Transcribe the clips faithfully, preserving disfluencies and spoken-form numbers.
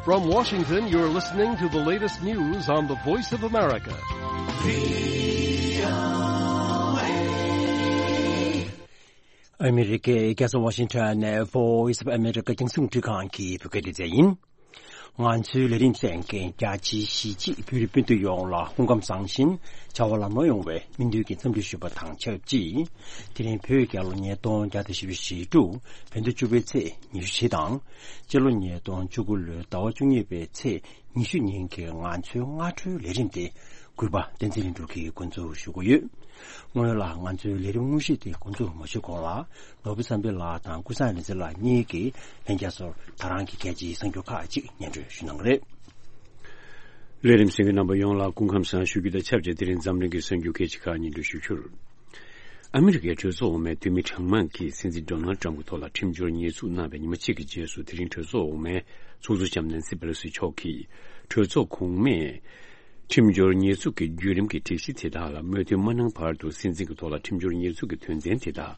From Washington, you're listening to the latest news on the Voice of America. ཨ་མི་རི་ཀའི་རྒྱལ་ས་ཝ་ཤིང་ཊོན་ནས་Voice of America རྒྱང་སྲིང་རླུང་འཕྲིན་ཁང་གི་བོད་སྐད་སྡེ་ཚན་ཡིན། ང་ཚོའི་ལས་རིམ་གསན་མཁན་རྒྱ་ཆེའི་གཞིས་བྱེས་བོད་རིགས་སྤུན་ཟླ་ཡོངས་ལ་སྐུ་ཁམས་བཟང་ཞིང་བྱ་བ་ལམ་ལྷོང་ཡོང་བའི་སྨོན་འདུན་གྱི་འཚམས་འདྲི་ཞུ་བ་དང་ཆབས་ཅིག་དེ་རིང་བོད་རྒྱལ་ལོ་ཉིས་སྟོང་བརྒྱ་དང་བཞི་བཅུ་ཞེ་དྲུག་བོད་ཟླ་བཅུ་པའི་ཚེས་ཉི་ཤུ་བཞི་དང་། སྤྱི་ལོ་ཉིས་སྟོང་བཅུ་དགུ་ལོའི་ཟླ་བ་བཅུ་གཉིས་པའི་ཚེས་ཉི་ཤུ་ཉིན་གྱི་ང་ཚོའི་སྔ་དྲོའི་ལས་རིམ་དེ་གུས་པ་བསྟན་འཛིན་ལྷུན་གྲུབ་ཀྱིས་འགོ་འཛུགས་ཞུ་གི་ཡོད། སྔོན་ལ་ང་ཚོའི་ལས་རིམ་དངོས་གཞི་དེ་འགོ་འཛུགས་མ་ཞུས་གོང་ལ། ནོར་བུ་བསམ་འཕེལ་ལགས་དང་ཀུན་བཟང་རིག་འཛིན་ལགས་གཉིས་ཀྱིས་ལྷན་རྒྱས་ཚོར་ད་རང་གི་གལ་ཆེའི་གསར་འགྱུར་ཁག་ཅིག་སྙན་སྒྲོན་ཞུ་གནང་གི་རེད། ལས་རིམ་གསན་མཁན་རྣམ་པ་ཡོངས་ལ་སྐུ་ཁམས་བཟང་ཞུ་རྒྱུ་དང་ཆབས་ཅིག་དེ་རིང་འཛམ་གླིང་གི་གསར་འགྱུར་གལ་ཆེ་ཁག་སྙན་སྒྲོན་ཞུ་རྒྱུར། ཨ་མི་རི་ཀའི་གྲོས་ཚོགས་འོག་མའི་འཐུས་མི་གྲངས་མང་གིས་སྲིད་འཛིན་ཌོ་ནལ་ཊམ་གྱི་ཐོག་ལ་ཁྲིམས་སྦྱོར་ཉེས་འཛུགས་གནང་བའི་ཉི་མ་གཅིག་གི་རྗེས་སུ་དེ་རིང་གྲོས་ཚོགས་འོག་མའི་ཚོགས་གཙོ་ལྕམ་ནན་སི་པེ་ལོ་སི་མཆོག་གིས་གྲོས་ཚོགས་གོང་མས། ཁྲིམས་སྦྱོར་ཉེས་འཛུགས་ཀྱི་བརྒྱུད་རིམ་གྱི་སྒྲིག་གཞི་དེ་དག་ལ་མོས་མཐུན་མ་གནང་བར་དུ་སྲིད་འཛིན་གྱི་ཐོག་ལ་ཁྲིམས་སྦྱོར་ཉེས་འཛུགས་ཀྱི་དོན་ཚན་དེ་དག་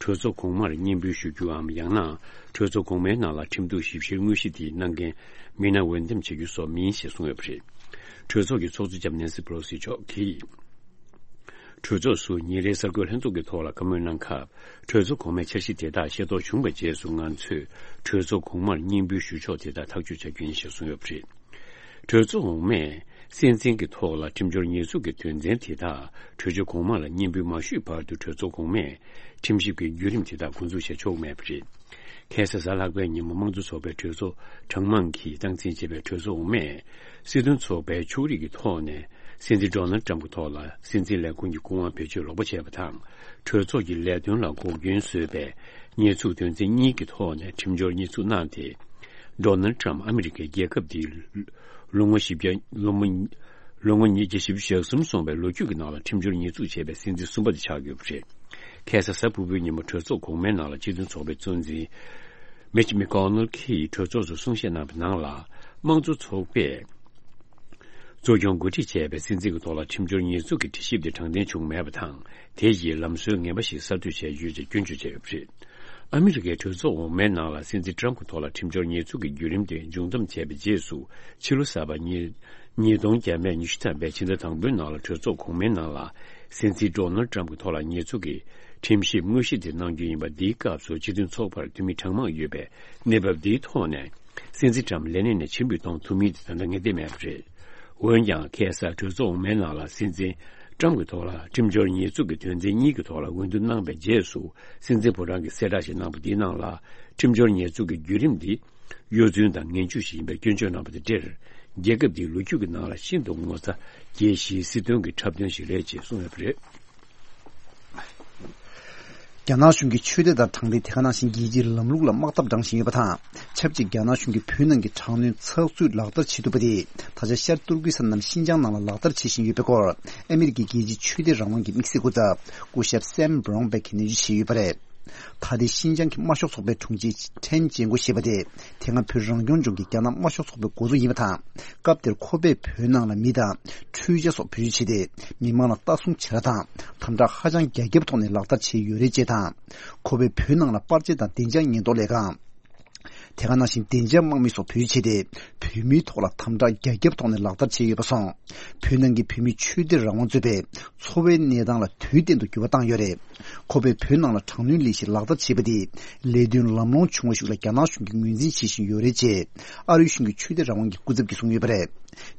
གྲོས་ཚོགས་གོང་མར་སྙན་འབུལ་ཞུ་རྒྱུའམ་ཡང་ན་གྲོས་ཚོགས་གོང་མའི་ནང་ལ་ཁྲིམས་གཏུག་ཞིབ་བཤེར་དངོས་གཞི་དེའི་གནང་འགན་མི་སྣ་འོས་འདེམས་བྱེད་རྒྱུ་སོགས་མིན་ཞེས་གསུངས་ཡོད་པ་རེད། གྲོས་ཚོགས་ཀྱི་ཚོགས་གཙོ་ལྕམ་ནན་སི་པེ་ལོ་སི་མཆོག་གིས། གྲོས་ཚོགས་སུ་ཉིན་རེའི་གསར་འགོད་ལྷན་ཚོགས་ཀྱི་ཐོག་ལ་བཀའ་མོལ་གནང་སྐབས། གྲོས་ཚོགས་གོང་མའི་འཆར་གཞི་དེ་དག་ཤེས་རྟོགས་བྱུང་བའི་རྗེས་སུ་ང་ཚོས་གྲོས་ཚོགས་གོང་མར་སྙན་འབུལ་ཞུ་ཕྱོགས་དེ་དག་ཐག་གཅོད་བྱ་རྒྱུ་ཡིན་ཞེས་གསུངས་ཡོད་པ་རེད། གྲོས་ཚོགས་འོག་མས་སྲིད་འཛིན་གྱི་ཐོག་ལ་ཁྲིམས་སྦྱོར་ཉེས་འཛུགས་ཀྱི་དོན་ཚན་དེ་དག་གྲོས་ཆོད་གོང་མ་ལ་སྙན་འབུལ་མ་ཞུས་བར་དུ་གྲོས་ཚོགས་གོང་མས་ཁྲིམས་ཞིབ་ཀྱི་བརྒྱུད་རིམ་དེ་དག་འགོ་འཛུགས་བྱེད་ཆོག་མེད་པ་རེད། ཁ་སང་གཟའ་ལྷག་པའི་ཉིན་མོ་དམངས་གཙོ་ཚོགས་པའི་གྲོས་ཚོགས་གྲངས་མང་གིས་སྟངས་འཛིན་བྱས་པའི་གྲོས་ཚོགས་འོག་མས། སྲིད་དོན་ཚོགས་པའི་ཕྱོགས་རིས་ཀྱི་ཐོག་ནས་སྲིད་འཛིན་ཌོ་ནལ་ཊམ་གྱི་ཐོག་ལ་སྲིད་འཛིན་ལས་ཁུངས་ཀྱི་སྐུ་དབང་བེད་སྤྱོད་ལོག་པ་བྱས་པ་དང་། གྲོས་ཚོགས་ཀྱི་ལས་དོན་ལ་འགོག་རྐྱེན་བཟོས་པའི་ཉེས་འཛུགས་དོན་ཚན་གཉིས་ཀྱི་ཐོག་ནས་ཁྲིམས་སྦྱོར་ཉེས་འཛུགས་གནང་སྟེ། ཌོ་ནལ་ཊམ་ཨ་མི་རི་ཀའི་རྒྱལ་ཁབ་འདིའི་ལོ་ངོ་བཞི་བརྒྱ་ལོ་ངོ་ལོ་ངོ་ཉིས་བརྒྱ་བཞི་བཅུ་ཞེ་གསུམ་སོང་བའི་ལོ་རྒྱུས་ཀྱི་ནང་ལ་ཁྲིམས་སྦྱོར་ཉེས་འཛུགས་བྱས་པའི་སྲིད་འཛིན་གསུམ་པ་དེ་ཆགས་ཡོད་པ་རེད། ཁ་སང་གཟའ་ཕུར་བུའི་ཉིན་མོ་གྲོས་ཚོགས་གོང་མའི་ནང་ལ་སྤྱི་མཐུན་ཚོགས་པའི་གཙོ་འཛིན་མིཆ་མེ་ཀོ་ནལ་གྱིས་གྲོས་ཚོགས་སུ་གསུང་བཤད་གནང་བའི་ནང་ལ། དམངས་གཙོ་ཚོགས་པས་གཙོ་སྐྱོང་འགོ་ཁྲིད་བྱས་པའི་སྲིད་འཛིན་གྱི་ཐོག་ལ་ཁྲིམས་སྦྱོར་ཉེས་འཛུགས་ཀྱི་དྲི་ཞིབ་དེ་དྲང་བདེན་བྱུང་མེད་པ་དང་། དེ་ཡིས་ལམ་སྲོལ་ངན་པ་ཞིག་གསར་གཏོད་བྱས་ཡོད་ཅེས་སྐྱོན་བརྗོད་བྱས་ཡོད་པ་རེད། ཨ་མི་རི་ཀའི་གྲོས་ཚོགས་འོག་མའི་ནང་ལ་སྲིད་འཛིན་ཊམ་གྱི་ཐོག་ལ་ཁྲིམས་སྦྱོར་ཉེས་འཛུགས་ཀྱི་བརྒྱུད་རིམ་དེ་མཇུག་བསྡོམས་བྱས་པའི་རྗེས་སུ། ཕྱི་ལོ་གསར་པ་ཉིས་ཉིས་སྟོང་བརྒྱ་མེད་ཉི་ཤུ་ཐམ་པའི་ཕྱི་ཟླ་དང་པོའི་ནང་ལ་གྲོས་ཚོགས་གོང་མའི་ནང་ལ་སྲིད་འཛིན་ཌོ་ནལ་ཊམ་གྱི་ཐོག་ལ་ཉེས་འཛུགས་ཀྱི་ཁྲིམས་ཞིབ་དངོས་གཞི་དེ་གནང་རྒྱུ་ཡིན་པ། འདིའི་སྐབས་སུ་སྤྱི་མཐུན་ཚོགས་པར་འཐུས་མི་གྲངས་མང་ཡོད་པས། གནས་བབ་འདིའི་ཐོག་ནས་སྲིད་འཛིན་ཊམ་ལས་གནས་ནས་ཕྱིར་འབུད་གཏོང་ཐུབ་མིན་དེ་ད་ལྟ་ངེས་གཏན་མེད་པ་རེད། འོན་ཀྱང་ཁ་སང་གྲོས་ཚོགས་འོག་མའི་ནང་ལ་སྲིད་འཛིན་ཊམ་གྱི་ཐོག་ལ་ཁྲིམས་སྦྱོར་ཉེས་འཛུགས་ཀྱི་དོན་ཚན་གཉིས་ཀྱི་ཐོག་ལ་འོས་བསྡུ་གནང་བའི་རྗེས་སུ། སྲིད་འཛིན་ཕོ་བྲང་གིས་གསལ་བསྒྲགས་ཤིག་གནང་བ་འདིའི་ནང་ལ། ཁྲིམས་སྦྱོར་ཉེས་འཛུགས་ཀྱི་བརྒྱུད་རིམ་འདི་གཡོ་རྫུན་དང་ངན་ཇུས་ཤིག་ཡིན་པའི་སྐྱོན་བརྗོད་གནང་བ་དང་འབྲེལ། རྒྱལ་ཁབ་འདིའི་ལོ་རྒྱུས་ཀྱི་ནང་ལ་ཤིན་ཏུ་ངོ་ཚ་རྒྱས་ཤིང་སྲིད་དོན་གྱི་འཁྲབ་སྟོན་ཞིག་རེད་ཅེས་གསུངས་ཡོད་པ་རེད། རྒྱ་ནག་གཞུང་གིས་ཆོས་དད་དང་དྲང་བདེན། དེ་ག་ནང་བཞིན་རྒྱལ་སྤྱིའི་ལམ་ལུགས་ལ་དམག་འཐབ་བགྲང་བཞིན་ཡོད་པ་དང་། ཆབས་ཅིག་རྒྱ་ནག་གཞུང་གིས་བོད་ནང་གི་དྲག་གནོན་ཚགས་ཚུད་ལག་བསྟར་བྱེད་ཐུབ་པ་དེ། ད་ཆ་ཤར་ཏུར་ཀི་སི་ཐན་ནམ་ཤིན་ཅང་ནང་ལ་ལག་བསྟར་བྱེད་བཞིན་ཡོད་པའི་སྐོར། ཨ་མི་རི་ཀའི་རྒྱལ་སྤྱིའི་ཆོས་དད་རང་དབང་གི་དམིགས་བསལ་སྐུ་ཚབ་སྐུ་ཞབས་སེམ་བྷ་རོན་བྷེག་གིས་ནན་བརྗོད་བྱས་ཡོད་པ་རེད། ད་ལྟའི་ཤིན་ཅང་གི་དམར་ཤོག་ཚོགས་པའི་དྲུང་ཆེ་ཁྲེན་ཅན་གོ་ཞེས་པ་དེ། དེ་སྔ་བོད་རང་སྐྱོང་ལྗོངས་ཀྱི་རྒྱ་ནག་དམར་ཤོག་ཚོགས་པའི་འགོ་གཙོ་ཡིན་པ་དང་། སྐབས་དེར་ཁོ་པས་བོད་ནང་ལ་མི་དང་འཕྲུལ་ཆས་སོགས་བེད་སྤྱོད་བྱས་ཏེ། མི་མང་ལ་ལྟ་སྲུང་བྱེད་ར་དང་། དམ་དྲག་ཧ་ཅང་རྒྱ་ཁྱབ་ཐོག་ནས་ལག་བསྟར་བྱས་ཡོད་རེད་ཅེས་དང་། ཁོ་པས་བོད་ནང་ལ་པར་ཆས་དང་བདེ་འཇགས་ཉེན་རྟོག་ལས་ཁང་། དེ་ག་ནང་བཞིན་བདེ་འཇགས་དམག་མི་སོགས་བེད་སྤྱོད་བྱས་ཏེ། བོད་མིའི་ཐོག་ལ་དམ་དྲག་རྒྱ་ཁྱབ་ཐོག་ནས་ལག་བསྟར་བྱས་ཡོད་པ་སོང་། བོད་ནང་གི་བོད་མིའི་ཆོས་དད་རང་དབང་རྩོད་པའི་འཚོ་བའི་གནས་སྟངས་ལ་དུས་གཏན་དུ་འགྱུར་བ་བཏང་ཡོད་རེད། ཁོ་པས་བོད་ནང་ལ་དྲག་གནོན་ལས་གཞི་ལག་བསྟར་བྱས་པ་དེས་ལས་དོན་ལམ་ལྷོང་བྱུང་བ་ཞིག་ལ་རྒྱ་ནག་གཞུང་གིས་ངོས་འཛིན་བྱེད་བཞིན་ཡོད་རེད་ཅེས། ཨ་རིའི་གཞུང་གི་ཆོས་དད་རང་དབང་གི་སྐུ་ཚབ་ཀྱིས་གསུངས་ཡོད་པ་རེད།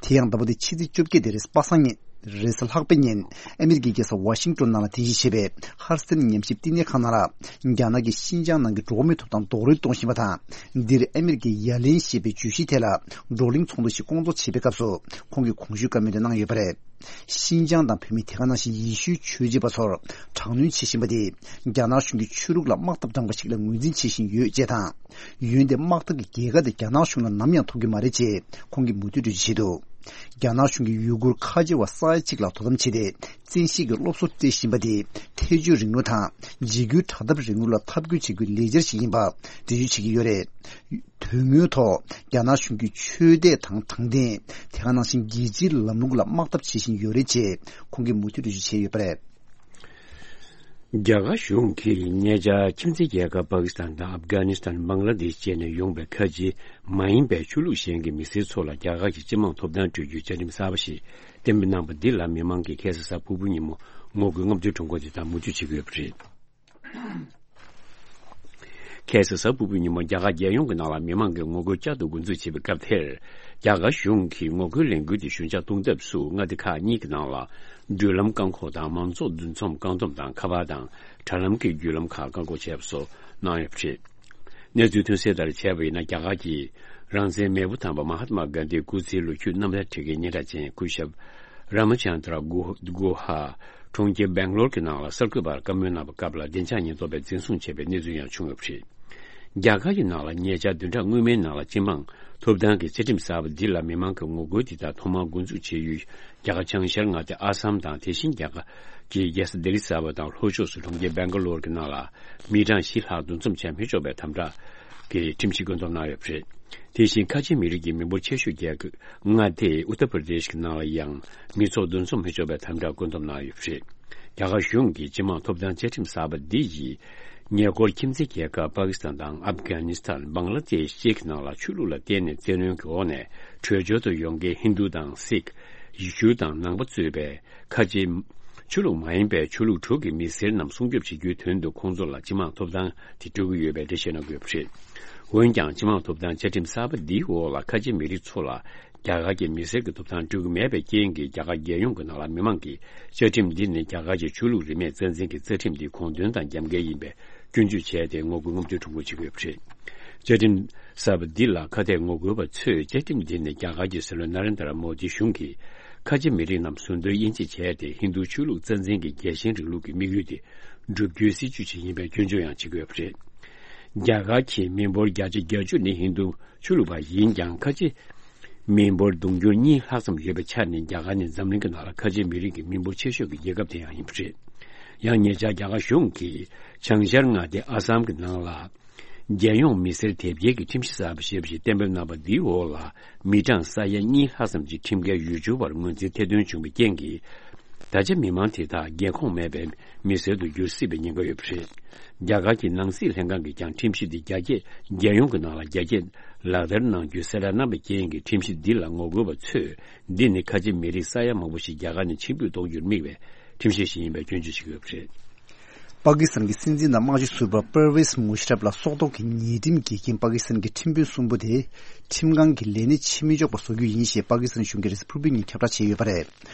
དེ་ཡང་ཟླ་བ་འདིའི་ཕྱི་ཚེས་བཅོ་བརྒྱད་དེ་རེས་པ་སངས་ཉིན། རེས་གཟའ་ལྷག་པའི་ཉིན། ཨ་མི་རི་ཀའི་རྒྱལ་ས་ཝ་ཤིང་ཏོན་ནང་ལ་རྟེན་གཞི་བྱས་པའི་ཧར་སན་ཉམས་ཞིབ་བསྟི་གནས་ཁང་ནང་ལ། རྒྱ་ནག་གིས་ཤིན་ཅང་ནང་གི་འགྲོ་བ་མིའི་ཐོབ་ཐང་རྡོག་རོལ་གཏོང་བཞིན་པ་དང་། འདིར་ཨ་མི་རི་ཀའི་ཡ་ལན་ཞེས་པའི་བརྗོད་གཞིའི་ཐད་ལ་བགྲོ་གླེང་ཚོགས་འདུ་ཞིག་བསྐོང་ཚོགས་བྱེད་པའི་སྐབས་སུ། ཁོང་གིས་གོང་ཞུས་བཀའ་མོལ་དེ་གནང་ཡོད་པ་རེད། ཤིན་ཅང་དང་བོད་མི། དེ་ག་ནང་བཞིན་ཡེ་ཤུའི་ཆོས་བྱེད་པ་ཚོར་དྲག་གནོན་བྱེད་བཞིན་པ་དེས། རྒྱ་ནག་གཞུང་གིས་ཆོས་ལུགས་ལ་དམག་འཐབ་བགྲངས་པ་ཞིག་ལ་ངོས་འཛིན་བྱེད་བཞིན་ཡོད་ཅེས་དང་། འོན་ཏེ་དམག་འཐབ་ཀྱི་རྒྱལ་ཁ་དེ་རྒྱ་ནག་གཞུང་ལ་ནམ་ཡང་ཐོབ་ཀྱི་མ་རེད་ཅེས་ཁོང་གིས་མུ་མཐུད་འགྲེལ་བརྗོད་བྱས་འདུག་རྒྱ་ནག་གཞུང་གིས་ཡུ་གུར་ཁ་ཆེ་བ་ས་ཡ་གཅིག་ལྷག་དོ་དམ་བྱས་ཏེ། བཙན་ཤེད་ཀྱིས་སློབ་གསོ་སྤྲད་བཞིན་པ་དེས་ཐེ་བྱུས་རིང་ལུགས་དང་འཇིགས་སྐུལ་དྲག་འཐབ་རིང་ལུགས་ལ་འཐབ་རྒོལ་བྱེད་རྒྱུའི་ལས་འཆར་ཞིག་ཡིན་པ་འགྲེལ་བརྗོད་བྱེད་ཀྱི་ཡོད་རེད། དོན་དངོས་ཐོག་རྒྱ་ནག་གཞུང་གིས་ཆོས་དད་དང་དྲང་བདེན། དེ་ག་ནང་བཞིན་རྒྱལ་སྤྱིའི་ལམ་ལུགས་ལ་དམག་འཐབ་བྱེད་བཞིན་ཡོད་རེད་ཅེས་ཁོང་གིས་མུ་མཐུད་འགྲེལ་བརྗོད་བྱས་ཡོད་པ་རེད། རྒྱ་གར་གཞུང་གིས་ཉེ་ཆར་ཁྱིམ་མཚེས་རྒྱལ་ཁབ་པ་ཀི་སི་ཐན་དང་ཨབ་གྷ་ནི་སི་ཐན། བང་ལ་དེཤ་བཅས་ནས་ཡོང་པའི་ཁ་ཆེ་མ་ཡིན་པའི་ཆོས་ལུགས་གཞན་གྱི་མི་སེར་ཚོ་ལ་རྒྱ་གར་གྱི་སྤྱི་དམངས་ཐོབ་ཐང་སྤྲོད་རྒྱུའི་བཅའ་ཁྲིམས་གསར་པ་ཞིག་གཏན་འབེབས་གནང་པ་འདི་ལ་མི་མང་གིས་ཁ་སང་གཟའ་ཕུར་བུའི་ཉིན་མོ་ངོ་རྒོལ་ལྔ་བཅུའི་གྲངས་འཁོར་དེ་དག་མུ་མཐུད་བྱེད་ཀྱི་ཡོད་པ་རེད། ཁ་སང་གཟའ་ཕུར་བུའི་ཉིན་མོ་རྒྱ་གར་རྒྱལ་ཡོངས་ཀྱི་ནང་ལ་མི་མང་གིས་ངོ་རྒོལ་བསྐྱར་དུ་འགོ་འཛུགས་བྱེད་པའི་སྐབས་དེར། རྒྱ་གར་གཞུང་གིས་ངོ་རྒོལ་ལས་འགུལ་དེ་ཞུན་ཆག་གཏོང་ཐབས་སུ་མངའ་སྡེ་ཁག་གཉིས་ཀྱི་ནང་ལ་མགྲོན་ལམ་བཀག་འགོག་དང་མང་ཚོགས་འདུ་འཛོམས་བཀག་སྡོམ་དང་ཁ་པར་དང་དྲ་ལམ་གྱི་བརྒྱུད་ལམ་ཁག་བཀག་འགོག་བྱས་པ་སོགས་གནང་ཡོད་པ་རེད། གནས་ཚུལ་ཐོན་གསལ་ལྟར་བྱས་པ་ཡིན་ན། རྒྱ་གར་གྱི་རང་བཙན་མེས་པོ་དམ་པ་མ་ཧཱ་ཏི་མ་གྷན་དྷིའི་སྐུ་ཚེའི་ལོ་རྒྱུས་རྣམ་ཐར་བྲིས་མཁན་སྙན་གྲགས་ཅན་སྐུ་ཞབས་ར་མ་ཅན་དྲ་གུ་ཧ་གྲོང་ཁྱེར་སྦེང་ལོར་གྱི་ནང་ལ་གསར་འགོད་པར་བཀའ་མོལ་གནང་བའི་སྐབས་ལ་བདེ་འཇགས་ཉེན་རྟོག་པས་འཛིན་བཟུང་བྱས་པའི་གནས་ཚུལ་ཡང་བྱུང་ཡོད་པ་རེད། རྒྱ་གར་གྱི་ནང་ལ་ཉེ་ཆར་བདུན་ཕྲག་སྔོན་མའི་ནང་ལ་སྤྱི་དམངས་ཐོབ་ཐང་གི་བཅའ་ཁྲིམས་གསར་པ་འདི་ལ་མི་མང་གི་ངོ་རྒོལ་འདི་དག་ཐོག་མར་འགོ་འཛུགས་བྱས་ཡུལ་རྒྱ་གར་བྱང་ཤར་མངའ་སྡེ་ཨ་སམ་དང་། དེ་བཞིན་རྒྱ་གར་གྱི་རྒྱལ་ས་ལྡི་ལི་གསར་པ་དང་ལྷོ་ཕྱོགས་སུ་གྲོང་ཁྱེར་སྦེང་ག་ལོར་གྱི་ནང་ལ་མི་གྲངས་བཞི་ལྷག་འདུ་འཛོམས་བྱ་མི་ཆོག་པའི་དམ་དྲག་གི་ཁྲིམས་གཞི་བཀོད་འདོམས་གནང་ཡོད་པ་རེད། དེ་བཞིན་ཁ་ཆེ་མི་རིགས་ཀྱི་མི་འབོར་ཆེ་ཤོས་རྒྱལ་ཁབ་མངའ་སྡེ་ཨུ་ཏར་པར་དེཤ་གི་ནང་ལ་ཡང་མི་ཚོགས་འདུ་འཛོམས་མི་ཆོག་པའི་དམ་དྲག་བཀོད་འདོམས་གནང་ཡོད་པ་རེད། རྒྱ་གར་གཞུང་གིས་སྤྱི་དམངས་ཐོབ་ཐང་བཅའ་ཁྲིམས་གསར་པ་འདི་ཡིས་ཉེ་འཁོར་ཁྱིམ་མཚེས་རྒྱལ་ཁབ་པ་ཀི་སི་ཐན་དང་ཨབ་གྷ་ནི་སི་ཐན། བང་ལ་དེཤ་བཅས་ཀྱི་ནང་ལ་ཆོས་ལུགས་ལ་བརྟེན་ནས་བཙན་གནོན་གྱི་འོག་ནས་བྲོས་བྱོལ་དུ་ཡོང་མཁན་ཧིན་རྡུ་དང་སིག་ཡེ་ཤུ་དང་ནང་པ་གཙོས་པའི་ཁ་ཆེ་ཆོས་ལུགས་མ་ཡིན་པའི་ཆོས་ལུགས་དྲུག་གི་མི་སེར་རྣམས་སྲུང་སྐྱོབ་བྱེད་རྒྱུའི་དོན་དུ་ཁོང་ཚོ་ལ་སྤྱི་དམངས་ཐོབ་ཐང་དེ་སྤྲོད་ཀྱི་ཡོད་པའི་འགྲེལ་བཤད་གནང་གི་ཡོད་པ་རེད། འོན་ཀྱང་། སྤྱི་དམངས་ཐོབ་ཐང་བཅའ་ཁྲིམས་གསར་པ་འདིའི་འོག་ལ་ཁ་ཆེ་མི་རིགས་ཚོ་ལ་རྒྱ་གར་གྱི་མི་སེར་གྱི་ཐོབ་ཐང་སྤྲོད་ཀྱི་མེད་པའི་རྐྱེན་གྱིས། རྒྱ་གར་རྒྱལ་ཡོངས་ཀྱི་ནང་ལ་མི་མང་གིས་བཅའ་ཁྲིམས་འདི་ནི་རྒྱ་གར་གྱི་ཆོས་ལུགས་རིས་མེད་རྩ་འཛིན་གྱི་རྩ་ཁྲིམས་འདི་གུང་དོན་དང་རྒྱབ་འགལ་ཡིན་པའི་སྐྱོན་བརྗོད་བྱས་ཏེ་ངོ་རྒོལ་ལྔ་བཅུའི་གྲངས་འབོར་བྱེད་ཀྱི་ཡོད་པ་རེད། བཅའ་ཁྲིམས་གསར་པ་འདི་ལ་ཁ་གཏད་ངོ་རྒོལ་བ་ཚོས། བཅའ་ཁྲིམས་འདི་ནི་རྒྱ་གར་གྱི་སྲིད་བློན་ན་རེན་དྲ་མོ་དི་གཞུང་གིས་ཁ་ཆེ་མི་རིགས་རྣམས་ཟུར་འདོན་དབྱེ་འབྱེད་བྱས་ཏེ། ཧིན་རྡུ་ཆོས་ལུགས་རྩ་འཛིན་གྱི་རྒྱལ་ཞེན་རིང་ལུགས་ཀྱི་དམིགས་ཡུལ་དེ་བསྒྲུབ་རྒྱུའི་སྲིད་ཇུས་ཤིག་ཡིན་པའི་སྐྱོན་བརྗོད་ཡང་བྱེད་ཀྱི་ཡོད་པ་རེད། རྒྱ་གར་གྱི་མི་འབོར་བརྒྱ་ཆ་བརྒྱད་ཅུ་ནི་ཧིན་རྡུ་ཆོས་ལུགས་པ་ཡིན་ཀྱང་། ཁ་ཆེ་མི་འབོར་དུང་ཕྱུར་གཉིས་ལྷག་ཙམ་ཡོད་པའི་ཆ་ནས། རྒྱ་གར་ནི་འཛམ་གླིང་གི་ནང་ལ་ཁ་ཆེ་མི་རིགས་ཀྱི་མི་འབོར་ཆེ་ཤོས་ཀྱི་རྒྱལ་ཁབ་དེ་ཡང་ཡིན་པ་རེད། ཡང་ཉེ་ཆར་རྒྱ་གར་གཞུང་གིས་བྱང་ཤར་མངའ་སྡེ་ཨ་སམ་གྱི་ནང་ལ། རྒྱལ་ཡོངས་མི་སེར་དེབ་སྐྱེལ་གྱི་ཁྲིམས་གཞི་གསར་པ་ཞེས་པ་ཞིག་གཏན་འབེབས་གནང་བ་འདིའི་འོག་ལ། མི་གྲངས་ས་ཡ་གཉིས་ལྷག་ཙམ་གྱི་ཁྲིམས་འགལ་ཡུལ་སྐྱོར་བར་ངོས་འཛིན་ཐེར་འདོན་བྱུང་བའི་རྐྱེན་གྱིས། ད་ཆ་མི་མང་དེ་དག་རྒྱལ་ཁོངས་མེད་པའི་མི་སེར་དུ་འགྱུར་སྲིད་པའི་ཉེན་ཁ་ཡོད་པ་རེད། རྒྱ་གར་གྱི་ནང་སྲིད་ལྷན་ཁང་གིས་ཀྱང་ཁྲིམས་གཞི་འདི་རྒྱ་སྐྱེད། རྒྱལ་ཡོངས་ཀྱི་ནང་ལ་རྒྱ་སྐྱེད་ལག་བསྟར་གནང་རྒྱུའི་གསལ་བསྒྲགས་གནང་བའི་རྐྱེན་གྱིས། ཁྲིམས་གཞི་འདི་ལ་ངོ་རྒོལ་བ་ཚོས། འདི་ནི་ཁ་ཆེ་མི་རིགས་ས་ཡ་མང་པོ་ཞིག་རྒྱ་གར་ནས་ཕྱིར་འབུད་གཏོང་རྒྱུར་དམིགས་པའི་ཁྲིམས་གཞི་ཞིག་ཡིན་པའི་སྐྱོན་བརྗོད་བྱེད་ཀྱི་ཡོད་པ་རེད། པ་ཀི་སི་ཐན་གྱི་སྲིད་འཛིན་དང་དམངས་གཙོའི་ཟུར་པ་པར་ཝེས་མུ་ཤ་རབ་ལ་སྲོག་ཐོག་གི་ཉེས་ཁྲིམས་འགེལ་རྐྱེན། པ་ཀི་སི་ཐན་གྱི་ཁྲིམས་དཔོན་གསུམ་པོ་དེ་ཁྲིམས་ཁང་གི་ལས་གནས་ཕྱིར་མི་འཇོག་པ་བཟོ་རྒྱུ་ཡིན་ཞེས་པ་ཀི་སི་ཐན་གཞུང་གིས་རེས་གཟའ་ཕུར་བུའི་ཉིན་ཁྱབ་བསྒྲགས་བྱས་ཡོད་པ་རེད།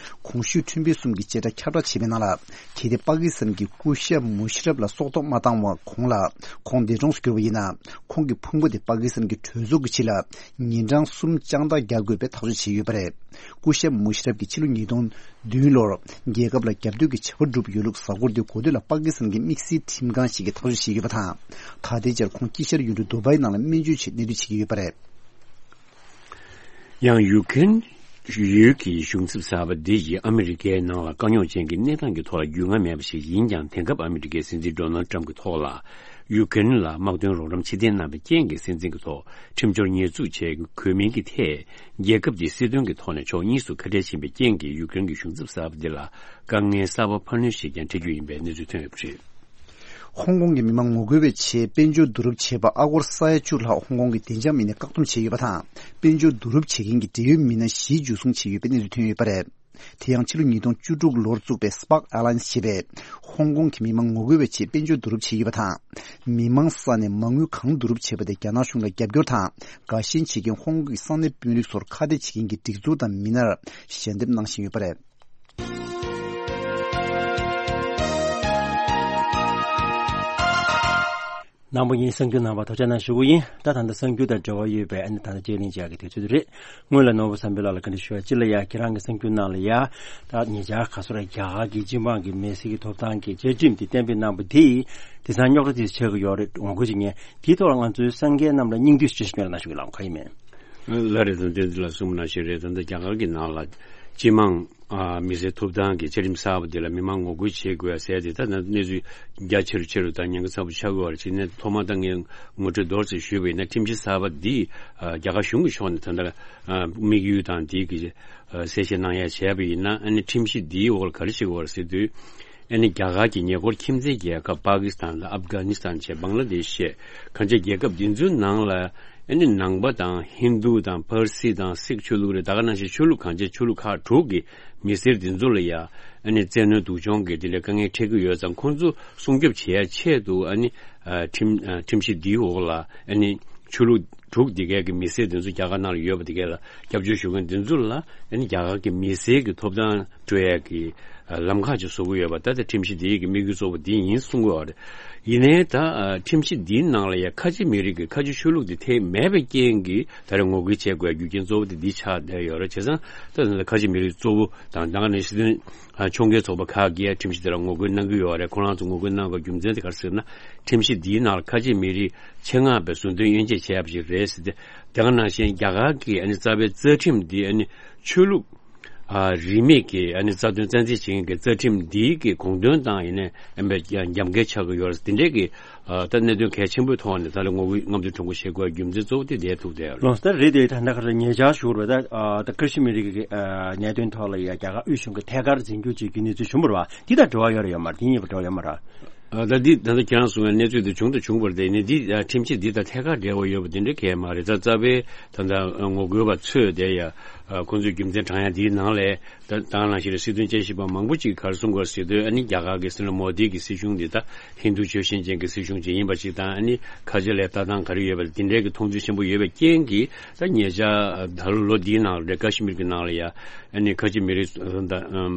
གོང་ཞུས་ཁྲིམས་དཔོན་གསུམ་གྱིས་བྱེ་བྲག་ཁྱབ་བསྒྲགས་བྱས་པའི་ནང་ལ། གལ་ཏེ་པ་ཀི་སི་ཐན་གྱི་སྐུ་ཞབས་མུ་ཤ་རབ་ལ་སྲོག་ཐོག་མ་བཏང་བར་གོང་ལ་ཁོང་འདས་གྲོངས་སུ་གྱུར་པ་ཡིན་ན། ཁོང་གི་ཕུང་པོ་དེ་པ་ཀི་སི་ཐན་གྱི་གྲོས་ཚོགས་ཀྱི་ཕྱི་ལ་ཉིན་གྲངས་གསུམ་དཔྱང་ཐག་རྒྱག་དགོས་པའི་ཐག་གཅོད་བྱས་ཡོད་པ་རེད། སྐུ་ཞབས་མུ་ཤ་རབ་ཀྱིས་ཕྱི་ལོ་ཉིས་སྟོང་བདུན་ལོར་རྒྱལ་ཁབ་ལ་རྒྱབ་གཏོད་ཀྱི་བྱ་བ་བསྒྲུབས་ཡོད་ལུགས་གཟའ་འཁོར་འདིའི་འགོ་སྟོད་ལ་པ་ཀི་སི་ཐན་གྱི་དམིགས་བསལ་ཁྲིམས་ཁང་ཞིག་གིས་ཐག་གཅོད་བྱས་ཡོད་པ་དང་། ད་ལྟའི་ཆར་ཁོང་དཀྱིལ་ཤར་ཡུལ་གྲུ་དུ་བྷའི་ནང་ལ་སྨན་བཅོས་ཆེད་གནས་སྡོད་བྱེད་ཀྱི་ཡོད་པ་རེད། ཡང་ཡུ་ཀེ་རེན་ཡུལ་གྱི་གཞུང་ཚབ་གསར་པ་འདི་ཡིས་ཨ་མི་རི་ཀའི་ནང་ལ་དཀའ་རྙོག་ཅན་གྱི་གནས་སྟངས་ཀྱི་ཐོག་ལ་རྒྱུས་མངའ་མེད་པ་ཞིག་ཡིན་ཀྱང་། དེང་སྐབས་ཨ་མི་རི་ཀའི་སྲིད་འཛིན་ཌོ་ནལ་ཊམ་གྱི་ཐོག་ལ་ཡུ་ཀེ་རེན་ལ་དམག་དོན་རོགས་རམ་ཕྱིར་འཐེན་གནང་བའི་རྐྱེན་གྱིས། སྲིད་འཛིན་གྱི་ཐོག་ཁྲིམས་སྦྱོར་ཉེས་འཛུགས་བྱས་དགོས་མིན་གྱི་ཐད། རྒྱལ་ཁབ་འདིའི་སྲིད་དོན་གྱི་ཐོག་ནས་ཕྱོགས་གཉིས་སུ་ཁ་བྲལ་ཕྱིན་པའི་རྐྱེན་གྱིས། ཡུཀ་རེན་གྱི་གཞུང་ཚབ་གསར་པ་འདི་ལ་དཀའ་ངལ་གསར་པ་འཕར་སྣོན་ཞིག་ཀྱང་འཕྲད་རྒྱུ་ཡིན་པའི་གནས་ཚུལ་ཐོན་ཡོད་པ་རེད། ཧོང་ཀོང་གི་མི་མང་ངོ་རྒོལ་བའི་ཆེད་དཔལ་འབྱོར་བསྡུ་རུབ་བྱས་པ། ཨ་སྒོར་ས་ཡ་བཅུ་ལྷག་ཧོང་ཀོང་གི་བདེ་འཇགས་མི་སྣས་བཀག་སྡོམ་བྱས་ཡོད་པ་དང་། དཔལ་འབྱོར་བསྡུ་རུབ་བྱེད་མཁན་གྱི་འབྲེལ་ཡོད་མི་སྣ་བཞི་འཇུ་བཟུང་བྱས་ཡོད་པའི་གནས་ཚུལ་ཐོན་ཡོད་པ་རེད། དེ་ཡང་ཕྱི་ལོ་ཉིས་སྟོང་བཅུ་དྲུག་ལོར་བཙུགས་པའི་Spark Alliance ཞེས་པས་ཧོང་ཀོང་གི་མི་མང་ངོ་རྒོལ་བའི་ཆེད་དཔལ་འབྱོར་བསྡུ་རུབ་བྱས་ཡོད་པ་དང་། མི་མང་ས་ནས་མ་དངུལ་གང་བསྡུ་རུབ་བྱས་པ་དེ་རྒྱ་ནག་གཞུང་ལ་རྒྱབ་སྐྱོར་དང་། དགའ་ཞེན་བྱེད་མཁན་ཧོང་ཀོང་གི་ས་གནས་དཔོན་རིགས་ཚོར་ཁ་གཏད་བྱེད་མཁན་གྱི་སྒྲིག་འཛུགས་དང་མི་སྣར་ཞལ་འདེབས་གནང་བཞིན་ཡོད་པ་རེད། ནང་པ་ཡིན་གསར་འགྱུར་ནང་པ་ཐོག་ཆ་ན་ཞུ་གི་ཡིན། ད་ད་ལྟ་གསར་འགྱུར་དང་འབྲེལ་བ་ཡོད་པའི་ཨ་ནི་ད་ལྟ་དཔྱད་གླེང་བྱ་གི་དུས་ཚོད་རེད། སྔོན་ལ་ནོར་བུ་བསམ་འཕེལ་ལགས་ལ་བཀའ་འདྲི་ཞུ་བ་སྤྱི་ལ་ཡ། ཁྱེད་རང་གི་གསར་འགྱུར་ནང་ལ་ཡ། ད་ཉེ་ཆར་ག་སོ་ར་རྒྱ་གར་གྱི་སྤྱི་འབངས་ཀྱི་མི་སེར་གྱི་ཐོབ་ཐང་གི་བཅའ་ཁྲིམས་དེ་གཏན་འབེབས་གནང་པ་དེས་དེང་སང་རྙོག་དྲ་དེ་ཆགས་ཀྱི་ཡོད་རེད། ངོ་རྒོལ་བྱེད་མཁན་དེའི་ཐོག་ལ་ང་ཚོའི་གསར་འགོད་རྣམས་ལ་སྙིང་བསྡུས་ཤིག་སྤྲད་ཤིག་སྨོན་ལམ་གནང་ཞུ་གི་ལགས། ག་ཡིན་མིན། ལགས་རེད། དོན་དེ་འདི་ལ་གསུངས་པ་ནང་བཞིན་རེད། ད་ལྟ་རྒྱ་གར་གྱི་ནང་ལ་སྤྱི་དམངས་ཨ་མི་སེར་ཐོབ་ཐང་གི་བཅའ་ཁྲིམས་གསར་པ་འདི་ལ་མི་མང་ངོ་རྒོལ་བྱེད་དགོས་ཟེར་ཏེ། ད་ནང་གནས་ཚུལ་རྒྱ་ཆེ་རུ་ཆེ་རུ་དང་ཉེན་ཁ་ཚ་པོ་ཆགས་ཀྱི་ཡོད་རེད། བྱས་ནས་ཐོག་མར་ད་ངས་ངོ་སྤྲོད་མདོར་ཙམ་ཞུས་པ་ཡིན་ན། ཁྲིམས་གཞི་གསར་པ་འདི་ཨ་རྒྱ་གར་གཞུང་གི་ཕྱོགས་ནས་ད་ལྟ་ཨ་དམིགས་ཡུལ་དང་འདི་གི་ཨ་གསལ་བཤད་གནང་ཡ་བྱས་པ་ཡིན་ན། ཨ་ནི་ཁྲིམས་གཞི་འདིའི་འོག་ལ་ག་རེ་བྱེད་དགོས་རེད་ཟེར་དུས། ཨ་ནི་རྒྱ་གར་གྱི་ཉེ་འཁོར་ཁྱིམ་མཚེས་རྒྱལ་ཁབ་པ་ཀི་སི་ཐན་དང་ཨབ་གྷ་ནི་སི་ཐན་བཅས་བང་ལ་དེ་ཤ་བྱས་གང་ཅི་རྒྱལ་ཁབ་འདི་ཚོའི་ནང་ལ་ཨ་ནི་ནང་པ་དང་ཧིན་དུ་དང་ཕར་སི་དང་སིག་ཆོས་ལུགས་རེད། ད་ག་ནང་བཞིན་ཆོས་ལུགས་གང་ཅི་ཆོས་ལུགས་ཁག་དྲུག་གི་མི་སེར་འདི་ཚོ་ལ་ཡ་ཨ་ནི་བཙན་གནོན་སྡུག་སྦྱོང་གི་དེ་འདྲའི་དཀའ་ངལ་འཕྲད་ཀྱི་ཡོད་ཙང་ཁོང་ཚོ་སྲུང་སྐྱོབ་བྱེད་ཡ་ཆེད་དུ་ཨ་ནི་ཨ་ཁྲིམས་ཨ་ཁྲིམས་གཞི་འདིའི་འོག་ལ་ཨ་ནི་ཆོས་ལུགས་དྲུག་འདི་གའི་གི་མི་སེར་འདི་ཚོ་རྒྱ་གར་ནང་ལ་ཡོད་པ་འདི་གའི་ལ་སྐྱབས་བཅོལ་ཞུ་མཁན་འདི་ཚོ་ལ་ཨ་ནི་རྒྱ་གར་གྱི་མི་སེར་གྱི་ཐོབ་ཐང་སྤྲོད་ཡ་གི་ལམ་ཁ་ཅིག་བཟོ་གི་ཡོད་པ། ད་ལྟ་ཁྲིམས་གཞི་འདི་གི་དམིགས་ཡུལ་གཙོ་བོ་འདི་ཡིན་གསུང་གི་ཡོད་རེད། ཡིན་ནའི་ད་ཁྲིམས་གཞི་འདིའི་ནང་ལ་ཡ་ཁ་ཆེ་མི་རིགས་ཀྱི་ཁ་ཆེ་ཆོས་ལུགས་འདི་ཐེ་མེད་པའི་རྐྱེན་གྱིས་ད་རེས་ངོ་རྒོལ་བྱེད་དགོས་རྒྱུ་རྐྱེན་གཙོ་བོ་དེ་འདི་ཆགས་བསྡད་ཡོད་རེད། བྱས་ཙང་ད་ཁ་ཆེ་མི་རིགས་གཙོ་བོ་དང་ད་ག་ནང་བཞིན་ཕྱོགས་འགལ་ཚོགས་པ་ཁག་གིས་ཁྲིམས་གཞི་དེ་ལ་ངོ་རྒོལ་གནང་གི་ཡོད་རེད། ཁོ་རང་ཚོ་ངོ་རྒོལ་གནང་དགོས་རྒྱུ་མཚན་དེ་ག་རེ་ཟེར་ན། ཁྲིམས་གཞི་འདིའི་ནང་ལ་ཁ་ཆེ་མི་རིགས་ཆེད་མངགས་པའི་ཟུར་འདོན་དབྱེ་འབྱེད་བྱས་པ་ཞིག་རེད་ཟེར་ཏེ། དེ་ག་ནང་བཞིན་རྒྱ་གར་གྱི་ཨ་ནི་རྩ་བའི་རྩ་ཁྲིམས་འདི་ཨ་ནི་ཆོས་ལུགས་ཨ་རིས་མེད་ཀྱི་ཨ་ནི་རྩ་དོན་རྩ་འཛིན་བྱེད་མཁན་གྱི་རྩ་ཁྲིམས་འདིའི་གི་དགོངས་དོན་དང་ཡིན་ནའི་ཨ་ནི་རྒྱབ་འགལ་ཆགས་ཀྱི་ཡོད་རེད། དེ་འདྲའི་གི་ཨ་ད་གནད་དོན་གལ་ཆེན་པོའི་ཐོག་ནས་ད་ལོ་ངོ་རྒོལ་རྔམ་སྟོན་ཁྲོམ་སྐོར་བྱེད་དགོས་རྒྱུ་མཚན་གཙོ་བོ་དེ་འདིར་ཐུག་བསྡད་ཡོད་རེད། ལགས་སོ། ད་རེད་དེ་ད་ལྟ་ག་རེ་ཉེ་ཆར་ཞུ་བར་ད་ཨ་ད་ཀ་ཤི་མིར་གྱི་ཨ་གནད་དོན་ཐོག་ལ་ཡ་རྒྱ་གར་དབུས་གཞུང་གི་ཐད་ཀར་འཛིན་སྐྱོང་བྱེད་རྒྱུའི་གནས་ཚུལ་བྱུང་བ་རེད་བ། འདི་དང་འབྲེལ་བ་ཡོད་རེད་ཡོད་མ་རེད། འདི་གཉིས་ཀྱི་འབྲེལ་བ་ཡོད་མ་རེད། ཨ་ད་འདི་ད་ལྟ་ཁྱེད་རང་གསུངས་པའི་གནས་ཚུལ་དེ་བྱུང་དང་བྱུང་བར་བརྟེན་ནས་འདི་ཨ་ཁྲིམས་གཞི་འདི་དང་ཐད་ཀར་འབྲེལ་བ་ཡོད་པ་འདི་འདྲ་གང་ཡང་མ་རེད། ད་རྩ་བའི་ད་ལྟ་ངོ་རྒོལ་བ་ཚོས་དེ་ཡ་ཨ་ཁོང་ཚོའི་རྒྱུ་མཚན་དྲངས་ཡ་འདིའི་ནང་ལས། ད་ད་ག་ནང་བཞིན་རེད། སྲིད་དོན་དཔྱད་ཞིབ་པ་མང་པོ་ཅིག་ག་རེ་གསུང་དགོས་ཟེར་དུས་ཨ་ནི་རྒྱ་གར་གྱི་སྲིད་བློན་མོ་དི་གི་སྲིད་གཞུང་འདི་ད་ཧིན་རྡུ་ཆོས་ཤེས་ཅན་གྱི་སྲིད་གཞུང་ཅིག་ཡིན་པ་ཅིག་དང་། ཨ་ནི་ཁ་ཆེ་ལ་ལྟ་སྟངས་ག་རེ་ཡོད་པ་དེ་འདྲའི་གི་མཐོང་ཚུལ་ཆེན་པོ་ཡོད་པའི་རྐྱེན་གྱིས་ད་ཉེ་ཆར་ད་ལོ་ལོ་འདིའི་ནང་ལ་རེད། ཀ་ཤི་མིར་གྱི་ནང་ལ་ཡ་ཨ་ནི་ཁ་ཆེ་མི་རིགས་ད་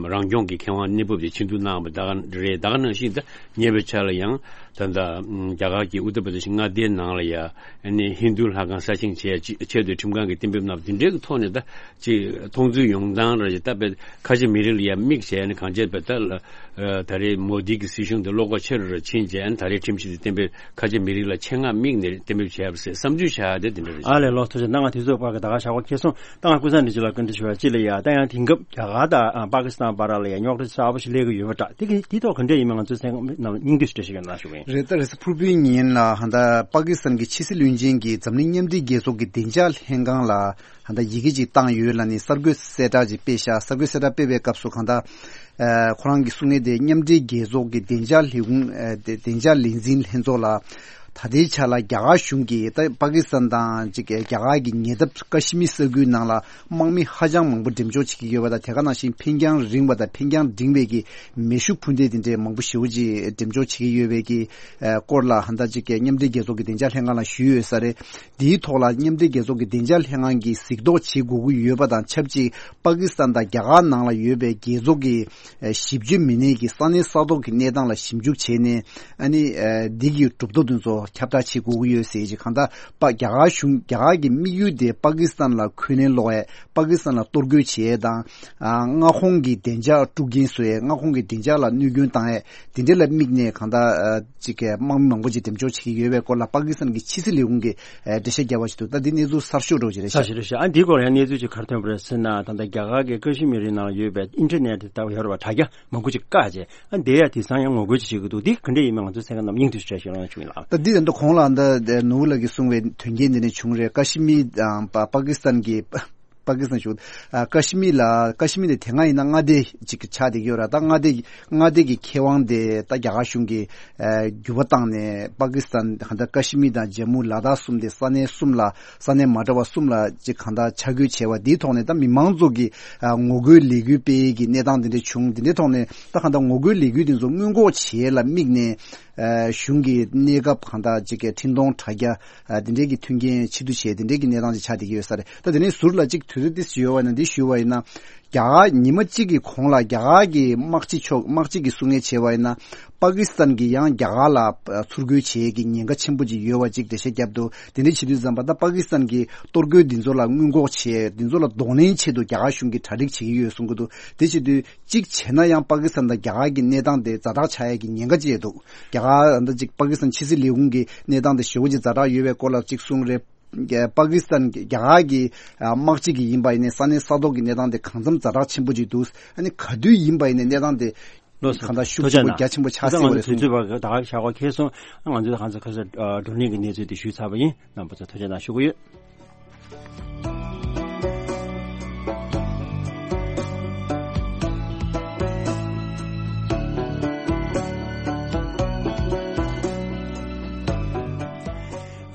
རང་སྐྱོང་གི་ཁེ་དབང་གནས་བབ་དེ་ཕྱིར་བསྡུ་གནང་བ་ད་ག་རེད། ད་ག་ནང་བཞིན་ད་ཉེ་བའི་ཆར་ལ་ཡང་ད་ད་རྒྱ་གར་གྱི་ཨུ་ཏར་པྲ་དེ་ཤི་མངའ་སྡེའི་ནང་ལ་ཡ་ཨ་ནི་ཧིན་རྡུ་ལྷ་ཁང་གསར་བཞེངས་བྱས་ཆེད་དུ་ཁྲིམས་ཁང་གིས་གཏན་འབེབས་གནང་བ་དེ་འདྲའི་གི་ཐོག་ནས་ད། ཅིག་མཐོང་ཚུལ་ཡོང་སྟངས་ར་ཅིག་ལྟ་བུ་ཁ་ཆེ་མི་རིགས་ལ་ཡ་དམིགས་བྱས་ནས་གང་བྱས་པ་ད་ལ་ཨ་ད་རེས་མོ་དི་གི་སྲིད་གཞུང་དེ་བློ་ཁོག་ཆེ་རུ་ར་ཕྱིན་བྱས་ནས་ད་རེས་ཁྲིམས་གཞི་དེ་གཏན་འབེབས་ཁ་ཆེ་མི་རིགས་ལ་ཆེད་མངགས་དམིགས་ནས་གཏན་འབེབས་བྱས་པ་ཟེར་བསམ་ཚུལ་བྱ་ཡ་དེ་དེ་འདྲ་རེད། ཨ་ལས། ལགས་སོ། ཐུགས་རྗེ་གནང་། ང་དུས་ཚོད་བར་གྱི་ད་ག་ཞག་པོ་ཁེལ་སོང་། ད་ང་ཀུན་བཟང་འདི་ཅི་ལ་བཀའ་འདྲི་ཞུ་བ་ཅི་ལ་ཡ། ད་ཡང་དེང་སྐབས་རྒྱ་གར་དང་ཨ་པ་ཀི་སི་ཐན་བར་ལ་ཡ་རྙོག་དྲ་གསར་པ་ཞིག་སླེབས་ཀྱི་ཡོད་པ་འདྲ། དེ་གི་དེ་ཐོག་ག་འདྲས་ཡིན་མིན་ང་ཚོའི་གསན་མཁན་རྣམས་སྙིང་བསྡུས་ཤིག་འགྲེལ་བཤད་གནང་ཞུ་གི་ཡིན། རེད། ད་རེས་ཕུར་བུའི་ཉིན་ལ་ཧ་ད་པ་ཀི་སི་ཐན་གྱི་ཕྱི་སྲིད་བློན་ཆེན་གྱིས་འཛམ་གླིང་མཉམ་འབྲེལ་རྒྱལ་ཚོགས་ཀྱི་བདེ་འཇགས་ལྷན་ཁང་ལ་ད་ལྟ་ཡི་གེ་ཅིག་བཏང་ཡོད་ལ་ནི་གསར་འགོད་གསལ་བསྒྲགས་ཅིག་སྤེལ་ཤག་གསར་འགོད་གསལ་བསྒྲགས་སྤེལ་བའི་སྐབས་སུ་གང་ལྟར། ཨ་ཁོ་རང་གིས་གསུང་མཁན་དེ་མཉམ་འབྲེལ་རྒྱལ་ཚོགས་ཀྱི་བདེ་འཇགས་ལས་ཁུངས་ཨ་བདེ་བདེ་འཇགས་ལས་འཛིན་ལྷན་ཚོགས་ལ་ད་ལྟའི་ཆ་ལ་རྒྱ་གར་གཞུང་གིས་ད་པ་ཀི་སི་ཐན་དང་ཅིག་རྒྱ་གར་གྱི་ཉེ་འདབས་ཀ་ཤི་མིར་ས་ཁུལ་ནང་ལ་དམག་མི་ཧ་ཅང་མང་པོ་འགྲེམས་འཇོག་བྱེད་ཀྱི་ཡོད་པ་དང་། དེ་ག་ནང་བཞིན་འཕེན་རྒྱང་རིང་བ་དང་འཕེན་རྒྱང་འབྲིང་བའི་གི་མེ་ཤུགས་འཕུར་མདེལ་དེ་འདྲའི་མང་པོ་ཞེ་པོ་ཅིག་འགྲེམས་འཇོག་བྱེད་ཀྱི་ཡོད་པའི་གི་ཨ་སྐོར་ལ་ཧ་ད་ཅིག་མཉམ་འབྲེལ་རྒྱལ་ཚོགས་ཀྱི་བདེ་འཇགས་ལྷན་ཁང་ལ་ཞུས་ཡོད་ས་རེད། དེའི་ཐོག་ལ་མཉམ་འབྲེལ་རྒྱལ་ཚོགས་ཀྱི་བདེ་འཇགས་ལྷན་ཁང་གིས་གཟིགས་རྟོག་བྱེད་དགོས་ཀྱི་ཡོད་པ་དང་ཆབས་ཅིག་པ་ཀི་སི་ཐན་དང་རྒྱ་གར་ནང་ལ་ཡོད་པའི་རྒྱལ་ཚོགས་ཀྱི་ཨ་ཞིབ་དཔྱོད་མི་སྣས་ཀྱི་ས་གནས་ས་ཐོག་གི་གནས་སྟངས་ལ་ཞིབ་འཇུག་བྱས་ནས་ཨ་ནི་ཨ་འདི་གི་གྲུབ་ཐོབ་དེ་ཚོ་ཁྱབ་བསྒྲགས་བྱེད་དགོས་ཀྱི་ཡོད་ཟེར་ཅིག་གང་ལྟར་པ་རྒྱ་གར་གཞུང་རྒྱ་གར་གྱི་དམིགས་ཡུལ་དེ་པ་ཀི་སི་ཐན་ལ་འཁོན་ལན་སློག་ཡས། པ་ཀི་སི་ཐན་ལ་གཏོར་རྒོལ་བྱེད་ཡས་དང་། ཨ་མངའ་ཁོངས་ཀྱི་བདེ་འཇགས་དཀྲུག་རྐྱེན་བཟོ་ཡས། མངའ་ཁོངས་ཀྱི་བདེ་འཇགས་ལ་གནོད་སྐྱོན་བཏང་ཡས། དེ་འདྲ་ལ་དམིགས་ནས་གང་ལྟར་ཨ་ཅིག་གི་དམག་མི་མང་པོ་ཅིག་འགྲེམས་འཇོག་བྱེད་ཀྱི་ཡོད་པའི་སྐོར་ལ་པ་ཀི་སི་ཐན་གྱི་ཕྱི་སྲིད་ལས་ཁུངས་ཀྱིས་ཨ་འགྲེལ་བཤད་བརྒྱབ་པ་ཞིག་འདུག་ད་འདི་གནས་ཚུལ་གསར་ཤོས་འདྲ་བོ་ཅིག་རེད་ཤག་གསར་ཤོས་རེད་ཤག་ཨ་འདིའི་སྐོར་ལ་ཡང་གནས་ཚུལ་ཅིག་ག་རེ་ཐོན་པ་རེད་ཟེར་ན། ད་ལྟ་རྒྱ་གར་གྱི་ཀ་ཤི་མིར་རི་ནང་ལ་ཡོད་པའི་ཨིན་ཊར་ནེཊ་ལྟ་བུ་ཡོད་རེད་པ། དྲ་རྒྱ་མང་པོ་ཅིག་བཀག་བྱས། ཨ་འདི་ཡ་དེང་སང་ཡང་ངོ་རྒོལ་ཅིག་བྱེད་ཀྱི་འདུག་འདི་ག་འདྲས་ཡིན་མིན་ང་ཚོའི་གསན་མཁན་རྣམས་སྙིང་བསྡུས་ཤིག་འགྲེལ་བཤད་གནང་ཞུ་གི་ཡིན་ལགས། ད་འདི་ད་ལྟ་གོང་ལ་ད་ནོར་བུ་ལགས་ཀྱིས་གསུངས་པའི་དོན་རྐྱེན་འདི་ནས་བྱུང་རེད། ཀ་ཤི་མིར་དང་པ་པ་ཀི་སི་ཐན་གྱི་པ་ཀི་སི་ཐན་ཞུ། ཨ་ཀ་ཤི་མིར་ལ་ཀ་ཤི་མིར་དེ་དེ་སྔ་ཡིན་ན་མངའ་སྡེ་ཅིག་ཆགས་བསྡད་ཀྱི་ཡོད་རེད། ད་མངའ་སྡེ་མངའ་སྡེ་གི་ཁེ་དབང་དེ་ད་རྒྱ་གར་གཞུང་གིས་ཨ་འགྱུར་བ་བཏང་ནས་པ་ཀི་སི་ཐན་ད་ཀ་ཤི་མིར་དང་ཇམ་མུ་ལ་དྭགས་གསུམ་དེ་ས་གནས་གསུམ་ལ་ས་གནས་མ་འདྲ་བ་གསུམ་ལ་ཅིག་གང་ལྟར་ཆ་བགོས་བྱས་པ་འདིའི་ཐོག་ནས་ད་མི་མང་ཚོ་གིས་ཨ་ངོ་རྒོལ་ལས་འགུལ་སྤེལ་གྱི་གནས་སྟངས་དེ་འདྲ་བྱུང་། དེ་འདྲའི་ཐོག་ནས་ད་གང་ལྟར་ངོ་རྒོལ་ལས་འགུལ་དེ་ཚོ་སྔོན་འགོག་བྱེད་ཡས་ལ་དམིགས་ནས། ཨ་གཞུང་གི་གནས་སྐབས་གང་ལྟར་ཅིག་གི་འཕྲིན་གཏོང་དྲ་རྒྱ་ཨ་དེ་འདྲའི་གི་མཐུན་རྐྱེན་ཕྱིར་བསྡུ་བྱས་དེ་འདྲའི་གི་གནས་སྟངས་ཅིག་ཆགས་བསྡད་ཀྱི་ཡོད་ས་རེད། ད་དེ་ནས་ཟུར་ལ་ཅིག་དུས་ཚོད་ཏོག་ཙམ་ཡོད་པ་ཡིན་ན་འདི་ཞུས་པ་ཡིན་ན། རྒྱ་གར་ཉི་མ་གཅིག་གི་གོང་ལ་རྒྱ་གར་གྱི་དམག་སྤྱི་ཕྱོགས་དམག་སྤྱི་གིས་གསུང་མཁན་བྱས་པ་ཡིན་ན། པ་ཀི་སི་ཐན་གྱིས་ཡང་རྒྱ་གར་ལ་ཨ་ཚུར་རྒོལ་བྱེད་ཀྱི་ཉེན་ཁ་ཆེན་པོ་ཅིག་ཡོད་པ་ཅིག་འགྲེལ་བཤད་བརྒྱབ་འདུག་དེ་འདྲ་བྱེད་དུས་ཙམ་པ་ད་པ་ཀི་སི་ཐན་གྱིས་གཏོར་རྒོལ་འདི་ཚོ་ལ་སྔོན་འགོག་བྱེད་འདི་ཚོ་ལ་གདོང་ལེན་ཆེད་དུ་རྒྱ་གར་གཞུང་གིས་གྲ་སྒྲིག་བྱེད་ཀྱི་ཡོད་གསུང་གི་འདུག་དེ་བྱེད་དུས། གཅིག་བྱས་ན་ཡང་པ་ཀི་སི་ཐན་དང་རྒྱ་གར་གྱི་གནས་སྟངས་དེ་ཛ་དྲག་ཆགས་ཡས་ཀྱི་ཉེན་ཁ་ཅིག་འདུག་རྒྱ་གར་ད་ཅིག་པ་ཀི་སི་ཐན་ཕྱི་སྲིད་ལས་ཁུངས་ཀྱི་གནས་སྟངས་དེ་ཞེ་པོ་ཅིག་ཛ་དྲག་ཡོད་པའི་སྐོར་ལ་ཅིག་གསུངས་རེད། པ་ཀི་སི་ཐན་རྒྱ་གར་གྱི་དམག་སྤྱི་གི་ཡིན་པ་ཡིན་ནའི་ས་གནས་ས་ཐོག་གི་གནས་སྟངས་དེ་གང་འཚམ་ཛ་དྲག་ཆེན་པོ་ཅིག་འདུག་ཨ་ནི་ག་དུས་ཡིན་པ་ཡིན་ནའི་གནས་སྟངས་དེ་ལགས་སོ། གང་ལྟར་ཤུགས་ཆེན་པོ་རྒྱ་ཆེན་པོ་ཆགས་སྲིད་པ་རེད་གསུངས། ད་ང་ཚོའི་དུས་ཚོད་བར་ད་ག་ཞག་པོ་ཁེལ་སོང་། ང་ཚོས་གང་ཚ་ཁ་ས་བགྲོ་གླེང་གི་གནས་ཚུལ་དེ་ཞུས་ཚར་བ་ཡིན། རྣམ་པ་ཚོ་ཐུགས་རྗེ་གནང་ཞུ་གི་ཡོད།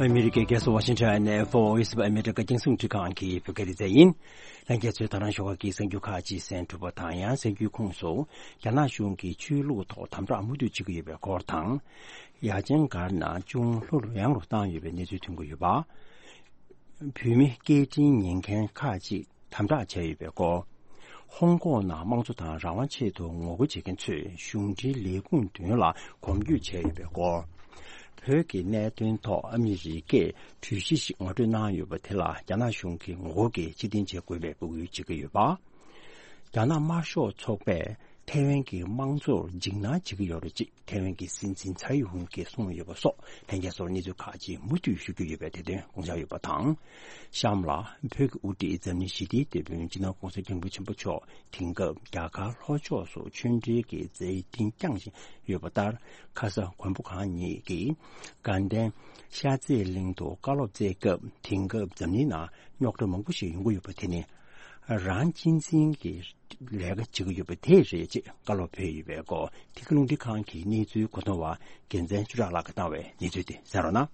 ཨ་མི་རི་ཀའི་རྒྱལ་ས་ཝ་ཤིང་ཊོན་ནས་Voice of America རྒྱང་སྲིང་རླུང་འཕྲིན་ཁང་གི་བོད་སྐད་སྡེ་ཚན་ཡིན། ལྷན་རྒྱས་ཚོས་ད་རང་ཞོགས་ཀ་གི་གསར་འགྱུར་ཁག་ཅིག་གསན་གྲུབ་པ་དང་། ཡང་གསར་འགྱུར་ཁོངས་སུ་རྒྱ་ནག་གཞུང་གིས་ཆོས་ལུགས་ཐོག་དམ་དྲག་མུ་མཐུད་བྱེད་ཀྱི་ཡོད་པའི་སྐོར་དང་། ཡ་ཅན་སྒར་ནང་ཅུང་ལྷོ་རུ་ཡངས་རུ་བཏང་ཡོད་པའི་གནས་ཚུལ་ཐོན་གྱི་ཡོད་པ། བོད་མི་སྐད་འཕྲིན་ཉན་མཁན་ཁག་ཅིག་དམ་དྲག་བྱས་ཡོད་པའི་སྐོར། ཧོང་ཀོང་ནང་དམངས་གཙོ་དང་རང་དབང་ཆེད་དུ་ངོ་རྒོལ་བྱེད་མཁན་ཚོས་གཞུང་འབྲེལ་ལས་ཁུངས་མདུན་ལ་གོམ་བགྲོད་བྱས་ཡོད་པའི་སྐོར། བོད་ཀྱི་གནད་དོན་ཐོག་ཨ་མི་རི་ཀས་གྲོས་གཞི་ཞིག་ངོ་སྤྲོད་གནང་ཡོད་པ་དེ་ལ་རྒྱ་ནག་གཞུང་གིས་ངོ་རྒོལ་གྱིས་ཕྱིར་འཐེན་བྱེད་དགོས་པའི་འབོད་སྐུལ་བྱེད་ཀྱི་ཡོད་པ། རྒྱ་ནག་དམར་ཤོག་ཚོགས་པས་ཐའེ་ཝན་གྱི་དམངས་གཙོར་འཇིགས་སྣང་བྱེད་ཀྱི་ཡོད་རེད་ཅེས་ཐའེ་ཝན་གྱི་སྲིད་འཛིན་ཚའེ་ཧུང་གིས་གསུངས་ཡོད་པ་སོགས་ལྷན་རྒྱས་ཚོར་གནས་ཚུལ་ཁག་ཅིག་མུ་མཐུད་ཞུ་རྒྱུ་ཡོད་པའི་དེ་དོན་དགོངས་འཇགས་ཡོད་པ་དང་། གཤམ་ལ་བོད་ཀྱི་དབུ་ཁྲིད་འཛམ་གླིང་ཞི་བདེའི་དེད་དཔོན་སྤྱི་ནོར་༸གོང་ས་༸སྐྱབས་མགོན་ཆེན་པོ་མཆོག་དེང་སྐབས་རྒྱ་གར་ལྷོ་ཕྱོགས་སུ་ཆོས་འབྲེལ་གྱི་མཛད་འཕྲིན་བསྐྱངས་བཞིན་ཡོད་པ་ལྟར། ཁ་ས་མགོན་པོ་གང་ཉིད་ཀྱིས་དགའ་ལྡན་ཤར་རྩེ་གླིང་དུ་བཀའ་སློབ་སྩལ་སྐབས། དེང་སྐབས་འཛམ་གླིང་ནང་རྙོག་དྲ་མང་པོ་ཞིག་ཡོང་གི་ཡོད་པ་དེ་ནི་རང་གཅེས་འཛིན་གྱི་ལས་ཀ་བྱེད་ཀྱི་ཡོད་པ་དེ་རེད་ཅེས་བཀའ་སློབ་ཕེབས་ཡོད་པའི་སྐོར། ཐད་ཀར་རླུང་འཕྲིན་ཁང་གི་གནས་ཚུལ་གོ་བསྡུར་བ་རྒྱལ་མཚན་ཆོས་གྲགས་ལགས་ཀྱིས་བཏང་བའི་གནས་ཚུལ་དེ་གསན་རོགས་གནང་།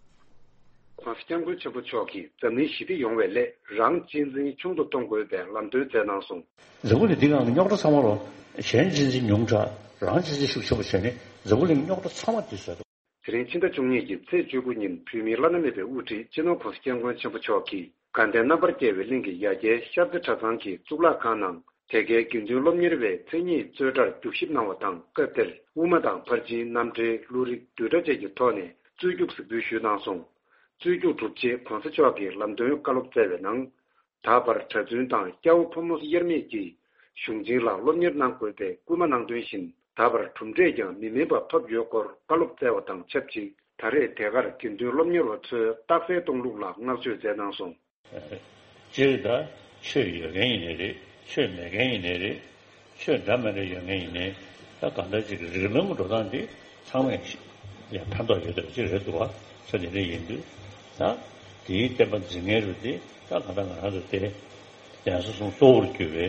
༸གོང་ས་༸སྐྱབས་མགོན་ཆེན་པོ་མཆོག་གིས་འཛམ་གླིང་ཞི་བདེ་ཡོང་བའི་སླད་རང་གཅེས་འཛིན་ཆུང་དུ་གཏོང་དགོས་པའི་ལམ་སྟོན་བསྩལ་གནང་སོང་། འཛམ་བུ་གླིང་འདི་སྒང་གི་རྙོག་དྲ་ཚང་མ་ལོ། གཞན་གཅེས་འཛིན་ཉུང་དྲགས། རང་གཅེས་འཛིན་ཤུགས་ཆེན་པོ་བྱས་ནས་འཛམ་བུ་གླིང་རྙོག་དྲ་ཚང་མ་འདི་བཟོས་འདུག། དེ་རིང་ཕྱི་ཟླ་བཅུ་གཉིས་ཀྱི་ཚེས་བཅུ་དགུ་ཉིན་བོད་མིའི་བླ་ན་མེད་པའི་དབུ་ཁྲིད་སྤྱི་ནོར་༸གོང་ས་༸སྐྱབས་མགོན་ཆེན་པོ་མཆོག་གིས་དགའ་ལྡན་རྣམ་པར་རྒྱལ་བའི་གླིང་གི་ཡ་གྱལ་ཤར་རྩེ་གྲྭ་ཚང་གི་གཙུག་ལག་ཁང་ནང་དེ་གའི་དགེ་འདུན་སློབ་གཉེར་བའི་མཚན་ཉིད་རྩོད་གྲྭར་རྒྱུགས་ཞིབ་གནང་བ་དང་། སྐབས་དེར་དབུ་མ་དང་ཕར་ཕྱིན་རྣམ་འགྲེལ་བློ་རིག་བསྡུས་གྲྭ་བཅས་ཀྱི་ཐོག་ནས་རྩོད་རྒྱུགས་གཟིགས་འབུལ་ཞུས་གནང་སོང་། རྩོད་རྒྱུགས་གྲུབ་རྗེས་༸གོང་ས་མཆོག་གིས་ལམ་སྟོན་བཀའ་སློབ་སྩལ་བའི་ནང་། ད་བར་གྲྭ་བཙུན་དང་སྐྱ་བོ་ཕོ་མོ་དབྱེར་མེད་ཀྱིས་གཞུང་ཆེན་ལ་སློབ་གཉེར་གནང་དགོས་པའི་སྐུལ་མ་གནང་དོན་བཞིན། ད་བར་གྲུབ་འབྲས་ཀྱང་མི་དམན་པ་ཐོབ་ཡོད་སྐོར་བཀའ་སློབ་སྩལ་བ་དང་ཆབས་ཅིག། ད་རེས་དེ་གར་དགེ་འདུན་སློབ་གཉེར་བ་ཚོའི་རྟགས་གསལ་གཏོང་ལུགས་ལ་བསྔགས་བརྗོད་མཛད་གནང་སོང་། སྤྱིར་ད་ཆོས་ཡོད་མཁན་ཡིན་ནའི་རེད། ཆོས་མེད་མཁན་ཡིན་ནའི་རེད། ཆོས་འདྲ་མི་འདྲ་ཡོད་མཁན་ཡིན་ནའི། ད་གང་ལྟར་ཅིག་རིགས་ལམ་གྱི་འགྲོ་སྟངས་འདི་ཚང་མས་ཡང་ཕན་ཐོགས་ཡོད་དོ་ཅིག་རེད་འདུག་བ། ས་དེ་འདྲ་ཡིན་དུས་ད་དེའི་བསྟན་པ་འཛིན་མཁན་རུ་དེ་ད་གང་ལྟར་ང་རང་ཚོ་དེ་གདན་ས་གསུམ་གཙོ་བོར་གྱུར་པའི་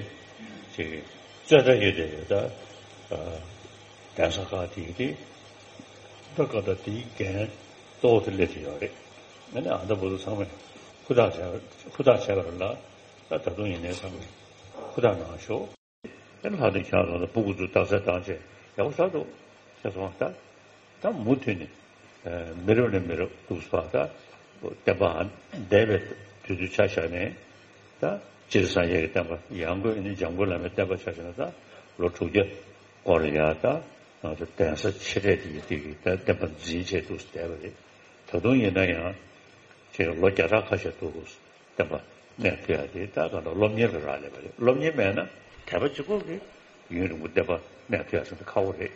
ཅིག་རྩོད་གྲྭ་ཡོད་དེ་ཡོད་ད། གདན་ས་ཁག་དེའི་དེ་ད་གང་ལྟར་དེའི་འགན་གཙོ་བོ་དེ་སླེབས་ཀྱི་ཡོད་རེད། ཨ་ནི་ཨ་ད་བུ་ཚོ་ཚང་མས་ཧུར་ཐག་བྱས་ཧུར་ཐག་བྱས་པ་རེད་ལ། ད་ད་དུང་ཡིན་ནའི་ཚང་མས་ཧུར་ཐག་གནང་ཤོག། ཨེ་ལྷག་དེ་ཁྱེད་རང་ཚོ་ཕྲུ་གུ་ཚོ་རྟགས་གསལ་བཏང་བྱས་ཡག་པོ་ཆགས་འདུག་ཟེར་སོང་། ད་ད་མུ་མཐུད་ནས་མི་རབས་ནས་མི་རབས་འདུག་སེ་ད་བསྟན་པ་འདས་པའི་དུས་ཚོད་ཆ་བཞག་ནས། ད་སྤྱིར་སངས་རྒྱས་ཀྱི་བསྟན་པ། ཡང་སྒོས་ནི་འཇམ་མགོན་བླ་མའི་བསྟན་པ་ཆ་བཞག་ན་ད་ལོ་དྲུག་བརྒྱ་སྐོར་ཡ་ད་ང་ཚོ་གདན་ས་ཆེ་གྲས་དེ་ཡི་དེ་གི་ད་བསྟན་པ་འཛིན་བྱས་འདུག་སེ་བསྡད་པ་རེད། ད་དུང་ཡིན་ན་ཡང་ཅིག་ལོ་བརྒྱ་ཕྲག་ཁ་ཤས་འདུག་སེ་བསྟན་པ་གནས་ཐུབ་ཡ་དེ་ད་གང་ལྟར་སློབ་གཉེར་ལ་རག་ལས་པ་རེད། སློབ་གཉེར་མེད་ན་དད་པ་གཅིག་པོ་གིས་ཡུན་རིང་པོ་བསྟན་པ་གནས་ཐུབ་ཡ་ཞིག་ད་ཁག་པོ་རེད།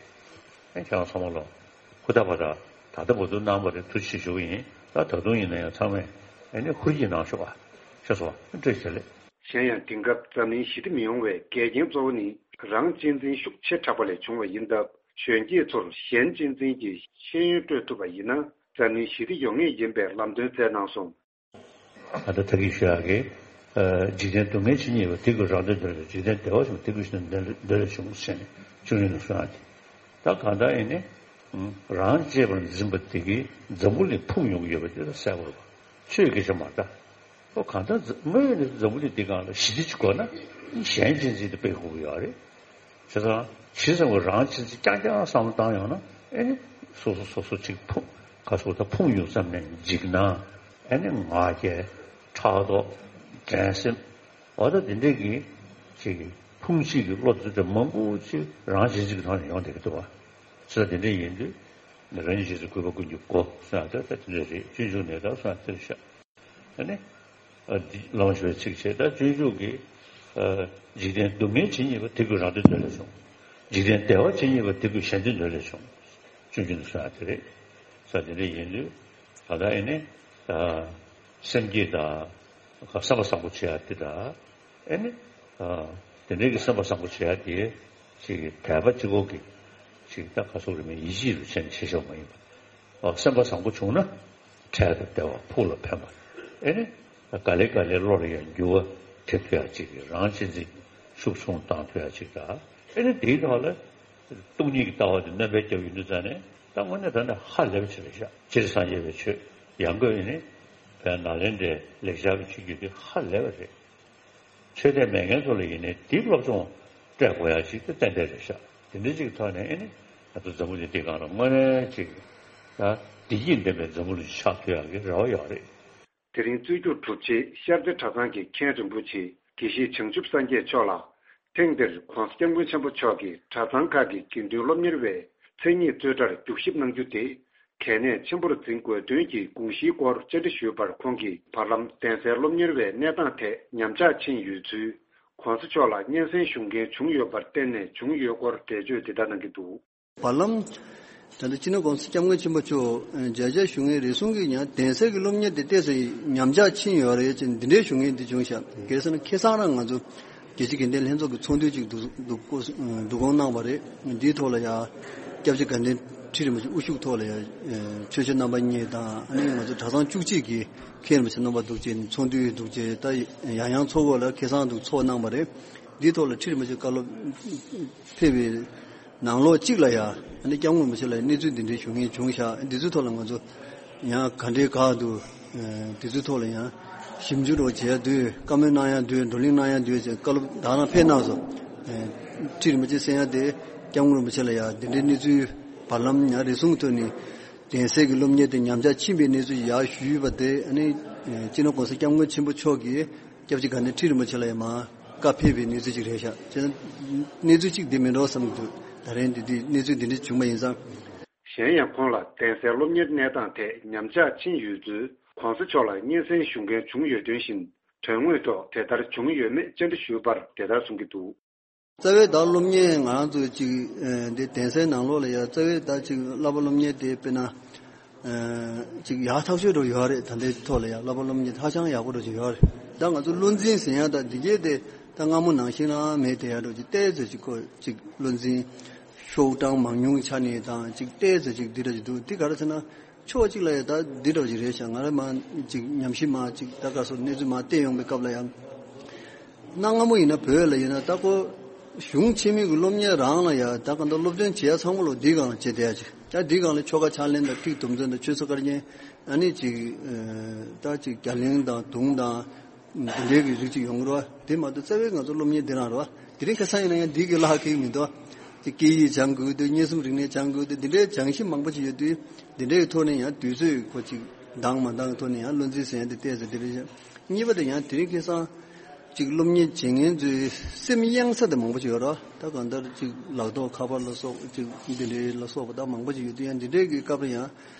ཨེ་ཁྱེད་རང་ཚང་མ་ལོ་ཧུར་ཐག་པ་ད་ད་ལྟ་བར་དུ་གནང་བ་རེད། ཐུགས་རྗེ་ཆེ་ཞུ་གི་ཡིན། ད་ད་དུང་ཡིན་ན་ཡང་ཚང་མས་ཨེ་ནི་ཧུར་གྱིས་གནང་ཤོག་ཨ། ཤེས་སོང་ཨ། བཀྲ་ཤིས་བདེ་ལེགས། གཞན་ཡང་དེང་སྐབས་འཛམ་གླིང་ཞི་བདེ་མི་ཡོང་བའི་འགལ་རྐྱེན་གཙོ་བོ་ནི་རང་གཅེས་འཛིན་ཤུགས་ཆེ་དྲགས་པ་ལས་བྱུང་བ་ཡིན་སྟབས། གཞོན་སྐྱེས་ཚོར་གཞན་གཅེས་འཛིན་གྱི་ཤེས་ཡོན་སྤྲོད་ཐུབ་པ་ཡིན་ན་འཛམ་གླིང་ཞི་བདེ་ཡོང་ངེས་ཡིན་པའི་ལམ་སྟོན་བསྩལ་གནང་སོང་། ད་ལྟ་ད་གིན་ཞུ་ཡག་གི། འཇིག་རྟེན་སྡུག་བསྔལ་ཇི་སྙེད་པ། དེ་ཀུན་རང་དོན་དོན་ལས་བྱུང་། འཇིག་རྟེན་བདེ་བ་ཆེན་པོ། དེ་ཀུན་གཞན་དོན་ལས་བྱུང་ཟེར་ནས་ཆུང་ཆུང་ནས་གསུང་ཡག་དེ། ད་གང་ལྟར་ཡིན་ནའི་རང་གཅེས་པར་འཛིན་པ་དེ་གིས་འཛམ་བུ་གླིང་ཕུང་ཡོང་གི་ཡོད་པ་དེ་ད་གསལ་པོ་རེད་པ། ཆོས་སྐད་ཆ་མ་རེད་ད། ཨོ་གང་ལྟར་འཛམ་དངོས་ཡོད་ནས་འཛམ་བུ་གླིང་འདི་སྒང་ལ་ཞི་བདེ་ཅིག་དགོས་ན་གཞན་གཅེས་འཛིན་དེ་དཔེ་ཁག་པོ་ཡོད་རེད། བྱས་ཙང་ཇི་ཙམ་གྱིས་རང་གཅེས་འཛིན་རྐྱང་རྐྱང་བསམ་བློ་བཏང་ཡོང་ན། ཨེ་ནི་སོ་སོ་སོ་སོ་ཅིག་ཕུང་ཁ་སོ་ད་ཕུང་ཡོང་ཙམ་ནས་འཇིགས་སྣང་། ཨེ་ནི་ང་རྒྱལ། ཕྲག་དོག། འགྲན་སེམས། འོ་ད་དེ་འདྲས་ཀྱི་ཅིག་ཕུང་བྱེད་ཀྱི་བློ་དེ་ཚོ་མང་པོ་ཅིག་རང་གཅེས་འཛིན་གྱི་ཐོག་ནས་ཡོང་བསྡད་ཀྱི་འདུག་བ། བྱས་ཙང་དེ་འདྲས་ཡིན་དུས་རང་ཉིད་གཅེས་འཛིན་གུས་པ་ཀུན་གྱི་སྒོ་གསུང་ཡག་ད་ད་དེ་འདྲས་རེད། སྤྱོད་འཇུག་ནས་ད་གསུང་ཡག་དེ་རེད་ཤག། ཨ་ནི། ཨ་འདི་བླ་མ་ཞུ་བའི་ཚིག་བྱས། ད་སྤྱོད་འཇུག་གི། ཨ་འཇིག་རྟེན་སྡུག་བསྔལ་ཇི་སྙེད་པ། དེ་ཀུན་རང་དོན་དོན་ལས་བྱུང་། འཇིག་རྟེན་བདེ་བ་ཇི་སྙེད་པ། དེ་ཀུན་གཞན་དོན་དོན་ལས་བྱུང་། སྤྱོད་འཇུག་ནས་གསུང་ཡག་དེ་རེད། ས་དེ་འདྲ་ཡིན་དུས་ད་ལྟ་ཨེ་ནི། ཨ་སེམས་བསྐྱེད་དང་། སེམས་པ་བཟང་པོ་བྱེད་ཡག་དེ་དང་། ཨེ་ནི། ཨ་དེ་འདྲའི་གི་སེམས་པ་བཟང་པོ་བྱེད་ཡག་དེ་ཅིག་དད་པ་གཅིག་པོ་གིས་ཅིག་ད་ག་ཚོད་རེད་མིན་ཡིད་ཆེས་རུ་བྱས་ནས་བྱེད་ཆོག་མ་ཡིན་པ། ཨ་སེམས་པ་བཟང་པོ་བྱུང་ན་འཕྲལ་དུ་བདེ་བ་ཕུགས་ལ་ཕན་པ། ཨེ་ནི། ག་ལེ་ག་ལེ་བློ་ལ་ཡང་འགྱུར་བ་ཐེབས་ཐུབ་ཡག་ཅིག་གི་རང་གཅེས་འཛིན་ཤུགས་ཆུང་བཏང་ཐུབ་ཡག་ཅིག་དང་། ཨེ་ནི་དེའི་ཐོག་ལ་སྟོང་ཉིད་ཀྱི་ལྟ་བ་དེ་སྣོན་པ་བརྒྱབ་ཡོང་དུས་ཙང་ནས་ད་དངོས་གནས་ད་ནི་ཧ་ལས་པ་ཅིག་རེད་ཤག། སྤྱིར་སངས་རྒྱས་པའི་ཆོས་ཡང་སྒོས་ནི། བའི་ནཱ་ལེནྡྲའི་ལེགས་སྦྱར་གྱི་ཆོས་བརྒྱུད་དེ་ཧ་ལས་པ་རེད། ཆོས་དད་མེད་མཁན་ཚོ་ལ་ཡིན་ནའི་འདི་སློབ་སྦྱོང་སྤྲད་དགོས་ཡ་ཞིག་ཏུ་ཏན་ཏན་རེད་ཤག་དེ་འདྲ་ཅིག་ཐོག་ནས་ཨེ་ནི་ང་ཚོ་འཛམ་བུ་གླིང་འདི་སྒང་ལ་དངོས་གནས་ཅིག་ད་བདེ་སྐྱིད་ལྡན་པའི་འཛམ་བུ་གླིང་ཆགས་ཐུབ་ཡག་གི་རེ་བ་ཡོད་རེད། དེ་རིང་རྩོད་རྒྱུགས་གྲུབ་རྗེས་ཤར་རྩེ་གྲྭ་ཚང་གི་མཁན་རིན་པོ་ཆེ་དགེ་བཤེས་བྱང་ཆུབ་སངས་རྒྱས་མཆོག་ལ། ཐེངས་འདིར་༧གོང་ས་༧སྐྱབས་མགོན་ཆེན་པོ་མཆོག་གིས་གྲྭ་ཚང་ཁག་གི་དགེ་འདུན་སློབ་གཉེར་བའི་མཚན་ཉིད་རྩོད་གྲྭར་རྒྱུགས་ཞིབ་གནང་རྒྱུ་དེ་གལ་གནད་ཆེན་པོར་འཛིན་དགོས་དོན་གྱི་དགོངས་གཞིའི་སྐོར་བཅར་འདྲི་ཞུས་པར་ཁོང་གིས་བར་ལམ་གདན་སའི་སློབ་གཉེར་བའི་གནས་སྟངས་ཐད་ཉམས་ཆག་ཕྱིན་ཡོད་ཚུལ། ༧གོང་ས་མཆོག་ལ་སྙན་སེང་ཞུ་མཁན་བྱུང་ཡོད་པར་བརྟེན་ནས་བྱུང་ཡོད་སྐོར་འགྲེལ་བརྗོད་འདི་ལྟར་གནང་གི་འདུག་བར་ལམ། ད་ལྟ་སྤྱི་ནོར་༧གོང་ས་༧སྐྱབས་མགོན་ཆེན་པོ་མཆོག་མཇལ་བཅར་ཞུ་མཁན་རེ་ཟུང་གིས་ཀྱང་གདན་སའི་གི་སློབ་གཉེར་དེ་ཏོག་ཙམ་ཉམས་ཆག་ཕྱིན་ཡོད་རེད་ཅེས་འདི་འདྲའི་ཞུ་མཁན་འདི་བྱུང་ཤག་གལ་སྲིད་ན་ཁ་སང་རང་ང་ཚོ་རྒྱལ་སྤྱིའི་དགེ་ལྡན་ལྷན་ཚོགས་ཀྱི་ཚོགས་འདུ་ཅིག་བསྡུ་བསྡུ་བསྡུ་སྐོང་གནང་བ་རེད། འདིའི་ཐོག་ལ་ཡང་སྐྱབས་རྗེ་དགའ་ལྡན་ཁྲི་རིན་པོ་ཆེ་དབུ་བཞུགས་ཐོག་ལ་ཡང་ཆོས་སྤྱོད་རྣམ་པ་གཉིས་དང་ཨ་ནི་ང་ཚོ་གྲྭ་ཚང་བཅུ་གཅིག་གི་མཁན་རིན་པོ་ཆེ་རྣམ་པ་འདུག་ཅེས་ཚོགས་འདུ་འདུག་ཅེས་ད་ཡང་ཡང་ཚོགས་འཁོར་ལ་ཁ་སང་འདུག་ཚོགས་གནང་བ་རེད། འདིའི་ཐོག་ལ་ཁྲི་རིན་པོ་ཆེ་བཀའ་སློབ་ཕེབས་པའི་ནང་ལོགས་གཅིག་ལ་ཡང་ཨ་ནི་སྐྱབས་མགོན་རིན་པོ་ཆེ་ལ་གནས་ཚུལ་འདི་འདྲའི་ཞུ་མཁན་བྱུང་ཤག་འདི་ཚོའི་ཐོག་ལ་ང་ཚོ་ཡང་ག་འདྲའི་ག་འདུག་འདི་ཚོའི་ཐོག་ལ་ཡང་ཞིབ་འཇུག་རོགས་བྱེད་ཡ་འདུག་བཀའ་མོལ་གནང་ཡ་འདུག་བགྲོ་གླེང་གནང་ཡ་འདུག་ཅེས་བཀའ་སློབ་ད་རང་ཕེབས་གནང་སོང་། ཁྲི་རིན་པོ་ཆེ་གསན་ཡ་དེ་སྐྱབས་མགོན་རིན་པོ་ཆེ་ལ་ཡང་འདི་འདྲའི་གནས་ཚུལ་བར་ལམ་ཡང་རེ་ཟུང་ཐོག་ནས་གདན་སའི་གི་སློབ་གཉེར་དེ་ཉམས་ཆག་ཕྱིན་པའི་གནས་ཚུལ་ཡག་ཞུས་པ་དེ་ཨ་ནི་སྤྱི་ནོར་༧གོང་ས་༧སྐྱབས་མགོན་ཆེན་པོ་མཆོག་གིས་སྐྱབས་རྗེ་དགའ་ལྡན་ཁྲི་རིན་པོ་ཆེ་ལ་ཡང་མར་བཀའ་ཕེབས་པའི་གནས་ཚུལ་ཅིག་རེད་ཤག་བྱས་ན་གནས་ཚུལ་གཅིག་འདི་མིན་འགྲོ་བསམ་གྱི་འདུག་ད་རིང་འདི་འདི་གནས་ཚུལ་འདི་འདྲ་བྱུང་བ་ཡིན་ཙང་། གཞན་ཡང་ཁོང་ལ་གདན་སའི་སློབ་གཉེར་གནས་སྟངས་ཐད་ཉམས་ཆག་ཕྱིན་ཡོད་ཚུལ་༧གོང་ས་མཆོག་ལ་སྙན་སེང་ཞུ་མཁན་བྱུང་ཡོད་དོན་བཞིན་དོན་དངོས་ཐོག་དེ་ལྟར་བྱུང་ཡོད་མེད་བཅར་འདྲི་ཞུས་པར་དེ་ལྟར་གསུང་གི་འདུག་རྩ་བའི་ད་སློབ་གཉེར་ང་རང་ཚོ་ཅིག་ཨ་འདི་གདན་སའི་ནང་ལོགས་ལ་ཡ་རྩ་བའི་ད་ཅིག་བསླབ་པ་སློབ་གཉེར་དེ་དཔེར་ན་ཨ་ཅིག་ཡག་ཐག་ཆོད་འགྲོ་ཡོད་རེད། ད་ལྟའི་ཐོག་ལ་ཡ་བསླབ་པ་སློབ་གཉེར་ཧ་ཅང་ཡག་པོ་འགྲོ་ཅིག་ཡོད་རེད། ད་ང་ཚོ་བློ་འཛིན་ཟེར་ཡ་ད་འདི་གས་དེ་ད་སྔ་མོ་ནང་བཞིན་ལ་མེད་དེ་ཡ་འགྲོ་ཅིག་ཏོག་ཙམ་ཅིག་ཁོ་ཅིག་བློ་འཛིན་ཤོག་གྲངས་མང་ཉུང་ཆ་ནས་དང་ཅིག་ཏོག་ཙམ་ཅིག་འདི་འདྲ་ཅིག་འདུག་འདི་ག་རེ་ཟེར་ན། ཕྱོགས་གཅིག་ལ་ཡང་ད་འདི་འདྲ་ཅིག་རེད་ཤག་ང་རང་མ་ཅིག་ཉམས་ཞིབ་མ་ཅིག་ད་ག་སོ་གནས་ཚུལ་མ་བལྟས་ཡོང་པའི་སྐབས་ལ་ཡང་། གནའ་སྔ་མོ་ཡིན་ན་བོད་ལ་ཡིན་ན་ད་ཁོ་གཞུང་ཆེན་མོའི་གི་སློབ་གཉེར་རང་ལ་ཡང་ད་ག་འདྲ་སློབ་སྟོན་བྱེད་ཡ་ཚང་མ་ལོ་འདིའི་སྒང་ལ་བྱེད་བསྡད་ཡ་ཅིག་ད་འདིའི་སྒང་ལ་ཆོ་ག་ཕྱག་ལེན་དང་ཐིག་དུམ་ཚན་དང་ཆོས་ཚོགས་བཀའ་རྒྱན་ཨ་ནི་ཅིག་ད་ཅིག་རྒྱ་གླིང་དང་དུང་དང་། འདི་འདྲའི་གི་རིགས་ཅིག་ཡོང་གི་རེད་བ། དེ་མ་གཏོགས་རྩ་བའི་ང་ཚོ་སློབ་གཉེར་འདི་རང་རེད་བ། དེ་རིང་ཁ་སང་ཡིན་ན་ཡང་འདི་གི་ལྷག་གི་མི་འདུག་བ། ཅིག་སྐད་ཡིག་སྦྱང་དགོས་འདུག་མངོན་སུམ་རིག་གནས་སྦྱང་དགོས་འདུག་འདི་འདྲའི་སྦྱང་གཞི་མང་པོ་ཅིག་ཡོད་དུས། འདི་འདྲའི་ཐོག་ནས་ཡང་དུས་ཚོད་ཁོ་ཅིག་འདང་མ་འདང་གི་ཐོག་ནས་ཡང་བློ་འཛིན་ཟེར་ཡ་འདི་ཏོག་ཙམ་འདི་རེད་ཤག་གཉིས་པ་དེ་ཡང་དེ་རིང་ཁ་སང་ཅིག་སློབ་གཉེར་བྱེད་མཁན་ཚོའི་སེམས་གཡེང་ས་དེ་མང་པོ་ཅིག་ཡོད་རེད་བ། ད་གང་ལྟར་ཅིག་ལག་ཐོགས་ཁ་པར་ལ་སོགས་ཅིག་འདི་འདྲའི་ལ་སོགས་པ་ད་མང་པོ་ཅིག་ཡོད་དུས་ཡང་འདི་འདྲའི་གི་སྐབས་ལ་ཡང་།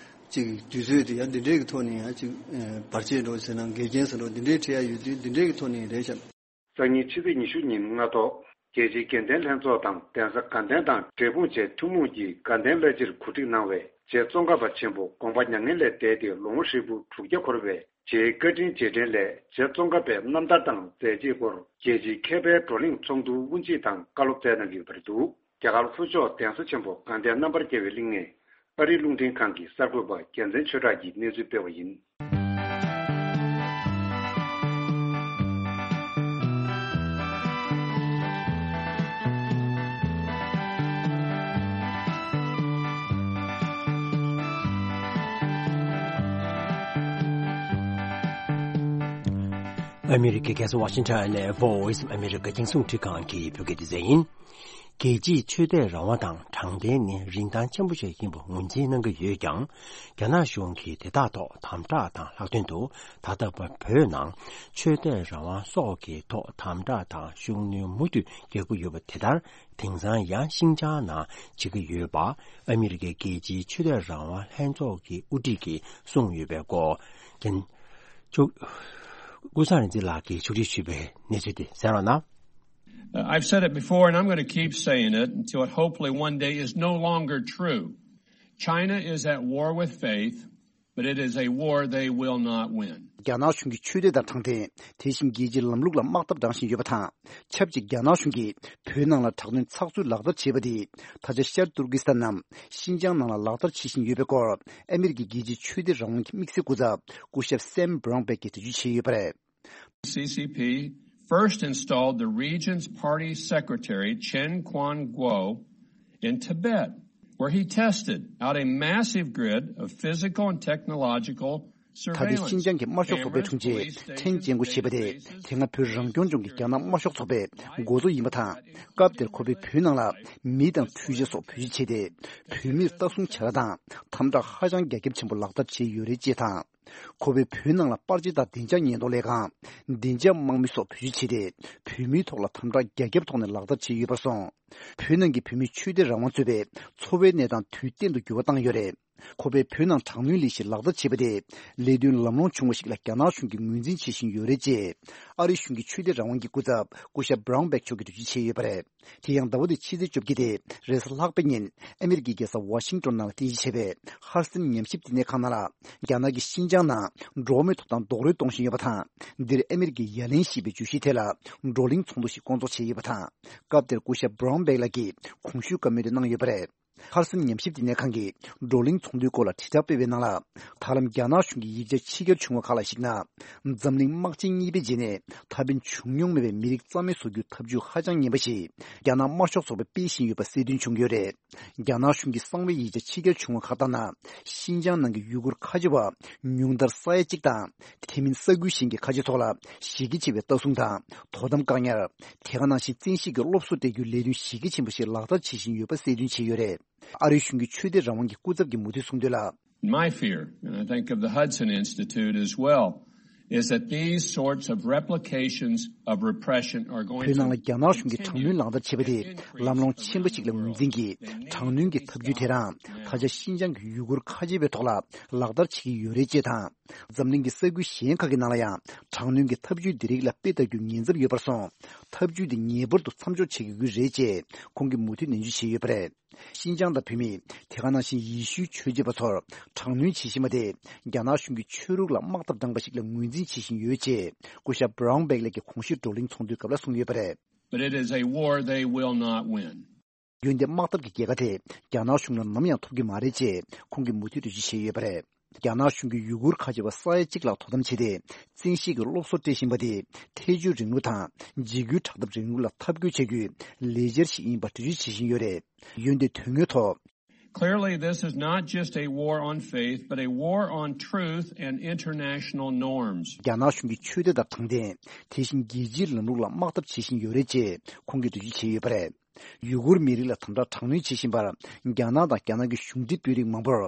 ཅིག་དུས་ཚོད་དེ་ཡང་འདི་འདྲའི་གི་ཐོག་ནས་ཡང་ཅིག་ཨ་བར་ཆད་འགྲོ་ཟེར་ན་འགལ་རྐྱེན་ཟེར་འགྲོ་འདི་འདྲའི་འཕྲད་ཡ་ཡོད་དུས་འདི་འདྲའི་གི་ཐོག་ནས་རེད་ཤག་སང་ཉིན་ཕྱི་ཚེས་ཉི་ཤུ་ཉིན་སྔ་ཐོག་རྒྱལ་སྤྱིའི་དགེ་ལྡན་ལྷན་ཚོགས་དང་གདན་ས་དགའ་ལྡན་དང་འབྲས་སྤུངས་བཅས་ཐུན་མོང་གིས་དགའ་ལྡན་བླ་སྤྱིར་གོ་སྒྲིག་གནང་བའི་རྗེ་ཙོང་ཁ་པ་ཆེན་པོ་དགོངས་པ་མྱ་ངན་ལས་འདས་ཏེ་ལོ་ངོ་ཧྲིལ་པོ་དྲུག་བརྒྱ་འཁོར་བའི་རྗེའི་བཀའ་དྲིན་རྗེས་དྲན་སླད་རྗེ་ཙོང་ཁ་པའི་རྣམ་ཐར་དང་མཛད་རྗེས་སྐོར་རྒྱལ་སྤྱིའི་མཁས་པའི་བགྲོ་གླེང་ཚོགས་འདུར་དབུ་འབྱེད་དང་བཀའ་སློབ་སྩལ་གནང་གི་ཡོད་པ་རེད་འདུག་རྒྱ་གར་ལྷོ་ཕྱོགས་གདན་ས་ཆེན་པོ་དགའ་ལྡན་རྣམ་པར་རྒྱལ་བའི་གླིང་ནས་ཨ་རིའི་རླུང་འཕྲིན་ཁང་གི་གསར་འགོད་པ་རྒྱལ་མཚན་ཆོས་གྲགས་ཀྱིས་གནས་ཚུལ་སྤེལ་བ་ཡིན། ཨ་མི་རི་ཀའི་རྒྱལ་ས་ཝ་ཤིང་ཊོན་ནས་Voice of America རྒྱང་སྲིང་འཕྲིན་ཁང་གི་བོད་སྐད་སྡེ་ཚན་ཡིན། རྒྱལ་སྤྱིའི་ཆོས་དད་རང་དབང་དང་དྲང་བདེན་ནི་རིན་ཐང་ཆེན་པོ་ཞིག་ཡིན་པ་ངོས་འཛིན་གནང་གི་ཡོད་ཀྱང་། རྒྱ་ནག་གཞུང་གིས་དེ་དག་ཐོག་དམ་དྲག་དང་ལྷག་དོན་དུ་ད་ལྟ་བོད་ནང་ཆོས་དད་རང་དབང་སོགས་ཀྱི་ཐོག་དམ་དྲག་དང་ཤུགས་སྣོན་མུ་མཐུད་རྒྱག་གི་ཡོད་པ་དེ་ལྟར། དེང་སང་ཡང་ཤིན་ཅང་ནང་བྱེད་ཀྱི་ཡོད་པ་ཨ་མི་རི་ཀའི་རྒྱལ་སྤྱིའི་ཆོས་དད་རང་དབང་ལྷན་ཚོགས་ཀྱི་དབུ་ཁྲིད་ཀྱིས་གསུངས་ཡོད་པའི་སྐོར། རྒྱན། ཀུན་བཟང་རིག་འཛིན་ལགས་ཀྱིས་ཕྱོགས་སྒྲིག་ཞུས་པའི་གནས་ཚུལ་དེ་གསན་རོགས་གནང་། Uh, I've said it before, and I'm going to keep saying it until it hopefully one day is no longer true. China is at war with faith, but it is a war they will not win. རྒྱ་ནག་གཞུང་གིས་ཆོས་དད་དང་དྲང་བདེན། དེ་བཞིན་རྒྱལ་སྤྱིའི་ལམ་ལུགས་ལ་དམག་འཐབ་བཏང་བཞིན་ཡོད་པ་དང་། ཆབས་ཅིག་རྒྱ་ནག་གཞུང་གིས་བོད་ནང་ལ་དྲག་གནོན་ཚགས་ཚུད་ལག་བསྟར་བྱས་པ་དེས། ད་ཆ་ཤར་ཏུར་ཀི་སི་ཐན་ནམ་ཤིན་ཅང་ནང་ལ་ལག་བསྟར་བྱེད་བཞིན་ཡོད་པའི་སྐོར། ཨ་མི་རི་ཀའི་རྒྱལ་སྤྱིའི་ཆོས་དད་རང་དབང་གི་དམིགས་བསལ་སྐུ་ཚབ་སྐུ་ཞབས་སེམ་བྷ་རོན་བྷེག་གིས་འགྲེལ་བརྗོད་བྱས་ཡོད་པ་རེད། C C P first installed the region's party secretary, Chen Quanguo, in Tibet, where he tested out a massive grid of physical and technological ད་ལྟའི་ཤིན་ཅང་གི་དམར་ཤོག་ཚོགས་པའི་དྲུང་ཆེ་ཁྲེན་ཅན་གོ་ཞེས་པ་དེ་དེ་སྔ་བོད་རང་སྐྱོང་ལྗོངས་ཀྱི་རྒྱ་ནག་དམར་ཤོག་ཚོགས་པའི་འགོ་གཙོ་ཡིན་པ་དང་། སྐབས་དེར་ཁོ་པས་བོད་ནང་ལ་མི་དང་འཕྲུལ་ཆས་སོགས་བེད་སྤྱོད་བྱས་ཏེ། བོད་མིར་ལྟ་སྲུང་བྱ་ར་དང་དམ་དྲག་ཧ་ཅང་རྒྱ་ཁྱབ་ཆེན་པོ་ལག་བསྟར་བྱས་ཡོད་རེད་ཅེས་དང་། ཁོ་པས་བོད་ནང་ལ་པར་ཆས་དང་བདེ་འཇགས་ཉེན་རྟོག་ལས་ཁང་། བདེ་འཇགས་དམག་མི་སོགས་བེད་སྤྱོད་བྱས་ཏེ། བོད་མིའི་ཐོག་ལ་དམ་དྲག་རྒྱ་ཁྱབ་ཐོག་ནས་ལག་བསྟར་བྱས་ཡོད་པར་སོང་། བོད་ནང་གི་བོད་མིའི་ཆོས་དད་རང་དབང་གཙོས་པའི་འཚོ་བའི་གནས་སྟངས་དུས་གཏན་དུ་འགྱུར་བ་བཏང་ཡོད་རེད། ཁོ་པས་བོད་ནང་དྲག་གནོན་ལས་གཞི་ལག་བསྟར་བྱས་པ་དེ། ལས་དོན་ལམ་ལྷོང་བྱུང་བ་ཞིག་ལ་རྒྱ་ནག་གཞུང་གིས་ངོས་འཛིན་བྱེད་བཞིན་ཡོད་རེད་ཅེས། ཨ་རི་གཞུང་གི་ཆོས་དད་རང་དབང་གི་སྐུ་ཚབ་སྐུ་ཞབས་Brown Bag་མཆོག་གིས་འགྲེལ་བརྗོད་བྱས་ཡོད་པ་རེད། དེ་ཡང་ཟླ་བ་འདིའི་ཕྱི་ཚེས་བཅོ་བརྒྱད་དེ་རེས་གཟའ་ལྷག་པའི་ཉིན། ཨ་མེ་རི་ཀའི་རྒྱལ་ས་ཝ་ཤིང་ཏོན་ནང་ལ་རྟེན་གཞི་བྱས་པའི་ཧར་སན་ཉམས་ཞིབ་བསྟི་གནས་ཁང་ནང་ལ། རྒྱ་ནག་གིས་ཤིན་ཅང་ནང་འགྲོ་བ་མིའི་ཐོབ་ཐང་རྡོག་རོལ་གཏོང་བཞིན་ཡོད་པ་དང་། འདིར་ཨ་མེ་རི་ཀའི་ཡ་ལན་ཞེས་པའི་བརྗོད་གཞིའི་ཐད་ལ་བགྲོ་གླེང་ཚོགས་འདུ་ཞིག་བསྐོང་ཚོགས་བྱས་ཡོད་པ་དང་། སྐབས་དེར་སྐུ་ཞབས་Brown Bag་ལགས་ཀྱིས་གོང་ཞུས་བཀའ་མོལ་དེ་གནང་ཡོད་པ་རེད། ཧར་སན་ཉམས་ཞིབ་བསྟི་གནས་ཁང་གིས་བགྲོ་གླེང་ཚོགས་འདུའི་སྐོར་ལ་དྲིལ་བསྒྲགས་སྤེལ་བའི་ནང་ལ། ད་ལམ་རྒྱ་ནག་གཞུང་གི་ཡིག་ཆ་ཕྱི་གྱར་བྱུང་བ་ཁག་ལ་གཞིགས་ན། འཛམ་གླིང་དམག་ཆེན་གཉིས་པའི་རྗེས་ནས་ད་ཕན་བྱུང་མྱོང་མེད་པའི་མི་རིགས་རྩ་མེད་བཟོ་རྒྱུའི་ཐབས་ཇུས་ཧ་ཅང་ངན་པ་ཞིག་རྒྱ་ནག་དམར་ཤོག་ཚོགས་པས་སྤེལ་བཞིན་ཡོད་པ་གསལ་སྟོན་བྱུང་ཡོད་རེད། རྒྱ་ནག་གཞུང་གི་གསང་བའི་ཡིག་ཆ་ཕྱི་གྱར་བྱུང་བ་ཁག་ལྟར་ན། ཤིན་ཅང་ནང་གི་ཡུ་གུར་ཁ་ཆེ་བ་ཉུང་མཐར་ས་ཡ་གཅིག་དང་། དེ་མིན་ས་ཁུལ་གཞན་གྱི་ཁ་ཆེ་ཚོ་ལ་གཞི་རྒྱ་ཆེ་བའི་ལྟ་སྲུང་དང་དོ་དམ་བཀག་ཉར། དེ་ག་ནང་བཞིན་བཙན་ཤེད་ཀྱིས་སློབ་གསོ་སྤྲད་རྒྱུའི་ལས་དོན་གཞི་རྒྱ་ཆེན་པོ་ཞིག་ལག་བསྟར་བྱེད་བཞིན་ཡོད་པ་གསལ་སྟོན་བྱས་ཡོད་རེད། ཨ་རིའི་གཞུང་གི་ཆོས་དད་རང་དབང་གི་སྐུ་ཚབ་ཀྱིས་མུ་མཐུད་གསུངས་དོན་ལ། My fear, and I think of the Hudson Institute as well, is that these sorts of replications of repression are going to བོད་ནང་ལ་རྒྱ་ནག་གཞུང་གིས་དྲག་གནོན་ལག་བསྟར་བྱེད་པ་དེ་ལམ་ལྷོང་ཆེན་པོ་ཞིག་ལ་ངོས་འཛིན་གྱིས་དྲག་གནོན་གྱི་ཐབས་ཇུས་དེ་རང་ད་ཆ་ཤིན་ཅང་གི་ཡུ་གུར་ཁ་ཆེ་བའི་ཐོག་ལ་ལག་བསྟར་བྱེད་ཀྱི་ཡོད་རེད་ཅེས་དང་། འཛམ་གླིང་གི་ས་ཁུལ་གཞན་ཁག་གི་ནང་ལ་ཡང་དྲག་གནོན་གྱི་ཐབས་ཇུས་འདི་རིགས་ལ་དཔེ་ལྟ་རྒྱུའི་ཉེན་ཚབས་ཡོད་པར་སོང་། ཐབས་ཇུས་འདི་ངེས་པར་དུ་མཚམས་འཇོག་བྱེད་དགོས་ཀྱི་རེད་ཅེས་ཁོང་གིས་མུ་མཐུད་ནན་བརྗོད་བྱས་ཡོད་པ་རེད། ཤིན་ཅང་དང་བོད་མི། དེ་ག་ནང་བཞིན་ཡེ་ཤུའི་ཆོས་བྱེད་པ་ཚོར་དྲག་གནོན་བྱེད་བཞིན་པ་དེ། རྒྱ་ནག་གཞུང་གིས་ཆོས་ལུགས་ལ་དམག་འཐབ་དྲངས་པ་ཞིག་ལ་ངོས་འཛིན་བྱེད་བཞིན་ཡོད་ཅེས། སྐུ་ཞབས་Brown Bag་ལགས་ཀྱིས་གོང་ཞུས་བགྲོ་གླེང་ཚོགས་འདུའི་སྐབས་ལ་གསུངས་ཡོད་པ་རེད། But it is a war they will not win. འོན་ཏེ་དམག་འཐབ་ཀྱི་རྒྱལ་ཁ་དེ། རྒྱ་ནག་གཞུང་ལ་ནམ་ཡང་ཐོབ་ཀྱི་མ་རེད་ཅེས། ཁོང་གིས་མུ་མཐུད་འགྲེལ་བརྗོད་བྱས་ཡོད་པ་རེད། རྒྱ་ནག་གཞུང་གིས་ཡུ་གུར་ཁ་ཆེ་བ་ས་ཡ་གཅིག་ལྷག་དོ་དམ་བྱས་ཏེ། བཙན་ཤེད་ཀྱིས་སློབ་གསོ་སྤྲད་བཞིན་པ་དེ། ཐལ་འགྱུར་རིང་ལུགས་དང་། འཇིགས་སྐུལ་དྲག་འཐབ་རིང་ལུགས་ལ་འཐབ་རྒོལ་བྱ་རྒྱུའི་ལས་འཆར་ཞིག་ཡིན་པ་འགྲེལ་བརྗོད་བྱེད་བཞིན་ཡོད་རེད། འོན་ཏེ་དོན་དངོས་ཐོག Clearly, this is not just a war on faith, but a war on truth and international norms. རྒྱ་ནག་གཞུང་གིས་ཆོས་དད་དང་དྲང་བདེན། དེ་བཞིན་རྒྱལ་སྤྱིའི་ལམ་ལུགས་ལ་དམག་འཐབ་བྱེད་བཞིན་ཡོད་རེད་ཅེས་ཁོང་གིས་འགྲེལ་བརྗོད་བྱས་ཡོད་པ་རེད། ཡུ་གུར་མི་རིགས་ལ་དམ་དྲག་དྲག་གནོན་བྱེད་བཞིན་པར། རྒྱ་ནག་དང་རྒྱ་ནག་གི་གཞུང་འབྲེལ་དཔོན་རིགས་མང་པོར་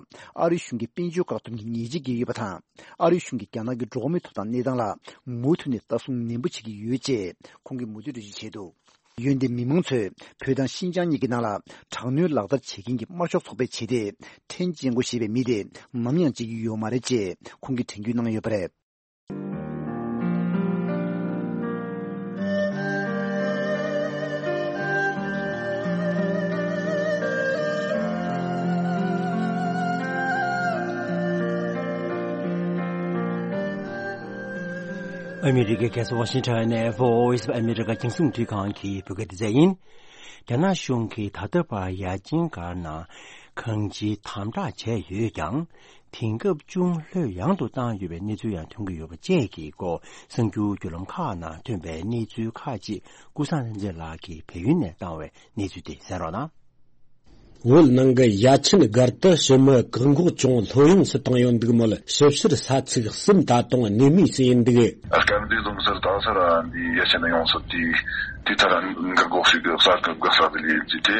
ཨ་རིའི་གཞུང་གིས་དཔལ་འབྱོར་བཀག་སྡོམ་གྱི་ཉེས་ཆད་བཀལ་ཡོད་པ་དང་། ཨ་རིའི་གཞུང་གིས་རྒྱ་ནག་གི་འགྲོ་བ་མིའི་ཐོབ་ཐང་གནས་སྟངས་ལ་མུ་མཐུད་ནས་ལྟ་སྲུང་ནན་པོ་བྱེད་ཀྱི་ཡོད་ཅེས་ཁོང་གིས་མུ་མཐུད་འགྲེལ་བརྗོད་བྱས་འདུག་འོན་ཏེ་མི་མང་ཚོས་བོད་དང་ཤིན་ཅང་གཉིས་ཀྱི་ནང་ལ་དྲག་གནོན་ལག་བསྟར་བྱེད་མཁན་གྱི་དམར་ཤོག་ཚོགས་པའི་བྱེད་གཏེ་ཁྲེན་ཅན་གོ་ཞེས་པའི་མི་དེ་ནམ་ཡང་བརྗེད་ཀྱི་ཡོད་མ་རེད་ཅེས་ཁོང་གིས་དྲན་སྐུལ་གནང་ཡོད་པ་རེད། ཨ་མི་རི་ཀའི་རྒྱལ་ས་ཝ་ཤིང་ཊོན་ནས་Voice of America་རྒྱང་སྲིང་རླུང་འཕྲིན་ཁང་གི་བོད་སྐད་སྡེ་ཚན་ཡིན། རྒྱ་ནག་གཞུང་གིས་ད་ལྟ་བར་ཡ་ཆེན་སྒར་ནང་གང་ཅིའི་དམ་དྲག་བྱས་ཡོད་ཀྱང་། དེང་སྐབས་ཅུང་ལྷོད་ཡངས་དུ་བཏང་ཡོད་པའི་གནས་ཚུལ་ཡང་ཐོན་གྱི་ཡོད་པ་བཅས་ཀྱི་སྐོར་གསར་འགྱུར་བརྒྱུད་ལམ་ཁག་ནང་ཐོན་པའི་གནས་ཚུལ་ཁག་ཅིག་ཀུན་བཟང་ལྷ་མཛེས་ལགས་ཀྱིས་བལ་ཡུལ་ནས་བཏང་བའི་གནས་ཚུལ་དེ་གསན་རོགས་གནང་། བོད་ནང་གི་ཡ་ཆེན་སྒར་དུ་ཕྱི་མི་བཀག་འགོག་ཅུང་ལྷོད་ཡངས་སུ་བཏང་ཡོད་འདུག་མོད། ཞིབ་བཤེར་ས་ཚིགས་གསུམ་ད་དུང་གནས་མུས་སུ་ཡིན་འདུག་སྐབས་འདིའི་ལུང་ཟུར་དྭགས་སར་འདི་ཡ་ཆེན་ཡོངས་སུ་དེའི་དེའི་ཐད་ལ་འགག་སྒོ་ཞིག་གི་གསར་འགག་གསར་དུ་ལས་ཀྱི་དེ།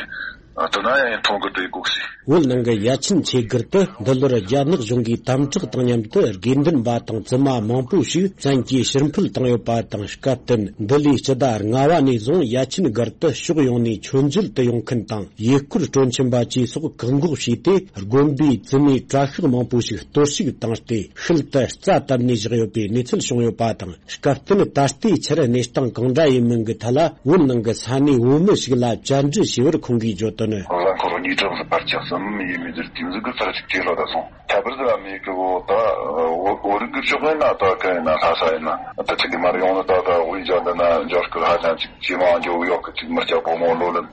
ཨ། དེ་ན་ཡང་མཐོང་གི་དེ་གོ་ཤི། བོད་ནང་གི་ཡ་ཆེན་ཆེ་སྒར་དུ་འདི་ལོར་རྒྱ་ནག་གཞུང་གིས་དམ་དྲག་དང་མཉམ་དུ་དགེ་འདུན་པ་དང་བཙུན་མ་མང་པོ་ཞིག་བཙན་གྱིས་ཕྱིར་འཕུད་བཏང་ཡོད་པ་དང་། སྐབས་བསྟུན་འདི་ལོའི་སྤྱི་ཟླ་ལྔ་བ་ནས་བཟུང་ཡ་ཆེན་སྒར་དུ་ཕྱོགས་ཡོངས་ནས་མཆོད་མཇལ་དུ་ཡོང་མཁན་དང་། ཡུལ་སྐོར་སྤྲོ་འཆམ་པ་བཅས་སོགས་བཀག་འགོག་བྱས་ཏེ། དགོན་པའི་བཙུན་མའི་གྲྭ་ཤག་མང་པོ་ཞིག་གཏོར་བཤིག་བཏང་སྟེ་ཤུལ་དུ་རྩ་བཏབ་ནས་བཞག་ཡོད་པའི་གནས་ཚུལ་བྱུང་ཡོད་པ་དང་། སྐབས་བསྟུན་ད་ལྟའི་ཆར་གནས་སྟངས་གང་འདྲ་ཡིན་མིན་གྱི་ཐད་ལ་བོད་ནང་གི་ས་གནས་བོད་མི་ཞིག་ལ་བཅར་འདྲི་བྱས་པར་ཁོང་གིས་བརྗོད་དོན། ལ་འཁོར་ཉིས་གྲངས་སུ་པར་ཆགས་སམ་ཡིན་མི་ཟེར་དེ་ཟིག་གི་ཚར་ཅིག་ཅེས་ལ་ད་སོང་། ཐད་པར་ཟེར་བ་མེད་གི་བོ་ད་བོད་རིགས་ཀྱི་ཕྱོགས་ཡིན་ན་ད་ག་ཡིན་ན་ལྷ་ས་ཡིན་ན་ད་ཅིག་གི་མར་ཡོང་ནི་ད་ད་དབུས་འཇགས་འདི་ན་འཇར་སྐུལ་ཧ་ཅང་ཅིག་ཇེ་མང་འགྱོ་གི་ཡོད་གི། ཅིག་མི་སྐྱ་ཕོ་མོ་ལོ་ལོན་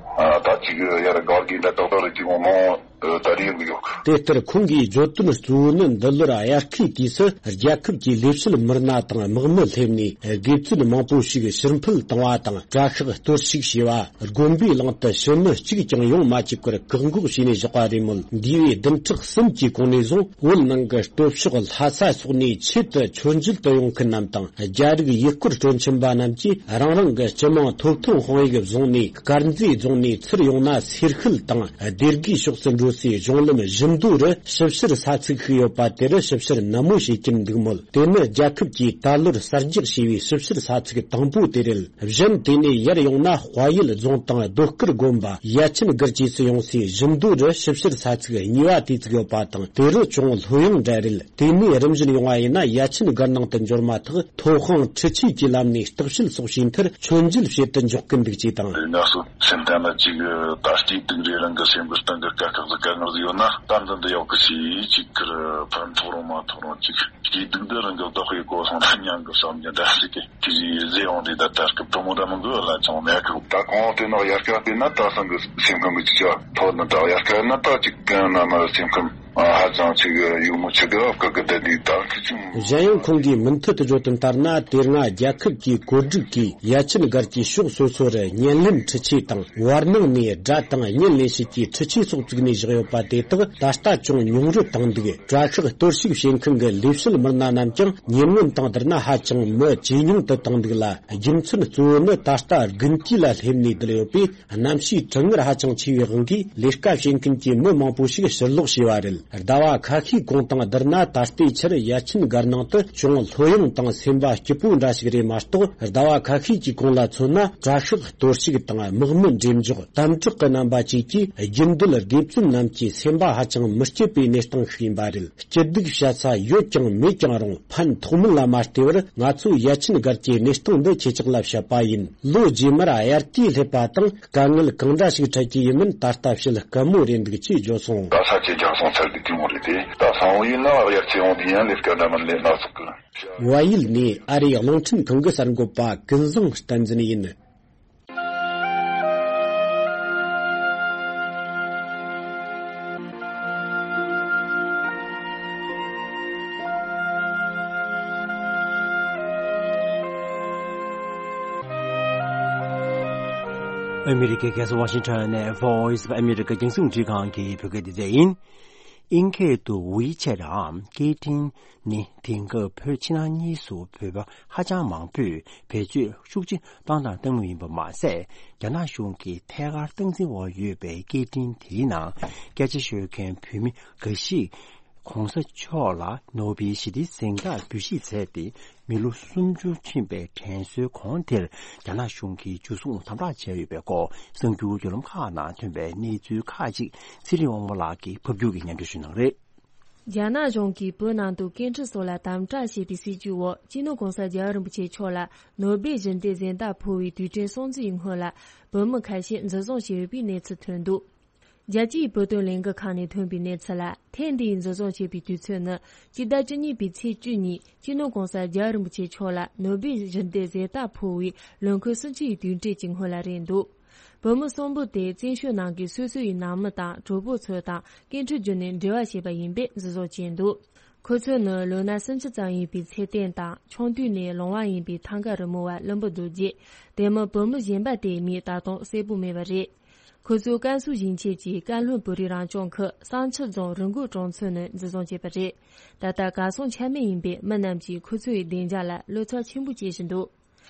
ད་ཅིག་ཡར་སྒར་གྱི་འདྲ་ཏག་ཏག་རེད་ཅིག་མོ། ད་རེས་ཡོང་གི་ཡོད། དེ་ལྟར་ཁོང་གིས་བརྗོད་དོན་གཙོ་བོ་ནི། འདི་ལོར་དབྱར་ཁའི་དུས་སུ་རྒྱལ་ཁབ་ཀྱི་ལས་བྱེད་མི་སྣ་དང་དམག་མི་སླེབས་ནས། དགེ་བཙུན་མང་པོ་ཞིག་ཕྱིར་འཕུད་བཏང་བ་དང་། གྲྭ་ཤག་གཏོར་བཤིག་བྱས་པ། དགོན་པའི་གླིང་དུ་ཕྱི་མི་གཅིག་ཀྱང་ཡོང་མ་བཅུག་པར་བཀག་འགོག་བྱས་ནས་བཞག་པ་རེད་མོད། འདས་པའི་བདུན་ཕྲག་གསུམ་གྱི་གོང་ནས་བཟུང་། བོད་ནང་གི་སྟོད་ཕྱོགས་ལྷ་ས་སོགས་ནས་ཆེད་དུ་མཆོད་མཇལ་དུ་ཡོང་མཁན་རྣམས་དང་། རྒྱ་རིགས་ཡུལ་སྐོར་སྤྲོ་འཆམ་པ་རྣམས་ཀྱིས་རང་རང་གི་སྤྱི་དམངས་ཐོབ་ཐང་དཔང་ཡིག་བཟུང་ནས། དཀར་མཛེས་རྫོང་ནས་ཚུར་ཡོང་ན་སེར་ཤུལ་དང་སྡེ་དགེའི་ཕྱོགས་སུ་འགྲོ་སའི་གཞུང་ལམ་བཞི་མདོ་རུ་ཞིབ་བཤེར་ས་ཚིགས་ཤིག་ཡོད་པ། དེ་རུ་ཞིབ་བཤེར་ནན་མོ་བྱེད་ཀྱིན་འདུག་མོད། དེ་ནི་རྒྱལ་ཁབ་ཀྱིས་ད་ལོར་གསར་རྒྱག་བྱས་པའི་ཞིབ་བཤེར་ས་ཚིགས་དང་པོ་དེ་རེད། གཞན་དེ་ནས་ཡར་ཡོང་ན་དཔལ་ཡུལ་རྫོང་དང་རྡོ་དཀར་དགོན་པ། ཡ་ཆེན་སྒར་བཅས་སུ་ཡོང་སའི་བཞི་མདོ་རུ་ཞིབ་བཤེར་ས་ཚིགས་གཉིས་པ་དེ་བཙུགས་ཡོད་པ་དང་། དེ་རུ་ཅུང་ལྷོད་ཡངས་འདྲ་རེད། དེ་ནས་རིམ་བཞིན་ཡོང་བ་ཡིན་ན། ཡ་ཆེན་སྒར་ནང་དུ་འབྱོར་མ་ཐག་ཐོག་ཁང་འཕྲུལ་ཆས་ཀྱི་ལམ་ནས་བརྟག་དཔྱད་སོགས་བྱས་མཐར་མཆོད་མཇལ་བྱེད་དུ་འཇོག་གི་འདུག་ཅེས་དང་། ང་ཚོ་སེམས་གཏམ་ལ་ཅིག་ད་ལྟའི་དུས་རེ་རང་གི་སེམས་ཀྱི་སྟེང་གི་དཀའ་ཁག་ཟིག་དཀའ་ངལ་ཟིག་ཡོད་ན། ད་འདི་འདི་ཡག་གི་ཞིག་ཅིག་ཁར་ཕན་ཐོགས་རུང་མ་ཐོགས་རུང་ཅིག་སྐྱིད་སྡུག་འདི་རང་གི་བདག་པོའི་གོ་སོང་ད་མྱང་གི་བསམ་རྒྱུ་འདྲ་ཟིག་གི་དེ་ཟིག་ཟེར་ཡོང་དུས། ད་ལྟ་སྐབས་དུ་མོ་ད་མི་འགུལ་ལ་ཅང་མེད་གི། ད་གང་དེ་ནག་དབྱར་ཁ་དེ་ན་ད་སང་གི་སེམས་ཁམས་ཀྱི་ཅིག་ཅག་ཐོག་ན། ད་དབྱར་ཁ་ན་ད་ཅིག་གང་ན་མ་སེམས་ཁམས་ཧ་ཅང་ཅིག་ཡུ་མོ་ཆེ་གི་བཀག་གི་བསྡད་དུས། ད་ཁི་ཅུང་། གཞན་ཡང་ཁོང་གིས་མུ་མཐུད་དུ་བརྗོད་དོན་ལྟར་ན། དེ་སྔ་རྒྱལ་ཁབ་ཀྱི་བཀོད་སྒྲིག་གིས་ཡ་ཆེན་སྒར་གྱི་ཕྱོགས་སོ་སོ་རུ་བརྙན་ལེན་འཕྲུལ་ཆས་དང་། བར་སྣང་ནས་སྒྲ་དང་བརྙན་ལེན་བྱེད་ཀྱི་འཕྲུལ་ཆས་སོགས་བཙུགས་ནས་བཞག་ཡོད་པ་དེ་དག་ད་ལྟ་ཅུང་ཉུང་རུ་བཏང་འདུག། གྲྭ་ཤག་གཏོར་བཤིག་བྱེད་མཁན་གྱི་ལས་བྱེད་མི་སྣ་རྣམས་ཀྱང་ཉེ་སྔོན་དང་བསྡུར་ན་ཧ་ཅང་མི་ཇེ་ཉུང་དུ་བཏང་འདུག་ལ། རྒྱུ་མཚན་གཙོ་བོ་ནི་ད་ལྟ་དགུན་དུས་ལ་སླེབས་ནས་བསྡད་ཡོད་པས། གནམ་གཤིས་གྲང་ངར་ཧ་ཅང་ཆེ་བའི་དབང་གིས། ལས་ཀ་བྱེད་མཁན་གྱི་མི་མང་པོ་ཞིག་ཕྱིར་ལོག་བྱས་པ་རེད། ཟླ་བ་ཁ་ཤས་གོང་དང་བསྡུར་ན། ད་ལྟའི་ཆར་ཡ་ཆེན་སྒར་ནང་དུ་ཅུང་ལྷོད་ཡངས་དང་སེམས་པ་སྐྱིད་པོ་འདྲ་ཞིག་རེད་མ་གཏོགས། ཟླ་བ་ཁ་ཤས་ཀྱི་གོང་ལ་མཚོན་ན། གྲྭ་ཤག་གཏོར་བཤིག་དང་། དམག་མི་འགྲེམས་འཇོག་དམ་དྲག་གི་རྣམ་པ་བཅས་ཀྱིས། རྒྱུན་སྡོད་དགེ་བཙུན་རྣམས་ཀྱི་སེམས་པ་ཧ་ཅང་མི་སྐྱིད་པའི་གནས་སྟངས་ཤིག་ཡིན་པ་རེད། སྐྱིད་སྡུག་བཤད་ས་ཡོད་ཀྱང་མེད་ཀྱང་རུང་། ཕན་ཐོགས་མིན་ལ་མ་ལྟོས་པར། ང་ཚོས་ཡ་ཆེན་སྒར་གྱི་གནས་སྟངས་འདི་ཁྱེད་ཅག་ལ་བཤད་པ་ཡིན། ལོ་རྗེས་མར་དབྱར་དུས་སླེབས་པ་དང་། དཀའ་ངལ་གང་འདྲ་ཞིག་འཕྲད་ཀྱི་ཡིན་མིན་ད་ལྟ་བཤད་དཀའ་མོ་རེད་འདུག་ཅེས་བརྗོད་སོང་། ད་ས་ཆ་རྒྱག་སོང་ཚར་གི་དེ་མོ་རེད་དེ། ད་སང་བོ་ཡིན་ན་དབྱར་ཚེ་འོང་དུས་ཡང་ལས་ཀ་འདྲ་མིན་ལས་སྣ་ཚོགས་གི། བལ་ཡུལ་ནས་ཨ་རིའི་རླུང་འཕྲིན་ཁང་གི་གསར་འགོད་པ་ཀུན་བཟང་བསྟན་འཛིན་ཡིན། ཨ་མི་རི་ཀའི་རྒྱལ་ས་ཝ་ཤིང་ཊོན་ནས་Voice of America རྒྱང་སྲིང་འཕྲིན་ཁང་གི་བོད་སྐད་སྡེ་ཚན་ཡིན། དབྱིན་སྐད་དུ་WeChat་འམ་སྐད་འཕྲིན་ནི་དེང་སྐབས་བོད་ཕྱི་ནང་གཉིས་སུ་བོད་པ་ཧ་ཅང་མང་པོས་བེད་སྤྱོད་ཤུགས་ཆེ་བཏང་དང་བཏང་མུས་ཡིན་པ་མ་ཟད། རྒྱ་ནག་གཞུང་གིས་ཐད་ཀར་སྟངས་འཛིན་འོག་ཡོད་པའི་སྐད་འཕྲིན་དེའི་ནང་སྐད་ཆ་ཤོད་མཁན་བོད་མི་འགའ་ཞིག་༸གོང་ས་མཆོག་ལ་ནོ་བེལ་ཞི་བདེའི་གཟེངས་རྟགས་འབུལ་བཞེས་མཛད་དེ། མི་ལོ་སུམ་ཅུ་ཕྱིན་པའི་དྲན་གསོའི་གོང་དེར། རྒྱ་ནག་གཞུང་གིས་འཇུ་བཟུང་དམ་དྲག་བྱས་ཡོད་པའི་སྐོར། གསར་འགྱུར་བརྒྱུད་ལམ་ཁག་ནང་ཐོན་པའི་གནས་ཚུལ་ཁག་ཅིག་ཚེ་རིང་དབང་མོ་ལགས་ཀྱིས་ཕབ་སྒྱུར་གྱིས་སྙན་སྒྲོན་ཞུ་གནང་རེད། རྒྱ་ནག་གཞུང་གིས་བོད་ནང་དུ་སྐད་འཕྲིན་སོགས་ལ་དམ་དྲག་བྱས་པའི་སྲིད་ཇུས་འོག་སྤྱི་ནོར་༸གོང་ས་༸རྒྱལ་བ་རིན་པོ་ཆེ་མཆོག་ལ་ནོ་བེལ་ཞི་བདེའི་གཟེངས་རྟགས་ཕུལ་བའི་དུས་དྲན་སྲུང་བརྩིའི་སྔོན་ལ། བོད་མི་ཁ་ཤས་འཛིན་བཟུང་བྱས་ཡོད་པའི་གནས་ཚུལ་ཐོན་འདུག་རྒྱལ་སྤྱིའི་བོད་དོན་ལས་འགུལ་ཁང་ནས་ཐོན་པའི་གནས་ཚུལ་ལ། ཐེངས་འདིའི་འཛིན་བཟུང་བྱས་པའི་དུས་ཚོད་ནི། སྤྱི་ཟླ་བཅུ་གཉིས་པའི་ཚེས་བཅུ་ཉིན་སྤྱི་ནོར་༸གོང་ས་༸རྒྱལ་བ་རིན་པོ་ཆེ་མཆོག་ལ་ནོ་བེལ་ཞི་བདེའི་གཟེངས་རྟགས་ཕུལ་བའི་ལོ་འཁོར་སུམ་ཅུ་ཡི་དུས་དྲན་གྱི་སྔོན་ལ་རེད་འདུག་བོད་མི་གསུམ་པོ་དེ་བཙན་བྱོལ་ནང་གི་སོ་སོ་ཡི་ནང་མི་དང་གྲོགས་པོ་ཚོ་དང་སྐད་འཕྲིན་བརྒྱུད་ནས་འབྲེལ་བ་བྱས་པ་ཡིན་པས་འཛིན་བཟུང་བྱས་འདུག་ཁོ་ཚོ་ནི་ལོ་ན་སུམ་ཅུ་ཙམ་ཡིན་པའི་ཚེ་བརྟན་དང་། ཆུང་དུས་ནས་ལོང་བ་ཡིན་པའི་ཐང་ག་རི་མོ་བ་བློན་པོ་རྡོ་རྗེ། དེ་མིན་བོད་མི་གཞན་པ་དེའི་མིང་ད་དུང་གསལ་པོ་མེད་པ་རེད། ཁོ་ཚོ་ཀན་སུའུ་ཞིང་ཆེན་གྱི་ཀན་ལྷོ་བོད་རིགས་རང་སྐྱོང་ཁུལ་བསང་ཆུ་རྫོང་རི་མགོ་གྲོང་ཚོ་ནས་འཛིན་བཟུང་བྱས་པ་རེད། ད་ལྟ་གར་སོང་ཆ་མེད་ཡིན་པས་མི་རྣམས་ཀྱིས་ཁོ་ཚོའི་བདེ་འཇགས་ལ་བློ་འཚབ་ཆེན་པོ་བྱེད་བཞིན་འདུག་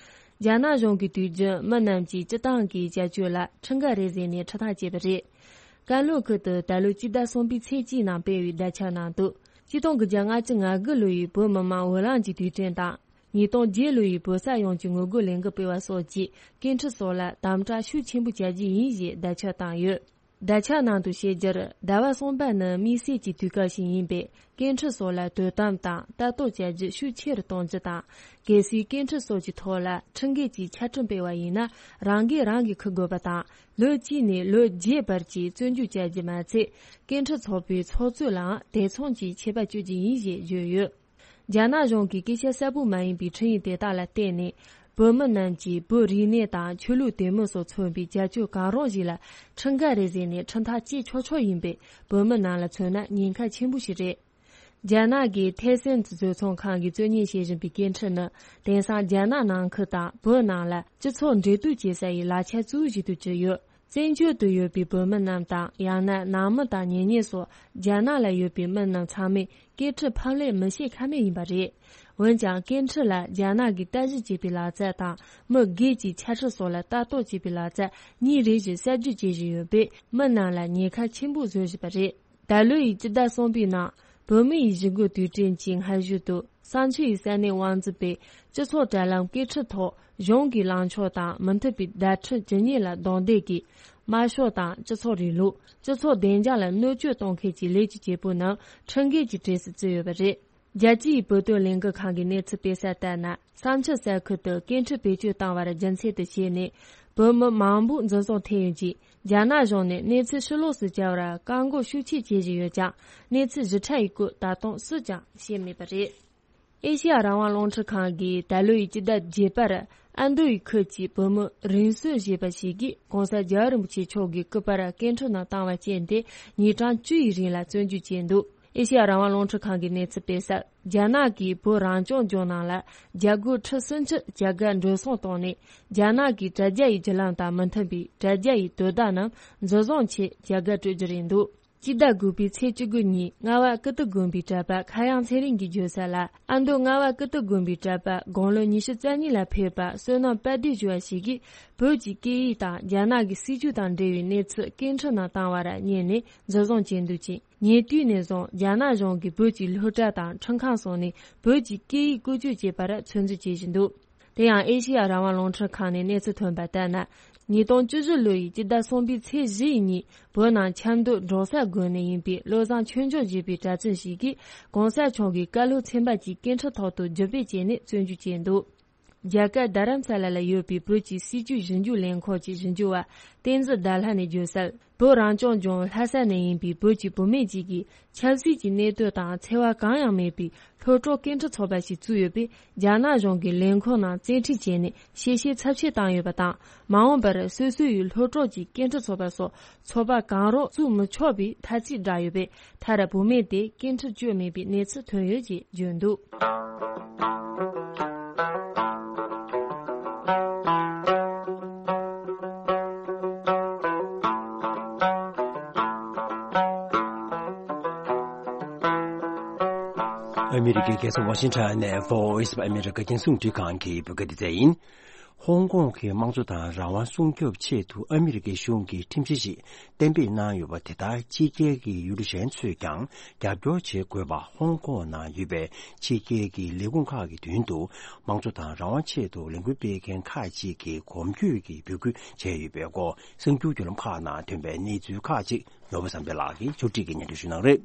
རྒྱ་ནག་གཞུང་གིས་དུས་རྒྱུན་མི་རྣམས་ཀྱི་སྤྱི་བཏང་གི་བྱ་སྤྱོད་ལ་ཁྲིམས་འགལ་རེད་ཟེར་ནས་ཁྲིམས་ཐག་བཅད་པ་རེད། ཀན་ལྷོ་ཁུལ་དུ་ད་ལོའི་སྤྱི་ཟླ་གསུམ་པའི་ཚེས་གཅིག་ནང་སྤེལ་བའི་བརྡ་ཁྱབ་ནང་དུ། ཆིག་སྟོང་དགུ་བརྒྱ་ལྔ་བཅུ་ང་དགུ་ལོ་ཡི་བོད་མི་མང་འོས་ལངས་ཀྱི་དུས་དྲན་དང་། ཉིས་སྟོང་བརྒྱད་ལོ་ཡི་བོད་ས་ཡོངས་ཀྱི་ངོ་རྒོལ་ལས་འགུལ་སྤེལ་བ་སོགས་ཀྱི་སྐད་འཕྲིན་སོགས་ལ་དམ་དྲག་ཤུགས་ཆེན་པོ་བྱ་རྒྱུ་ཡིན་ཞེས་བརྡ་ཁྱབ་བཏང་ཡོད། བརྡ་ཁྱབ་ནང་དུ་བཤད་རྒྱུར། ཟླ་བ་གསུམ་པ་ནི་དམིགས་བསལ་གྱི་དུས་སྐབས་ཤིག་ཡིན་པས། སྐད་འཕྲིན་སོགས་ལ་དོ་དམ་དང་ལྟ་རྟོག་བྱ་རྒྱུ་ཤུགས་ཆེ་རུ་གཏོང་རྒྱུ་དང་། གལ་སྲིད་སྐད་འཕྲིན་སོགས་ཀྱི་ཐོག་ལ་ཁྲིམས་འགལ་གྱི་ཆ་འཕྲིན་སྤེལ་བ་ཡིན་ན། རང་འགན་རང་གིས་འཁུར་དགོས་པ་དང་། ལོ་གཅིག་ནས་ལོ་བརྒྱད་བར་གྱི་བཙོན་འཇུག་བྱ་རྒྱུ་མ་ཚད། སྐད་འཕྲིན་ཚོགས་པའི་ཚོགས་གཙོ་ལའང་དེ་མཚུངས་ཀྱི་ཆད་པ་གཅོད་རྒྱུ་ཡིན་ཞེས་བརྗོད་ཡོད། རྒྱ་ནག་གཞུང་གི་སྐད་ཆ་གསལ་པོ་མ་ཡིན་པའི་འཕྲིན་ཡིག་དེ་དག་ལ་བརྟེན་ནས། བོད་མི་རྣམས་ཀྱིས་བོད་རིག་གནས་དང་ཆོས་ལུགས་དད་མོས་སོགས་མཚོན་པའི་རྒྱ་ཆོས་གང་རུང་ཞིག་ལ་ཁྲིམས་འགལ་རེད་ཟེར་ནས་ཁྲིམས་ཐག་བཅད་ཆོག་ཆོག་ཡིན་པས། བོད་མི་རྣམས་ལ་མཚོན་ན་ཉེན་ཁ་ཆེན་པོ་ཞིག་རེད། རྒྱ་ནག་གི་ཐེ་སན་བཟོ་ཚོང་ཁང་གིས་གཙོ་གཉེར་བྱེད་བཞིན་པའི་སྐད་འཕྲིན་ནི། དེང་སང་རྒྱ་ནག་ནང་ཁུལ་དང་བོད་ནང་ལ་སྤྱི་ཚོགས་འབྲེལ་གཏུག་བྱེད་ས་ཡི་ལག་ཆ་གཙོ་བོ་ཞིག་ཏུ་གྱུར་ཡོད། བཙན་བྱོལ་དུ་ཡོད་པའི་བོད་མི་རྣམས་དང་། ཡང་ན་ནང་མི་དང་གཉེན་ཉེ་སོགས་རྒྱ་ནག་ལ་ཡོད་པའི་མི་རྣམས་ཚང་མས་སྐད་འཕྲིན་ཕབ་ལེན་མི་བྱེད་ཁ་མེད་ཡིན་པ་རེད། འོན་ཀྱང་སྐད་འཕྲིན་ལ་རྒྱ་ནག་གིས་བརྟག་ཞིབ་བྱེད་པའི་ལག་རྩལ་དང་། མི་སྒེར་གྱི་ཆ་ཤས་སོགས་ལ་ལྟ་རྟོག་བྱེད་པའི་ལག་རྩལ་གཉིས་རེ་བཞིན་གསར་བརྗེ་བྱེད་བཞིན་ཡོད་པས། མི་རྣམས་ལ་ཉེན་ཁ་ཆེན་པོ་བཟོ་བཞིན་པ་རེད། ད་ལོའི་སྤྱི་ཟླ་གསུམ་པའི་ནང་། བོད་མི་ཡི་གཞིས་འགོ་དུས་དྲན་གྱི་སྔ་གཞུག་ཏུ། བསམ་འཆར་ཡི་ས་གནས་དབང་འཛིན་པས་སྤྱི་ཚོགས་དྲ་ལམ་སྐད་འཕྲིན་ཐོག་གཞུང་གི་ལངས་ཕྱོགས་དང་མི་མཐུན་པའི་བརྡ་འཕྲིན་ཇི་སྙེད་ལ་རྡུང་རྡེག་གིས། དམར་ཤོག་དང་སྤྱི་ཚོགས་རིང་ལུགས། སྤྱི་ཚོགས་བདེ་འཇགས་ལ་གནོད་སྐྱོན་གཏོང་མཁན་གྱི་ལས་ཀྱི་བྱེད་པོ་རྣམས་ཁྲིམས་འགལ་གྱི་གྲས་སུ་བརྩིས་ཡོད་པ་རེད། རྒྱལ་སྤྱིའི་བོད་དོན་ལས་འགུལ་ཁང་གི་གནས་ཚུལ་སྤེལ་གསལ་ལྟར་ན། བསམ་འཆར་གསར་ཁུལ་དུ་སྐད་འཕྲིན་བེད་སྤྱོད་བཏང་བར་རྒྱུ་མཚན་དུ་བྱས་ནས། བོད་མི་མང་པོ་འཛིན་བཟུང་ཐེབས་ཡོད་ཅིང་། རྒྱ་ནག་གཞུང་ནས་གནས་ཚུལ་ཕྱི་ལོགས་སུ་བསྐྱལ་བར་བཀག་འགོག་ཤུགས་ཆེ་བྱེད་བཞིན་ཡོད་ཀྱང་། གནས་ཚུལ་ཞིབ་ཕྲ་ཡི་སྐོར་ད་དུང་སུས་ཀྱང་ཤེས་མེད་པ་རེད། ཨེ་ཤེ་ཡ་རང་དབང་རླུང་འཕྲིན་ཁང་གིས་ད་ལོའི་སྤྱི་ཟླ་བརྒྱད་པར་ཨ་མདོ་ཡི་ཁུལ་གྱི་བོད་མི་རིང་བསྲེལ་ཞེས་པ་ཞིག་གིས་༸གོང་ས་༸རྒྱལ་བ་རིན་པོ་ཆེ་མཆོག་གི་སྐུ་པར་སྐད་འཕྲིན་ནང་བཏང་བ་རྐྱེན་དེ་ཉིན་གྲངས་བཅུ་ཡི་རིང་ལ་བཙོན་འཇུག་བྱས་འདུག་ཨེ་ཤེ་ཡ་རང་དབང་རླུང་འཕྲིན་ཁང་གིས་གནས་ཚུལ་སྤེལ་གསལ། རྒྱ་ནག་གིས་བོད་རང་སྐྱོང་ལྗོངས་ནང་ལ་རྒྱ་སྒོར་ཁྲི་སུམ་ཅུ་བྱ་དགའ་འགྲོ་སོང་བཏང་ནས། རྒྱ་ནག་གི་དྲ་རྒྱ་ཡི་བརྒྱུད་ལམ་དང་མི་མཐུན་པའི་དྲ་རྒྱ་ཡི་དོ་བདག་རྣམས་འཛིན་བཟུང་ཆེད་བྱ་དགའ་སྤྲོད་རྒྱུ་རེད་འདུག་སྤྱི་ཟླ་དགུ་པའི་ཚེས་བཅུ་དགུ་ཉིན་རྔ་བ་ཀིརྟི་དགོན་པའི་གྲྭ་པ་མཁའ་དབྱངས་ཚེ་རིང་གིས་བརྗོད་གསལ་ལ། ཨ་མདོ་རྔ་བ་ཀིརྟི་དགོན་པའི་གྲྭ་པ་དགུང་ལོ་ཉི་ཤུ་རྩ་གཉིས་ལ་ཕེབས་པ་བསོད་ནམས་དཔལ་སྒྲོན་ཞུ་བ་ཞིག་གིས། བོད་ཀྱི་སྐད་ཡིག་དང་རྒྱ་ནག་གི་སྲིད་བྱུས་དང་འབྲེལ་བའི་གནས་ཚུལ་སྐད་འཕྲིན་ནང་བཏང་བར་ཉན་ནས་འཛིན་བཟུང་བྱས་འདུག་ཅིང་། ཉེ་དུས་ནས་བཟུང་རྒྱ་ནག་གཞུང་གིས་བོད་ཀྱི་སློབ་གྲྭ་དང་ཁྲིམས་ཁང་སོགས་ནས་བོད་ཀྱི་སྐད་ཡིག་བཀོལ་སྤྱོད་བྱེད་པར་ཚོད་འཛིན་བྱེད་བཞིན་འདུག་དེ་ཡང་ཨེ་ཤེ་ཡ་རང་དབང་རླུང་འཕྲིན་ཁང་ནས་གནས་ཚུལ་ཐོན་པ་ལྟར་ན། ཉིས་སྟོང་བཅུ་བཞི་ལོ་ཡི་སྤྱི་ཟླ་གསུམ་པའི་ཚེས་བཞི་ཡི་ཉིན་བོད་ནང་ཆབ་མདོ་འབྲོག་ས་དགོན་ནས་ཡིན་པའི་བློ་བཟང་ཆོས་འབྱོར་ཞེས་པའི་གྲྭ་བཙུན་ཞིག་གིས་༸གོང་ས་མཆོག་གི་བཀའ་སློབ་ཚན་པ་གཅིག་སྐད་འཕྲིན་ཐོག་ཏུ་བརྒྱུད་སྤེལ་བྱས་ནས་བཙོན་འཇུག་བྱས་འདུག་རྒྱ་གར་རྡ་རམ་ས་ལ་ལ་ཡོད་པའི་བོད་ཀྱི་སྲིད་བྱུས་ཞིབ་འཇུག་ལས་ཁང་གི་ཞིབ་འཇུག་པ་བསྟན་འཛིན་ཟླ་ལྷ་ནས་བརྗོད་གསལ། བོད་རང་སྐྱོང་ལྗོངས་ལྷ་ས་ནས་ཡིན་པའི་བོད་ཀྱི་བུད་མེད་ཅིག་གིས་ཆབ་སྲིད་ཀྱི་གནད་དོན་དང་འཚེ་བ་གང་ཡང་མེད་པའི་སློབ་གྲོགས་སྐད་འཕྲིན་ཚོགས་པ་ཞིག་བཙུགས་ཡོད་པས། རྒྱ་ནག་གཞུང་གིས་ལས་ཁུངས་ནང་བཙན་ཁྲིད་བྱས་ནས་གཤེ་གཤེ་ཚབས་ཆེ་བཏང་ཡོད་པ་དང་། མ་འོངས་པར་སོ་སོ་ཡི་སློབ་གྲོགས་ཀྱི་སྐད་འཕྲིན་ཚོགས་པ་སོགས་ཚོགས་པ་གང་རུང་བཙུགས་མི་ཆོག་པའི་ཐ་ཚིག་བསྒྲགས་ཡོད་པས། མཐར་བུད་མེད་དེ་སྐད་འཕྲིན་སྤྱོད་མེད་པའི་གནས་ཚུལ་ཐོན་ཡོད་ཅེས་བརྗོད་འདུག་ཨ་མི་རི་ཀའི་རྒྱལ་ས་ཝ་ཤིང་ཊོན་ནས་Voice of America རྒྱང་སྲིང་རླུང་འཕྲིན་ཁང་གི་བོད་སྐད་སྡེ་ཚན་ཡིན། ཧོང་ཀོང་གི་དམངས་གཙོ་དང་རང་དབང་སྲུང་སྐྱོབ་ཆེད་དུ་ཨ་མི་རི་ཀའི་གཞུང་གིས་ཁྲིམས་གཞི་ཞིག་གཏན་འབེབས་གནང་ཡོད་པ་དེ་ལྟར་ཕྱི་རྒྱལ་གྱི་ཡུལ་གྲུ་གཞན་ཚོས་ཀྱང་རྒྱབ་སྐྱོར་བྱེད་དགོས་པ་ཧོང་ཀོང་ནང་ཡོད་པའི་ཕྱི་རྒྱལ་གྱི་ལས་ཁུངས་ཁག་གི་མདུན་དུ་དམངས་གཙོ་དང་རང་དབང་ཆེད་དུ་ལས་འགུལ་སྤེལ་མཁན་ཁག་ཅིག་གིས་གོམ་བགྲོད་ཀྱིས་འབོད་སྐུལ་བྱས་ཡོད་པའི་སྐོར་གསར་འགྱུར་བརྒྱུད་ལམ་ཁག་ནང་ཐོན་པའི་གནས་ཚུལ་ཁག་ཅིག་ནོར་བུ་བསམ་འཕེལ་ལགས་ཀྱིས་ཕྱོགས་སྒྲིག་གིས་སྙན་སྒྲོན་ཞུ་གནང་རེད།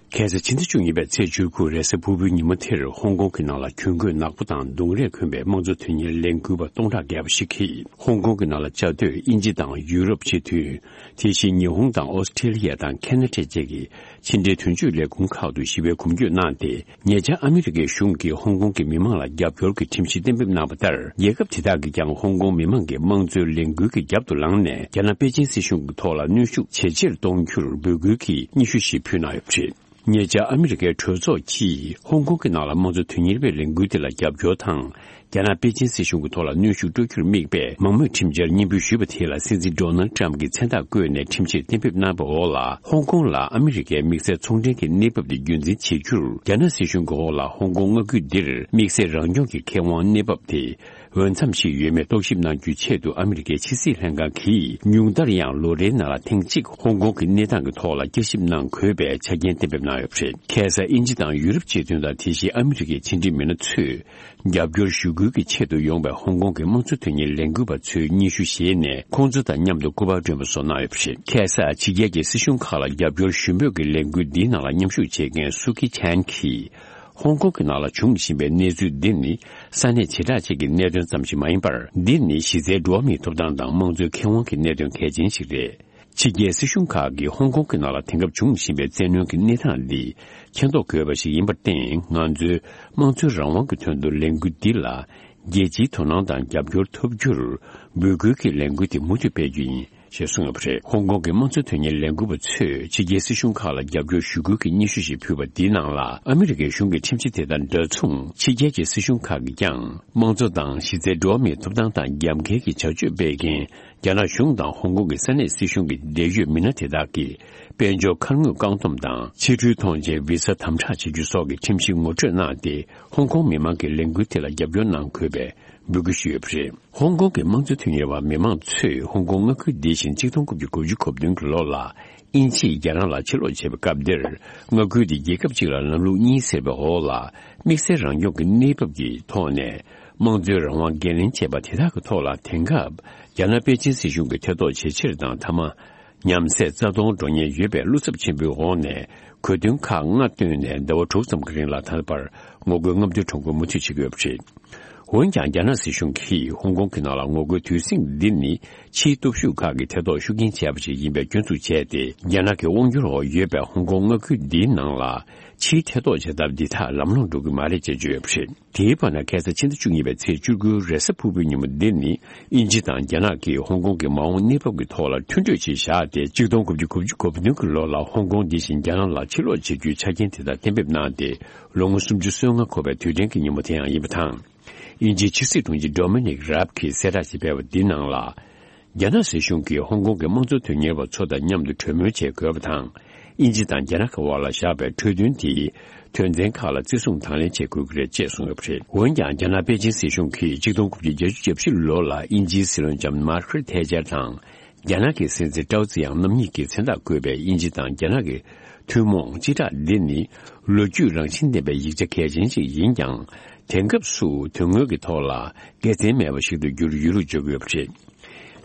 ཁ་སང་ཕྱི་ཟླ་བཅུ་གཉིས་པའི་ཚེས་བཅུ་དགུ་རེས་གཟའ་ཕུར་བུའི་ཉིན་མོ་དེར་ཧོང་ཀོང་གི་ནང་ལ་གྱོང་གུན་ནག་པོ་དང་རྡུང་རེས་གོན་པའི་དམངས་གཙོ་དོན་གཉེར་ལས་འགུལ་བ་སྟོང་ཕྲག་བརྒལ་བ་ཞིག་གིས་ཧོང་ཀོང་གི་ནང་ལ་བཅའ་སྡོད་དབྱིན་ཇི་དང་ཡུ་རོབ་སྤྱི་མཐུན། དེ་བཞིན་ཉི་ཧོང་དང་ཨོ་སི་ཁྲེ་ལི་ཡ་དང་ཁེ་ན་ཌ་བཅས་ཀྱི་ཕྱི་འབྲེལ་དོན་གཅོད་ལས་ཁུངས་ཁག་ཏུ་ཞི་བའི་གོམ་བགྲོད་གནང་སྟེ། ཉེ་ཆར་ཨ་མི་རི་ཀའི་གཞུང་གིས་ཧོང་ཀོང་གི་མི་མང་ལ་རྒྱབ་སྐྱོར་གྱི་ཁྲིམས་གཞི་གཏན་འབེབས་གནང་བ་ལྟར། རྒྱལ་ཁབ་དེ་དག་གིས་ཀྱང་ཧོང་ཀོང་མི་མང་གི་དམངས་གཙོའི་ལས་འགུལ་གྱི་རྒྱབ་ཏུ་ལངས་ནས། རྒྱ་ནག་པེ་ཅིན་སྲིད་གཞུང་གི་ཐོག་ལ་གནོན་ཤུགས་ཇེ་ཆེར་གཏོང་རྒྱུར་འབོད་སྐུལ་གྱི་སྙན་ཞུ་ཞིག་ཕུལ་གནང་ཡོད་པ་རེད། ཉེ་ཆར་ཨ་མི་རི་ཀའི་གྲོས་ཚོགས་ཀྱིས་ཧོང་ཀོང་གི་ནང་ལ་དམངས་གཙོ་དོན་གཉེར་བའི་ལས་འགུལ་དེ་ལ་རྒྱབ་སྐྱོར་དང་། རྒྱ་ནག་པེ་ཅིན་སྲིད་གཞུང་གི་ཐོག་ལ་གནོན་ཤུགས་སྤྲོད་རྒྱུར་དམིགས་པའི་མང་མོས་ཁྲིམས་འཆར་སྙན་འབུལ་ཞུས་པ་དེ་ལ་སྲིད་འཛིན་ཌོ་ནལ་ཊམ་གྱིས་མཚན་རྟགས་བཀོད་ནས་ཁྲིམས་ཆད་གཏན་འབེབས་གནང་བའི་འོག་ལ། ཧོང་ཀོང་ལ་ཨ་མི་རི་ཀའི་དམིགས་བསལ་ཚོང་འབྲེལ་གྱི་གནས་བབ་དེ་རྒྱུན་འཛིན་བྱེད་རྒྱུར། རྒྱ་ནག་སྲིད་གཞུང་གི་འོག་ལ་ཧོང་ཀོང་མངའ་ཁུལ་འདིར་དམིགས་བསལ་རང་སྐྱོང་གི་ཁེ་དབང་གནས་བབ་དེ། འོས་འཚམ་ཞིག་ཡོད་མེད་རྟོག་ཞིབ་གནང་རྒྱུའི་ཆེད་དུ་ཨ་མི་རི་ཀའི་ཕྱི་སྲིད་ལྷན་ཁང་གིས་ཉུང་མཐར་ཡང་ལོ་རེའི་ནང་ལ་ཐེངས་གཅིག་ཧོང་ཀོང་གི་གནས་སྟངས་ཀྱི་ཐོག་ལ་བསྐྱར་ཞིབ་གནང་དགོས་པའི་ཆ་རྐྱེན་གཏན་འབེབས་གནང་ཡོད་པ་རེད། ཁ་སང་དབྱིན་ཇི་དང་ཡུ་རོབ་སྤྱི་མཐུན་དང་དེ་བཞིན་ཨ་མི་རི་ཀའི་ཕྱི་འབྲེལ་མི་སྣ་ཚོས་རྒྱབ་སྐྱོར་ཞུ་སྐུལ་གྱི་ཆེད་དུ་ཡོང་པའི་ཧོང་ཀོང་གི་དམངས་གཙོ་དོན་གཉེར་ལས་འགུལ་བ་ཚོའི་སྙན་ཞུ་བཞེས་ནས་ཁོང་ཚོ་དང་མཉམ་དུ་སྐུ་པར་སྒྲོན་པ་སོགས་གནང་ཡོད་པ་རེད། ཁ་སང་ཕྱི་རྒྱལ་གྱི་སྲིད་གཞུང་ཁག་ལ་རྒྱབ་སྐྱོར་ཞུ་འབོད་ཀྱི་ལས་འགུལ་འདིའི་ནང་ལ་མཉམ་ཞུགས་བྱེད་མཁན་སུ་ཁི་ཆན་གྱིས། ཧོང་ཀོང་གི་ནང་ལ་འབྱུང་བཞིན་པའི་གནས་ཚུལ་འདི་ནི་ས་གནས་བྱེ་བྲག་ཅིག་གི་གནད་དོན་ཙམ་ཞིག་མ་ཡིན་པར། འདི་ནི་གཞི་རྩའི་འགྲོ་བ་མིའི་ཐོབ་ཐང་དང་དམངས་གཙོའི་ཁེ་དབང་གི་གནད་དོན་གལ་ཆེན་ཞིག་རེད། ཕྱི་རྒྱལ་སྲིད་གཞུང་ཁག་གིས་ཧོང་ཀོང་གི་ནང་ལ་དེང་སྐབས་འབྱུང་བཞིན་པའི་བཙན་གནོན་གྱི་གནས་སྟངས་འདི་མཁྱེན་རྟོགས་དགོས་པ་ཞིག་ཡིན་པར་བརྟེན། ང་ཚོའི་དམངས་གཙོའི་རང་དབང་གི་དོན་དུ་ལས་འགུལ་འདི་ལ་ རྒྱལ་སྤྱིའི་དོ་སྣང་དང་རྒྱབ་སྐྱོར་ཐོབ་རྒྱུར་འབོད་སྐུལ་གྱི་ལས་འགུལ་དེ་མུ་མཐུད་སྤེལ་རྒྱུ་ཡིན། ཞེས་གསུངས་ཡོད་པ་རེད། ཧོང་ཀོང་གི་དམངས་གཙོ་དོན་གཉེར་ལས་འགུལ་པ་ཚོས་ཕྱི་རྒྱལ་སྲིད་གཞུང་ཁག་ལ་རྒྱབ་སྐྱོར་ཞུ་སྐུལ་གྱི་སྙན་ཞུ་ཞིག་ཕུལ་བ་འདིའི་ནང་ལ། ཨ་མི་རི་ཀའི་གཞུང་གི་ཁྲིམས་གཞི་དེ་དང་འདྲ་མཚུངས་ཕྱི་རྒྱལ་གྱི་སྲིད་གཞུང་ཁག་གིས་ཀྱང་དམངས་གཙོ་དང་གཞི་རྩའི་འགྲོ་བ་མིའི་ཐོབ་ཐང་དང་རྒྱབ་འགལ་གྱི་བྱ་སྤྱོད་སྤེལ་མཁན་རྒྱ་ནག་གཞུང་དང་ཧོང་ཀོང་གི་ས་གནས་སྲིད་གཞུང་གི་འབྲེལ་ཡོད་མི་སྣ་དེ་དག་གིས་དཔལ་འབྱོར་ཁ་དངོས་བཀག་སྡོམ་དང་ཕྱི་འགྲུལ་ཐོངས་མཆན་བི་ས་དམ་དྲག་བྱེད་རྒྱུ་སོགས་ཀྱི་ཁྲིམས་གཞི་ངོ་སྤྲོད་གནང་སྟེ། ཧོང་ཀོང་མི་མང་གིས་ལས་འགུལ་དེ་ལ་རྒྱབ་སྐྱོར་གནང་དགོས་པའི་འབོད་སྐུལ་ཞུས་ཡོད་པ་རེད། ཧོང་ཀོང་གི་དམངས་གཙོ་དོན་གཉེར་བ་མི་མང་ཚོས་ཧོང་ཀོང་མངའ་ཁུལ་འདི་བཞིན་ཆིག་སྟོང་དགུ་བརྒྱ་དགུ་བཅུ་གོ་བདུན་གྱི་ལོ་ལ་དབྱིན་ཇིས་རྒྱ་ནག་ལ་ཕྱིར་སློག་བྱས་པའི་སྐབས་འདིར། མངའ་ཁུལ་འདི་རྒྱལ་ཁབ་གཅིག་ལ་ལམ་ལུགས་གཉིས་ཟེར་བའི་འོག་ལ། དམིགས་བསལ་རང་སྐྱོང་གི་གནས་བབ་ཀྱི་ཐོག་ནས་དམངས་གཙོའི་རང་དབང་འགན་ལེན་བྱས་པ་དེ་དག་གི་ཐོག་ལ། དེང་སྐབས་རྒྱ་ནག་པེ་ཅིན་སྲིད་གཞུང་གིས་ཐེ་གཏོགས་ཇེ་ཆེར་དང་། མཐའ་མ། ཉམས་སད་རྩ་སྟོང་འགྲོ་ཉེན་ཡོད་པའི་བློ་འཚབ་ཆེན་པོའི་འོག་ནས། གོ་དོན་ཁག་ལྔ་བཏོན་ནས་ཟླ་བ་དྲུག་ཙམ་གྱི་རིང་ལ་ད་བར་ངོ་རྒོལ་རྔམ་སྟོན་ཁྲོམ་སྐོར་མུ་མཐུད་བྱེད་ཀྱི་ཡོད་པ་རེད། འོན་ཀྱང་། རྒྱ་ནག་སྲིད་གཞུང་གིས་ཧོང་ཀོང་གི་ནང་ལ་ངོ་རྒོལ་དུས་ཟིང་འདི་ནི་ཕྱིའི་སྟོབས་ཤུགས་ཁག་གིས་ཐེ་གཏོགས་ཤུགས་རྐྱེན་བྱས་པ་ཞིག་ཡིན་པའི་སྐྱོན་འཛུགས་བྱས་ཏེ། རྒྱ་ནག་གི་དབང་སྒྱུར་འོག་ཡོད་པའི་ཧོང་ཀོང་མངའ་ཁུལ་འདིའི་ནང་ལ་ཕྱིའི་ཐེ་གཏོགས་བྱེད་ཐབས་འདི་དག་ལམ་ལྷོང་འགྲོ་གི་མ་རེད་ཅེས་བརྗོད་ཡོད་པ་རེད། དེའི་བར་ན། ཁ་སང་ཕྱི་ཟླ་བཅུ་གཉིས་པའི་ཚེས་བཅུ་དགུའི་རེས་གཟའ་ཕུར་བུའི་ཉིན་མོ་འདིར་ནི། དབྱིན་ཇི་དང་རྒྱ་ནག་གིས་ཧོང་ཀོང་གི་མ་འོངས་གནས་བབ་ཀྱི་ཐོག་ལ་མཐུན་གྲོས་ཤིག་བཞག་སྟེ། ཆིག་སྟོང་དགུ་བརྒྱ་དགུ་བཅུ་གོ་བདུན་གྱི་ལོ་ལ་ཧོང་ཀོང་འདི་བཞིན་རྒྱ་ནག་ལ་ཕྱིར་སློག་བྱེད་རྒྱུའི་ཆ་རྐྱེན་དེ་དག་གཏན་འབེབས་གནང་སྟེ། ལོ་ངོ་སུམ་ཅུ་སོ་ལྔ་འཁོར་བའི་དུས་དྲན་གྱི་ཉིན་མོ་དེ་ཡང་ཡིན་པ་དང་། དབྱིན་ཇིའི་ཕྱི་སྲིད་དྲུང་ཆེ་ཌོ་མི་ནིག་རབ་ཀྱིས་གསལ་བསྒྲགས་ཤིག་སྤེལ་བ་འདིའི་ནང་ལ། རྒྱ་ནག་སྲིད་གཞུང་གིས་ཧོང་ཀོང་གི་དམངས་གཙོ་དོན་གཉེར་བ་ཚོ་དང་མཉམ་དུ་གྲོས་མོལ་བྱེད་དགོས་པ་དང་། དབྱིན་ཇི་དང་རྒྱ་ནག་གི་དབར་ལ་བཞག་པའི་གྲོས་མཐུན་དེའི་དོན་ཚན་ཁག་ལ་བརྩི་སྲུང་དང་ལེན་བྱེད་དགོས་ཀྱི་རེད་ཅེས་གསུངས་ཡོད་པ་རེད། འོན་ཀྱང་། རྒྱ་ནག་པེ་ཅིན་སྲིད་གཞུང་གིས་ཆིག་སྟོང་དགུ་བརྒྱ་བརྒྱད་ཅུ་གྱ་བཞི་ལོ་ལ་དབྱིན་ཇིའི་སྲིད་བློན་ལྕམ་མར་ཀེ་རེད་ཐེ་ཆར་དང་། རྒྱ་ནག་གི་སྲིད་འཛིན་ཀྲའོ་ཙེ་ཡང་རྣམ་གཉིས་ཀྱི་མཚན་རྟགས་བཀོད་པའི་དབྱིན་ཇི་དང་རྒྱ་ནག་གི་ཐུན་མོང་སྤྱི་བསྒྲགས་འདི་ནི་ལོ་རྒྱུས་རང་བཞིན་ལྡན་པའི་ཡིག་ཆ་གལ་ཆེན་ཞིག་ཡིན་ཀྱང་། དེང་སྐབས་སུ་དོན་དངོས་ཀྱི་ཐོག་ལ་དགེ་མཚན་མེད་པ་ཞིག་ཏུ་གྱུར་ཡོད་ལུགས་བརྗོད་ཀྱི་ཡོད་པ་རེད།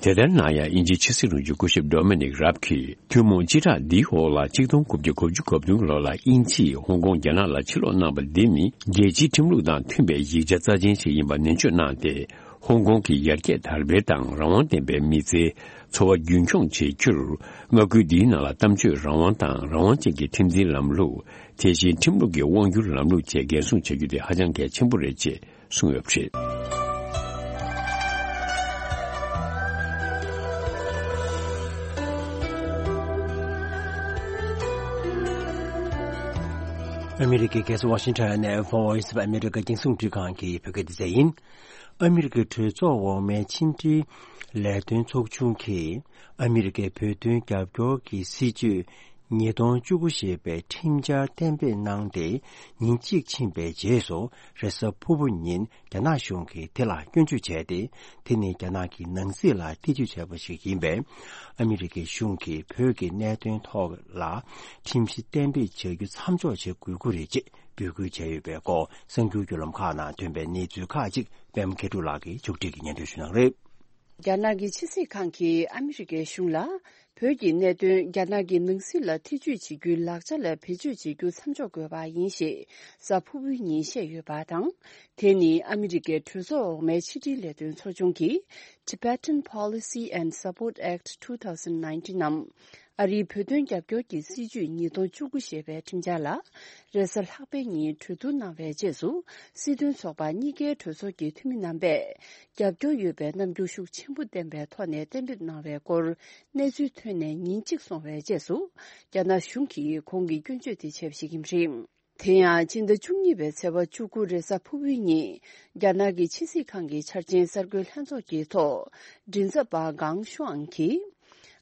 དེ་ལྟར་ན་ཡང་། དབྱིན་ཇིའི་ཕྱི་སྲིད་དྲུང་ཆེ་སྐུ་ཞབས་ཌོ་མི་ནིག་རབ་ཀྱིས་ཐུན་མོང་སྤྱི་བསྒྲགས་འདིའི་འོག་ལ་ཆིག་སྟོང་དགུ་བརྒྱ་དགུ་བཅུ་གོ་བདུན་ལོ་ལ་དབྱིན་ཇིས་ཧོང་ཀོང་རྒྱ་ནག་ལ་ཕྱིར་སློག་གནང་བ་འདི་ནི་རྒྱལ་སྤྱིའི་ཁྲིམས་ལུགས་དང་མཐུན་པའི་ཡིག་ཆ་རྩ་ཆེན་ཞིག་ཡིན་པ་ནན་བརྗོད་གནང་སྟེ། ཧོང་ཀོང་གི་ཡར་རྒྱས་དར་སྤེལ་དང་རང་དབང་ལྡན་པའི་མི་ཚེའི་འཚོ་བ་རྒྱུན་འཁྱོངས་བྱེད་རྒྱུར། མངའ་ཁུལ་འདིའི་ནང་ལ་གཏམ་བརྗོད་རང་དབང་དང་། རང་དབང་ཅན་གྱི་ཁྲིམས་འཛིན་ལམ་ལུགས། དེ་བཞིན་ཁྲིམས་ལུགས་ཀྱི་དབང་སྒྱུར་ལམ་ལུགས་བཅས་འགན་སྲུང་བྱ་རྒྱུ་དེ་ཧ་ཅང་གལ་ཆེན་པོ་རེད་ཅེས་གསུངས་ཡོད་པ་རེད། ཨ་མི་རི་ཀའི་རྒྱལ་ས་ཝ་ཤིང་ཊོན་ནས་Voice of America རྒྱང་སྲིང་རླུང་འཕྲིན་ཁང་གི་བོད་སྐད་སྡེ་ཚན་ཡིན། ཨ་མི་རི་ཀའི་གྲོས་ཚོགས་འོག་མའི་ཕྱི་འབྲེལ་ལས་དོན་ཚོགས་ཆུང་གིས་ཨ་མི་རི་ཀའི་བོད་དོན་རྒྱབ་སྐྱོར་གྱི་སྲིད་ཇུས་ཉིས་སྟོང་བཅུ་དགུ་ཞེས་པའི་ཁྲིམས་འཆར་གཏན་འབེབས་གནང་སྟེ། ཉིན་གཅིག་ཕྱིན་པའི་རྗེས་སུ་རེས་གཟའ་ཕུར་བུ་ཉིན་རྒྱ་ནག་གཞུང་གིས་དེ་ལ་སྐྱོན་བརྗོད་བྱས་ཏེ། དེ་ནི་རྒྱ་ནག་གི་ནང་སྲིད་ལ་ཐེ་ཇུས་བྱས་པ་ཞིག་ཡིན་པས། ཨ་མི་རི་ཀའི་གཞུང་གིས་བོད་ཀྱི་གནད་དོན་ཐོག་ལ་ཁྲིམས་གཞི་གཏན་འབེབས་བྱ་རྒྱུ་མཚམས་འཇོག་བྱེད་དགོས་ཀྱི་རེད་ཅེས་འབོད་སྐུལ་བྱས་ཡོད་པའི་སྐོར། གསར་འགྱུར་བརྒྱུད་ལམ་ཁག་ནང་ཐོན་པའི་གནས་ཚུལ་ཁག་ཅིག་པད་མ་མཁས་གྲུབ་ལགས་ཀྱིས་ཕྱོགས་སྒྲིག་གིས་སྙན་སྒྲོན་ཞུ་གནང་རེད། རྒྱ་ནག་གི་ཕྱི་སྲིད་ཁང་གིས་ཨ་མི་རི་ཀའི་གཞུང་ལ། བོད་ཀྱི་གནད་དོན་རྒྱ་ནག་གི་ནང་སྲིད་ལ་ཐེ་ཇུས་བྱེད་རྒྱུའི་ལག་ཆ་ལ་བེད་སྤྱོད་བྱེད་རྒྱུ་མཚམས་འཇོག་དགོས་པ་ཡིན་ཞེས་གཟའ་ཕུར་བུའི་ཉིན་བཤད་ཡོད་པ་དང་། དེ་ནི་ཨ་མི་རི་ཀའི་གྲོས་ཚོགས་འོག་མའི་ཕྱི་འབྲེལ་ལས་དོན་ཚོགས་ཆུང་གིས་Tibetan Policy and Support Act two thousand nineteen ནམ། ཨ་རིའི་བོད་དོན་རྒྱབ་སྐྱོར་གྱི་སྲིད་ཇུས་ཉིས་སྟོང་བཅུ་དགུ་ཞེས་པའི་ཁྲིམས་འཆར་ལ། རེས་གཟའ་ལྷག་པའི་ཉིན་གྲོས་བསྡུར་གནང་བའི་རྗེས་སུ། སྲིད་དོན་ཚོགས་པ་གཉིས་ཀའི་གྲོས་ཚོགས་ཀྱི་འཐུས་མི་རྣམ་པས། རྒྱབ་སྐྱོར་ཡོད་པའི་རྣམ་འགྱུར་ཤུགས་ཆེན་པོ་བསྟན་པའི་ཐོག་ནས་གཏན་འབེབས་གནང་བའི་སྐོར། གནས་ཚུལ་ཐོན་ནས་ཉིན་གཅིག་སོང་བའི་རྗེས་སུ། རྒྱ་ནག་གཞུང་གིས་གོང་གི་སྐྱོན་བརྗོད་དེ་བྱས་པ་ཞིག་ཡིན་པ་རེད། དེ་ཡང་། ཕྱི་ཟླ་བཅུ་གཉིས་པའི་ཚེས་པ་བཅུ་དགུ་རེས་གཟའ་ཕུར་བུའི་ཉིན། རྒྱ་ནག་གི་ཕྱི་སྲིད་ཁང་གི་འཆར་ཅན་གསར་འགོད་ལྷན་ཚོགས་ཀྱི་ཐོག་མགྲིན་ཚབ་པ་ཀང་ཤུའང་གིས།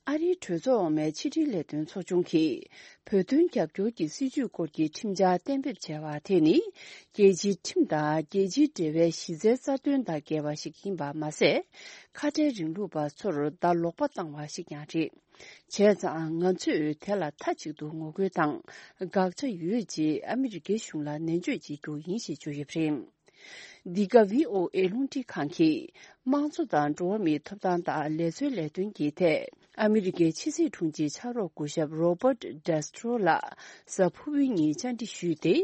ཨ་རིའི་གྲོས་ཚོགས་འོག་མའི་ཕྱི་འབྲེལ་ལས་དོན་ཚོགས་ཆུང་གིས། བོད་དོན་རྒྱབ་སྐྱོར་གྱི་སྲིད་ཇུས་སྐོར་གྱི་ཁྲིམས་འཆར་གཏན་འབེབས་བྱས་པ་དེ་ནི། རྒྱལ་སྤྱིའི་ཁྲིམས་དང་རྒྱལ་སྤྱིའི་འབྲེལ་བའི་གཞི་རྩའི་རྩ་དོན་དང་འགལ་བ་ཞིག་ཡིན་པ་མ་ཟད། ཁ་བྲལ་རིང་ལུགས་པ་ཚོར་ཟླ་ལོག་པ་བཏང་བ་ཞིག་ཀྱང་རེད། བྱས་ཙང་། ང་ཚོས་དེ་ལ་མཐའ་གཅིག་ཏུ་ངོ་རྒོལ་དང་། དགག་བྱ་ཡོད་ཅེས་ཨ་མི་རི་ཀའི་གཞུང་ལ་ནན་བརྗོད་བྱེད་རྒྱུ་ཡིན་ཞེས་བརྗོད་ཡོད་པ་རེད། འདི་ག་བྷི་ཨོ་ཨེ་རླུང་འཕྲིན་ཁང་གིས། དམངས་གཙོ་དང་འགྲོ་བ་མིའི་ཐོབ་ཐང་དང་ལས་བཟོའི་ལས་དོན་གྱི་ཐད། ཨ་མི་རི་ཀའི་ཕྱི་སྲིད་དྲུང་ཆེའི་ཕྱག་རོགས་སྐུ་ཞབས་Robert Castro ལགས་གཟའ་ཕུར་བུའི་ཉིན་བཅར་འདྲི་ཞུས་ཏེ།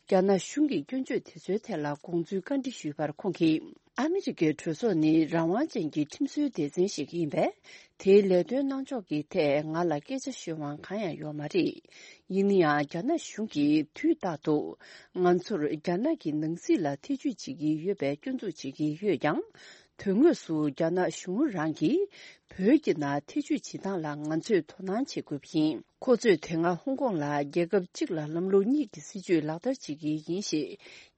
རྒྱ་ནག་གཞུང་གི་སྐྱོན་བརྗོད་དེ་ཚོའི་ཐད་ལ་དགོངས་ཚུལ་བཀའ་འདྲི་ཞུས་པར། ཁོང་གིས། ཨ་མི་རི་ཀའི་གྲོས་ཚོགས་ནི་རང་དབང་ཅན་གྱི་ཁྲིམས་བཟོའི་སྡེ་ཚན་ཞིག་ཡིན་པས། དེའི་ལས་དོན་གནང་ཕྱོགས་ཀྱི་ཐད་ང་ལ་སྐད་ཆ་ཤོད་དབང་གང་ཡང་ཡོད་མ་རེད། ཡིན་ན་ཡང་། རྒྱ་ནག་གཞུང་གིས་དུས་རྟག་ཏུ་ང་ཚོར་རྒྱ་ནག་གི་ནང་སྲིད་ལ་ཐེ་ཇུས་བྱེད་ཀྱི་ཡོད་པའི་སྐྱོན་འཛུགས་བྱེད་ཀྱི་ཡོད་ཀྱང་། དོན་དངོས་སུ་རྒྱ་ནག་གཞུང་རང་གིས་བོད་ཀྱི་ནང་ཐེ་ཇུས་བྱེད་སྟངས་ལ་ང་ཚོས་དོ་སྣང་བྱེད་དགོས་པ་ཡིན། ཁོ་ཚོས་དེ་སྔ་ཧོང་ཀོང་ལ་རྒྱལ་ཁབ་གཅིག་ལ་ལམ་ལུགས་གཉིས་ཀྱི་སྲིད་ཇུས་ལག་བསྟར་བྱེད་ཀྱི་ཡིན་ཞེས་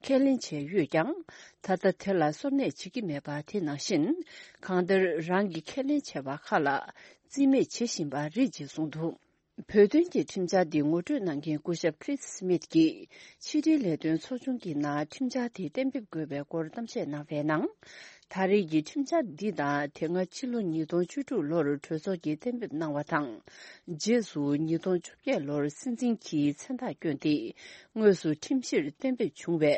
ཁས་ལེན་བྱས་ཡོད་ཀྱང་། ད་ལྟ་དེ་ལ་སོར་གནས་བྱེད་ཀྱི་མེད་པ་དེ་ནང་བཞིན། གང་ལྟར་རང་གིས་ཁས་ལེན་བྱས་པ་ཁག་ལ་རྩིས་མེད་བྱེད་བཞིན་པ་རེད་ཅེས་གསུངས་འདུག་བོད་དོན་གྱི་ཁྲིམས་འཆར་འདི་ངོ་སྤྲོད་གནང་མཁན་སྐུ་ཞབས་Chris Smith་གྱིས་ཕྱི་དྲིལ་ལས་དོན་ཚོགས་ཆུང་གི་ནང་ཁྲིམས་འཆར་དེ་གཏན་འབེབས་དགོས་པའི་སྐོར་གཏམ་བཤད་གནང་བའི་ནང་། ད་རེས་ཀྱི་ཁྲིམས་འཆར་འདི་དང་དེ་སྔ་ཕྱི་ལོ་ཉིས་སྟོང་བཅུ་དྲུག་ལོར་གྲོས་ཚོགས་ཀྱིས་གཏན་འབེབས་གནང་བ་དང་། རྗེས་སུ་ཉིས་སྟོང་བཅོ་བརྒྱད་ལོར་སྲིད་འཛིན་གྱིས་མཚན་རྟགས་བསྐྱོན་ཏེ། དངོས་སུ་ཁྲིམས་གཞིར་གཏན་འབེབས་བྱུང་བའི་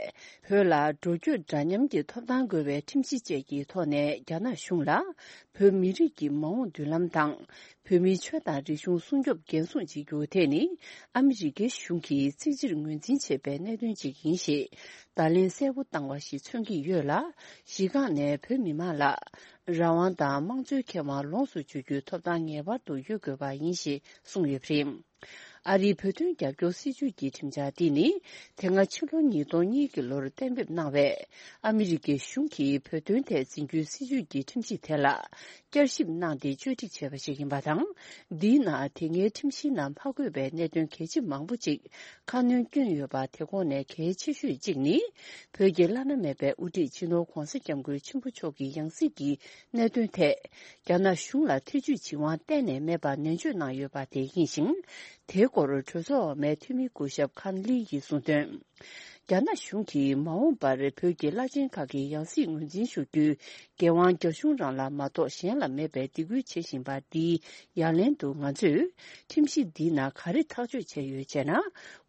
བོད་ལ་འགྲོ་སྐྱོད་འདྲ་མཉམ་གྱི་ཐོབ་ཐང་དགོས་པའི་ཁྲིམས་གཞི་བཅས་ཀྱི་ཐོག་ནས་རྒྱ་ནག་གཞུང་ལ་བོད་མི་རིགས་ཀྱི་མ་འོངས་མདུན་ལམ་དང་། བོད་མིའི་ཆོས་དང་རིག་གཞུང་སྲུང་སྐྱོབ་འགན་སྲུང་བྱེད་རྒྱུ་དེ་ནི་ཨ་མི་རི་ཀའི་གཞུང་གིས་གཙིགས་ཆེར་ངོས་འཛིན་བྱེད་པའི་གནད་དོན་ཅིག་ཡིན་ཞེས་བརྡ་ལན་གསལ་པོ་བཏང་བ་ཞིག་མཚོན་གྱི་ཡོད་ལ། གཞི་རྐང་ནས་བོད་མི་མང་ལ་རང་དབང་དང་དམངས་གཙོའི་ཁེ་དབང་ལོངས་སུ་སྤྱོད་རྒྱུའི་ཐོབ་ཐང་ངེས་པར་དུ་ཡོད་དགོས་པ་ཡིན་ཞེས་གསུངས་ཡོད་པ་རེད། ཨ་རིའི་བོད་དོན་རྒྱབ་སྐྱོར་སྲིད་ཇུས་ཀྱི་ཁྲིམས་འཆར་འདི་ནི། དེ་སྔ་ཕྱི་ལོ་ཉིས་སྟོང་གཉིས་ཀྱི་ལོར་གཏན་འབེབས་གནང་བའི་ཨ་མི་རི་ཀའི་གཞུང་གིས་བོད་དོན་ཐད་འཛིན་རྒྱུའི་སྲིད་ཇུས་ཀྱི་ཁྲིམས་གཞི་དེ་ལ་བསྐྱར་ཞིབ་གནང་སྟེ་བཅོས་སྒྲིག་བྱས་པ་ཞིག་ཡིན་པ་དང་། འདིའི་ནང་དེ་སྔའི་ཁྲིམས་གཞིའི་ནང་མ་འཁོད་པའི་གནད་དོན་གལ་ཆེ་མང་པོ་ཅིག་ཁ་སྣོན་བསྐྱོན་ཡོད་པ། དེ་ཁོངས་ནས་གལ་ཆེ་ཤོས་གཅིག་ནི། བོད་ཀྱི་བླ་ན་མེད་པའི་དབུ་ཁྲིད་སྤྱི་ནོར་གོང་ས་སྐྱབས་མགོན་ཆེན་པོ་མཆོག་གི་ཡང་སྲིད་ཀྱི་གནད་དོན་ཐད། རྒྱ་ནག་གཞུང་ལ་ཐེ་ཇུས་བྱེད་དབང་གཏན་ནས་མེད་པ་ནན་བརྗོད་གནང་ཡོད་པ་དེ་ཡིན་ཞིང་། དེའི་སྐོར་གྲོས་ཚོགས་འོག་མའི་འཐུས་མི་སྐུ་ཞབས་ཁཱན་ལི་ཡིས་གསུངས་དོན། རྒྱ་ནག་གཞུང་གིས་མ་འོངས་པར་བོད་ཀྱི་བླ་ཆེན་ཁག་གི་ཡང་སྲིད་ངོས་འཛིན་ཞུ་རྒྱུའི་འགན་དབང་རྒྱ་གཞུང་རང་ལ་མ་གཏོགས་གཞན་ལ་མེད་པའི་སྡིགས་སྐུལ་བྱེད་བཞིན་པ་འདིའི་ཡ་ལན་དུ། ང་ཚོས་ཁྲིམས་གཞི་འདིའི་ནང་ག་རེ་ཐག་གཅོད་བྱས་ཡོད་ཅེ་ན།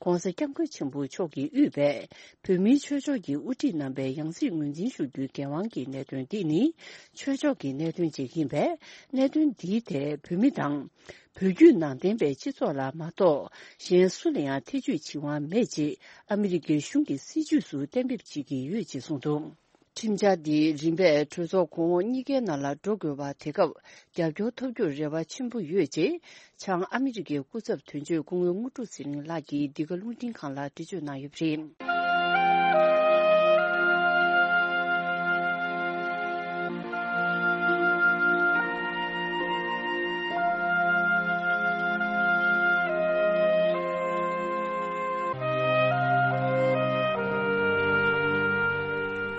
གོང་ས་སྐྱབས་མགོན་ཆེན་པོ་མཆོག་གིས་དབུས་པའི་བོད་མིའི་ཆོས་ཕྱོགས་ཀྱི་དབུ་ཁྲིད་རྣམ་པའི་ཡང་སྲིད་ངོས་འཛིན་ཞུ་རྒྱུའི་འགན་དབང་གི་གནད་དོན་འདི་ནི་ཆོས་ཕྱོགས་ཀྱི་གནད་དོན་ཅིག་ཡིན་པས། གནད་དོན་འདིའི་ཐད་བོད་མི་དང་། བོད་བརྒྱུད་ནང་བསྟན་པའི་སྤྱི་ཚོགས་ལ་མ་གཏོགས་གཞན་སུ་ལ་ཡང་ཐེ་ཇུས་བྱེད་དབང་མེད་ཅེས་ཨ་མི་རི་ཀའི་གཞུང་གི་སྲིད་ཇུས་སུ་གཏན་འབེབས་བྱེད་ཀྱི་ཡོད་ཅེས་གསུངས་འདུག་ཁྲིམས་འཆར་འདི་རིམ་པས་གྲོས་ཚོགས་གོང་འོག་གཉིས་ཀའི་ནང་ལ་འགྲོ་དགོས་པ། དེ་སྐབས་རྒྱབ་སྐྱོར་ཐོབ་རྒྱུར་རེ་བ་ཆེན་པོ་ཡོད་ཅེས་བྱང་ཨ་མི་རི་ཀའི་སྐུ་ཚབ་དོན་གཅོད་སྐུ་ངོ་དངོས་གྲུབ་ཚེ་རིང་ལགས་ཀྱིས་འདི་ག་རླུང་འཕྲིན་ཁང་ལ་འགྲེལ་བརྗོད་གནང་ཡོད་པ་རེད།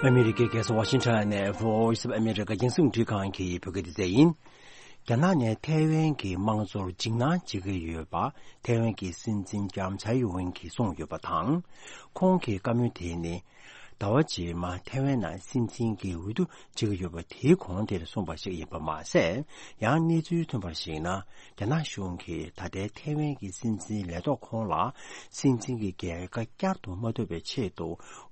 ཨ་མི་རི་ཀའི་རྒྱལ་ས་ཝ་ཤིང་ཊོན་ནས་Voice of America་རྒྱང་སྲིང་རླུང་འཕྲིན་ཁང་གི་བོད་སྐད་སྡེ་ཚན་ཡིན། རྒྱ་ནག་ནས་ཐའེ་ཝན་གྱི་དམངས་གཙོར་འཇིགས་སྣང་བྱེད་ཀྱི་ཡོད་པ། ཐའེ་ཝན་གྱི་སྲིད་འཛིན་ལྕམ་ཚའེ་ཝེན་གྱིས་གསུངས་ཡོད་པ་དང་། ཁོང་གི་བཀའ་མོལ་དེ་ནི། ཟླ་བ་རྗེས་མ་ཐའེ་ཝན་ནང་སྲིད་འཛིན་གྱི་འོས་བསྡུ་བྱེད་ཀྱི་ཡོད་པ་དེའི་གོང་དེར་གསུངས་པ་ཞིག་ཡིན་པ་མ་ཟད། ཡང་གནས་ཚུལ་ཐོན་པར་གཞིགས་ན། རྒྱ་ནག་གཞུང་གིས་ད་ལྟའི་ཐའེ་ཝན་གྱི་སྲིད་འཛིན་ལས་ཐོག་ཁོང་ལ་སྲིད་འཛིན་གྱི་རྒྱལ་ཁ་བསྐྱར་དུ་མ་ཐོབ་པའི་ཆེད་དུ་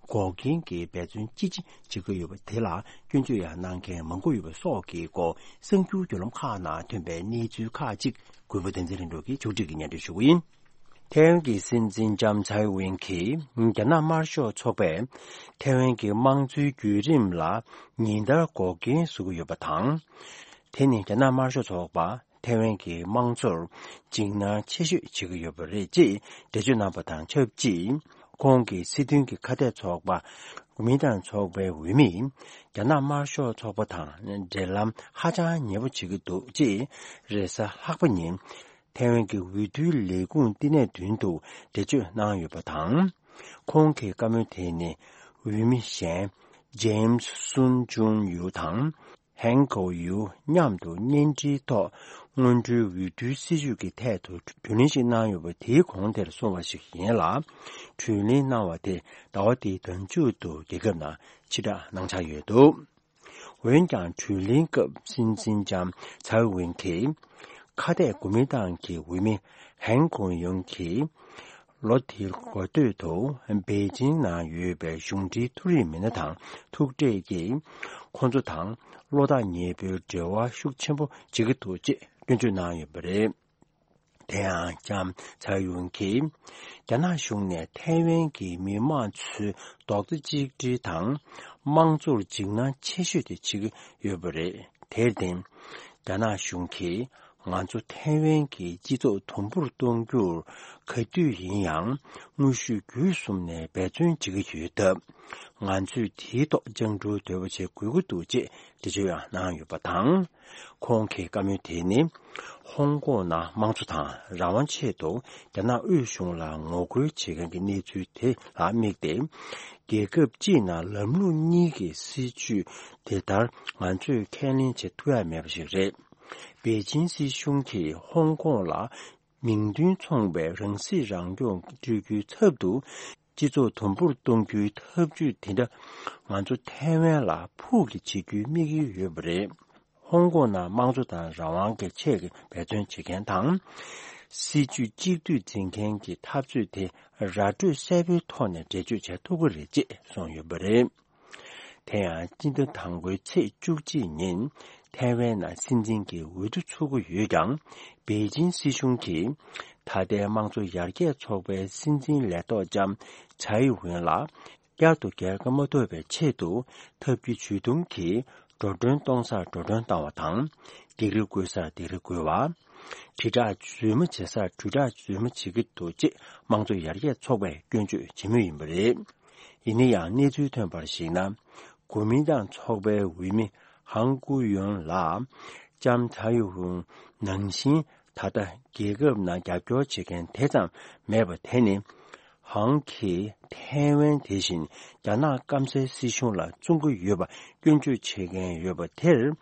འགོག་རྐྱེན་གྱི་འབད་བརྩོན་ཅི་ཆེ་བྱེད་ཀྱི་ཡོད་པ་དེ་ལ་སྐྱོན་བརྗོད་ཡང་གནང་མཁན་མང་པོ་ཡོད་པ་སོགས་ཀྱི་སྐོར་གསར་འགྱུར་བརྒྱུད་ལམ་ཁག་ནང་ཐོན་པའི་གནས་ཚུལ་ཁག་ཅིག་གུས་པ་བསྟན་འཛིན་ལྷུན་གྲུབ་ཀྱིས་ཕྱོགས་སྒྲིག་གིས་སྙན་སྒྲོན་ཞུ་གི་ཡིན། ཐའེ་ཝན་གྱི་སྲིད་འཛིན་ལྕམ་ཚའེ་ཝེན་གྱིས་རྒྱ་ནག་དམར་ཤོག་ཚོགས་པས་ཐའེ་ཝན་གྱི་དམངས་གཙོའི་བརྒྱུད་རིམ་ལ་ཉིན་ལྟར་འགོག་རྐྱེན་བཟོ་གི་ཡོད་པ་དང་། དེ་ནི་རྒྱ་ནག་དམར་ཤོག་ཚོགས་པ་ཐའེ་ཝན་གྱི་དམངས་གཙོར་འཇིགས་སྣང་ཆེ་ཤོས་བྱེད་ཀྱི་ཡོད་པ་རེད་ཅེས་འགྲེལ་བརྗོད་གནང་བ་དང་ཆབས་ཅིག་ཁོང་གི་སྲིད་དོན་གྱི་ཁ་གཏད་ཚོགས་པ་གོ་མིན་ཏང་ཚོགས་པའི་འོས་མིས་རྒྱ་ནག་དམར་ཤོག་ཚོགས་པ་དང་འབྲེལ་ལམ་ཧ་ཅང་ཉེ་པོ་བྱེད་ཀྱི་འདུག་ཅེས་རེས་གཟའ་ལྷག་པ་ཉིན། ཐའེ་ཝན་གྱི་འོས་བསྡུའི་ལས་ཁུངས་བསྟི་གནས་མདུན་དུ་འགྲེལ་བརྗོད་གནང་ཡོད་པ་དང་། ཁོང་གི་བཀའ་མོལ་དེ་ནི་འོས་མི་གཞན་ཇེམ་སུན་ཅུན་ཡུ་དང་ཧན་ཀོ་ཡུ་མཉམ་དུ་བརྙན་འཕྲིན་ཐོག་སྔོན་འགྲོའི་འོས་བསྡུའི་སྲིད་བྱུས་ཀྱི་ཐད་དུ་དྲིས་ལན་ཞིག་གནང་ཡོད་པ་དེའི་གོང་དེར་གསུངས་པ་ཞིག་ཡིན་ལ། དྲིས་ལན་གནང་བ་དེ་ཟླ་བ་འདིའི་ཟླ་མཇུག་ཏུ་རྒྱལ་ཁབ་ནང་ཕྱིར་བསྒྲགས་གནང་འཆར་ཡོད་འདུག་འོན་ཀྱང་། དྲིས་ལན་སྐབས་སྲིད་འཛིན་ལྕམ་ཚའེ་ཝེན་གྱིས་ཁ་གཏད་གོ་མིན་ཏང་གི་འོས་མི་ཧན་ཀོང་ཡུང་གིས་ལོ་དེའི་འགོ་སྟོད་དུ་པེ་ཅིང་ནང་ཡོད་པའི་གཞུང་འབྲེལ་མཐོ་རིམ་མི་སྣ་དང་ཐུག་འཕྲད་ཀྱིས་ཁོང་ཚོ་དང་བློ་ཐག་ཉེ་པོའི་འབྲེལ་བ་ཤུགས་ཆེན་པོ་བྱེད་ཀྱི་འདུག་ཅེས་སྐྱོན་བརྗོད་གནང་ཡོད་པ་རེད། དེ་ཡང་ལྕམ་ཚའེ་ཝེན་གྱིས་རྒྱ་ནག་གཞུང་ནས་ཐའེ་ཝན་གྱི་མི་དམངས་ཚོའི་རྡོག་རྩ་གཅིག་སྒྲིལ་དང་ དམངས་གཙོར་འཇིགས་སྣང་ཆེ་ཤོས་དེ་བྱེད་ཀྱི་ཡོད་པ་རེད། དེར་བརྟེན། རྒྱ་ནག་གཞུང་གིས་ང་ཚོ་ཐའེ་ཝན་གྱི་སྤྱི་ཚོགས་དུམ་བུར་གཏོང་རྒྱུར་ག་དུས་ཡིན་ཡང་དངོས་ཤུགས་བརྒྱུད་གསུམ་ནས་འབད་བརྩོན་བྱེད་ཀྱི་ཡོད་སྟབས། ང་ཚོས་དེའི་ཐོག་སྤྱང་གྲུང་དོད་པོ་བྱེད་དགོས་ཀྱི་འདུག་ཅེས་འགྲེལ་བརྗོད་ཡང་གནང་ཡོད་པ་དང་། ཁོང་གི་བཀའ་མོལ་དེ་ནི། ཧོང་ཀོང་ནང་དམངས་གཙོ་དང་རང་དབང་ཆེད་དུ་རྒྱ་ནག་དབུས་གཞུང་ལ་ངོ་རྒོལ་བྱེད་མཁན་གྱི་གནས་ཚུལ་དེ་ལ་དམིགས་ཏེ། རྒྱལ་ཁབ་སྤྱིའི་ནང་ལམ་ལུགས་གཉིས་ཀྱི་སྲིད་བྱུས་དེ་ལྟར་ང་ཚོས་ཁས་ལེན་བྱེད་ཐུབ་ཡ་མེད་པ་ཞིག་རེད། པེ་ཅིན་སྲིད་གཞུང་གིས་ཧོང་ཀོང་ལ་མིང་དོན་མཚུངས་པའི་རང་སྲིད་རང་སྐྱོང་སྤྲོད་རྒྱུའི་ཚབ་ཏུ། སྤྱི་ཚོགས་དུམ་བུར་གཏོང་རྒྱུའི་ཐབས་ཇུས་དེ་འདྲ་ང་ཚོ་ཐའེ་ཝན་ལ་ཕུགས་ཀྱི་བྱེད་རྒྱུའི་དམིགས་ཡུལ་ཡོད་པ་རེད། ཧོང་ཀོང་ནང་དམངས་གཙོ་དང་རང་དབང་གི་ཆེད་ཀྱི་འབད་བརྩོན་བྱེད་མཁན་དང་། སྲིད་ཇུས་གཅིག་སྡུད་འཛིན་མཁན་གྱི་འཐབ་རྩོད་དེ་ར་སྤྲོད་གསལ་པོའི་ཐོག་ནས་འགྲེལ་བརྗོད་བྱེད་ཐུབ་ཀྱི་རེད་ཅེས་གསུངས་ཡོད་པ་རེད། དེ་ཡང་སྤྱི་ཟླ་དང་པོའི་ཚེས་བཅུ་གཅིག་ཉིན་ཐའེ་ཝན་ནང་སྲིད་འཛིན་གྱི་འོས་བསྡུ་ཚུགས་ཀྱི་ཡོད་ཀྱང་། པེ་ཅིན་སྲིད་གཞུང་གིས་ད་ལྟའི་དམངས་གཙོ་ཡར་རྒྱས་ཚོགས་པའི་སྲིད་འཛིན་ལས་ཐོག་ལྕམ་ཚའེ་ཝེན་ལ། བསྐྱར་དུ་རྒྱལ་ཁ་མ་ཐོབ་པའི་ཆེད་དུ་ཐབས་ཇུས་ཇུས་གཏོང་གིས་འགྲོ་གྲོན་གཏོང་སར་འགྲོ་གྲོན་བཏང་བ་དང་། སྒེར་རི་བགོ་སར་སྒེར་རི་བགོ་བ། དྲིལ་བསྒྲགས་རྫུན་མ་བྱེད་སར་དྲིལ་བསྒྲགས་རྫུན་མ་བྱེད་ཀྱི་འདུག་ཅེས་དམངས་གཙོ་ཡར་རྒྱས་ཚོགས་པས་སྐྱོན་བརྗོད་བྱེད་མུས་ཡིན་པ་རེད། ཡིན་ན་ཡང་གནས་ཚུལ་ཐོན་པར་གཞིགས་ན། གོ་མིན་ཏང་ཚོགས་པའི་འོས་མི་ཧང་ཀུའུ་ཡོན་ལ། ལྕམ་ཚའེ་ཝེན་ནང་བཞིན། ད་ལྟ་རྒྱལ་ཁབ་ནང་རྒྱབ་སྐྱོར་བྱེད་མཁན་དེ་ཙམ་མེད་པ་དེ་ནི། ཧང་གིས་ཐའེ་ཝན་དེ་བཞིན་རྒྱ་ནག་སྐམ་སའི་སྲིད་གཞུང་ལ་བཙོང་གི་ཡོད་པ་སྐྱོན་བརྗོད་བྱེད་མཁན་ཡོད་པ་དེར།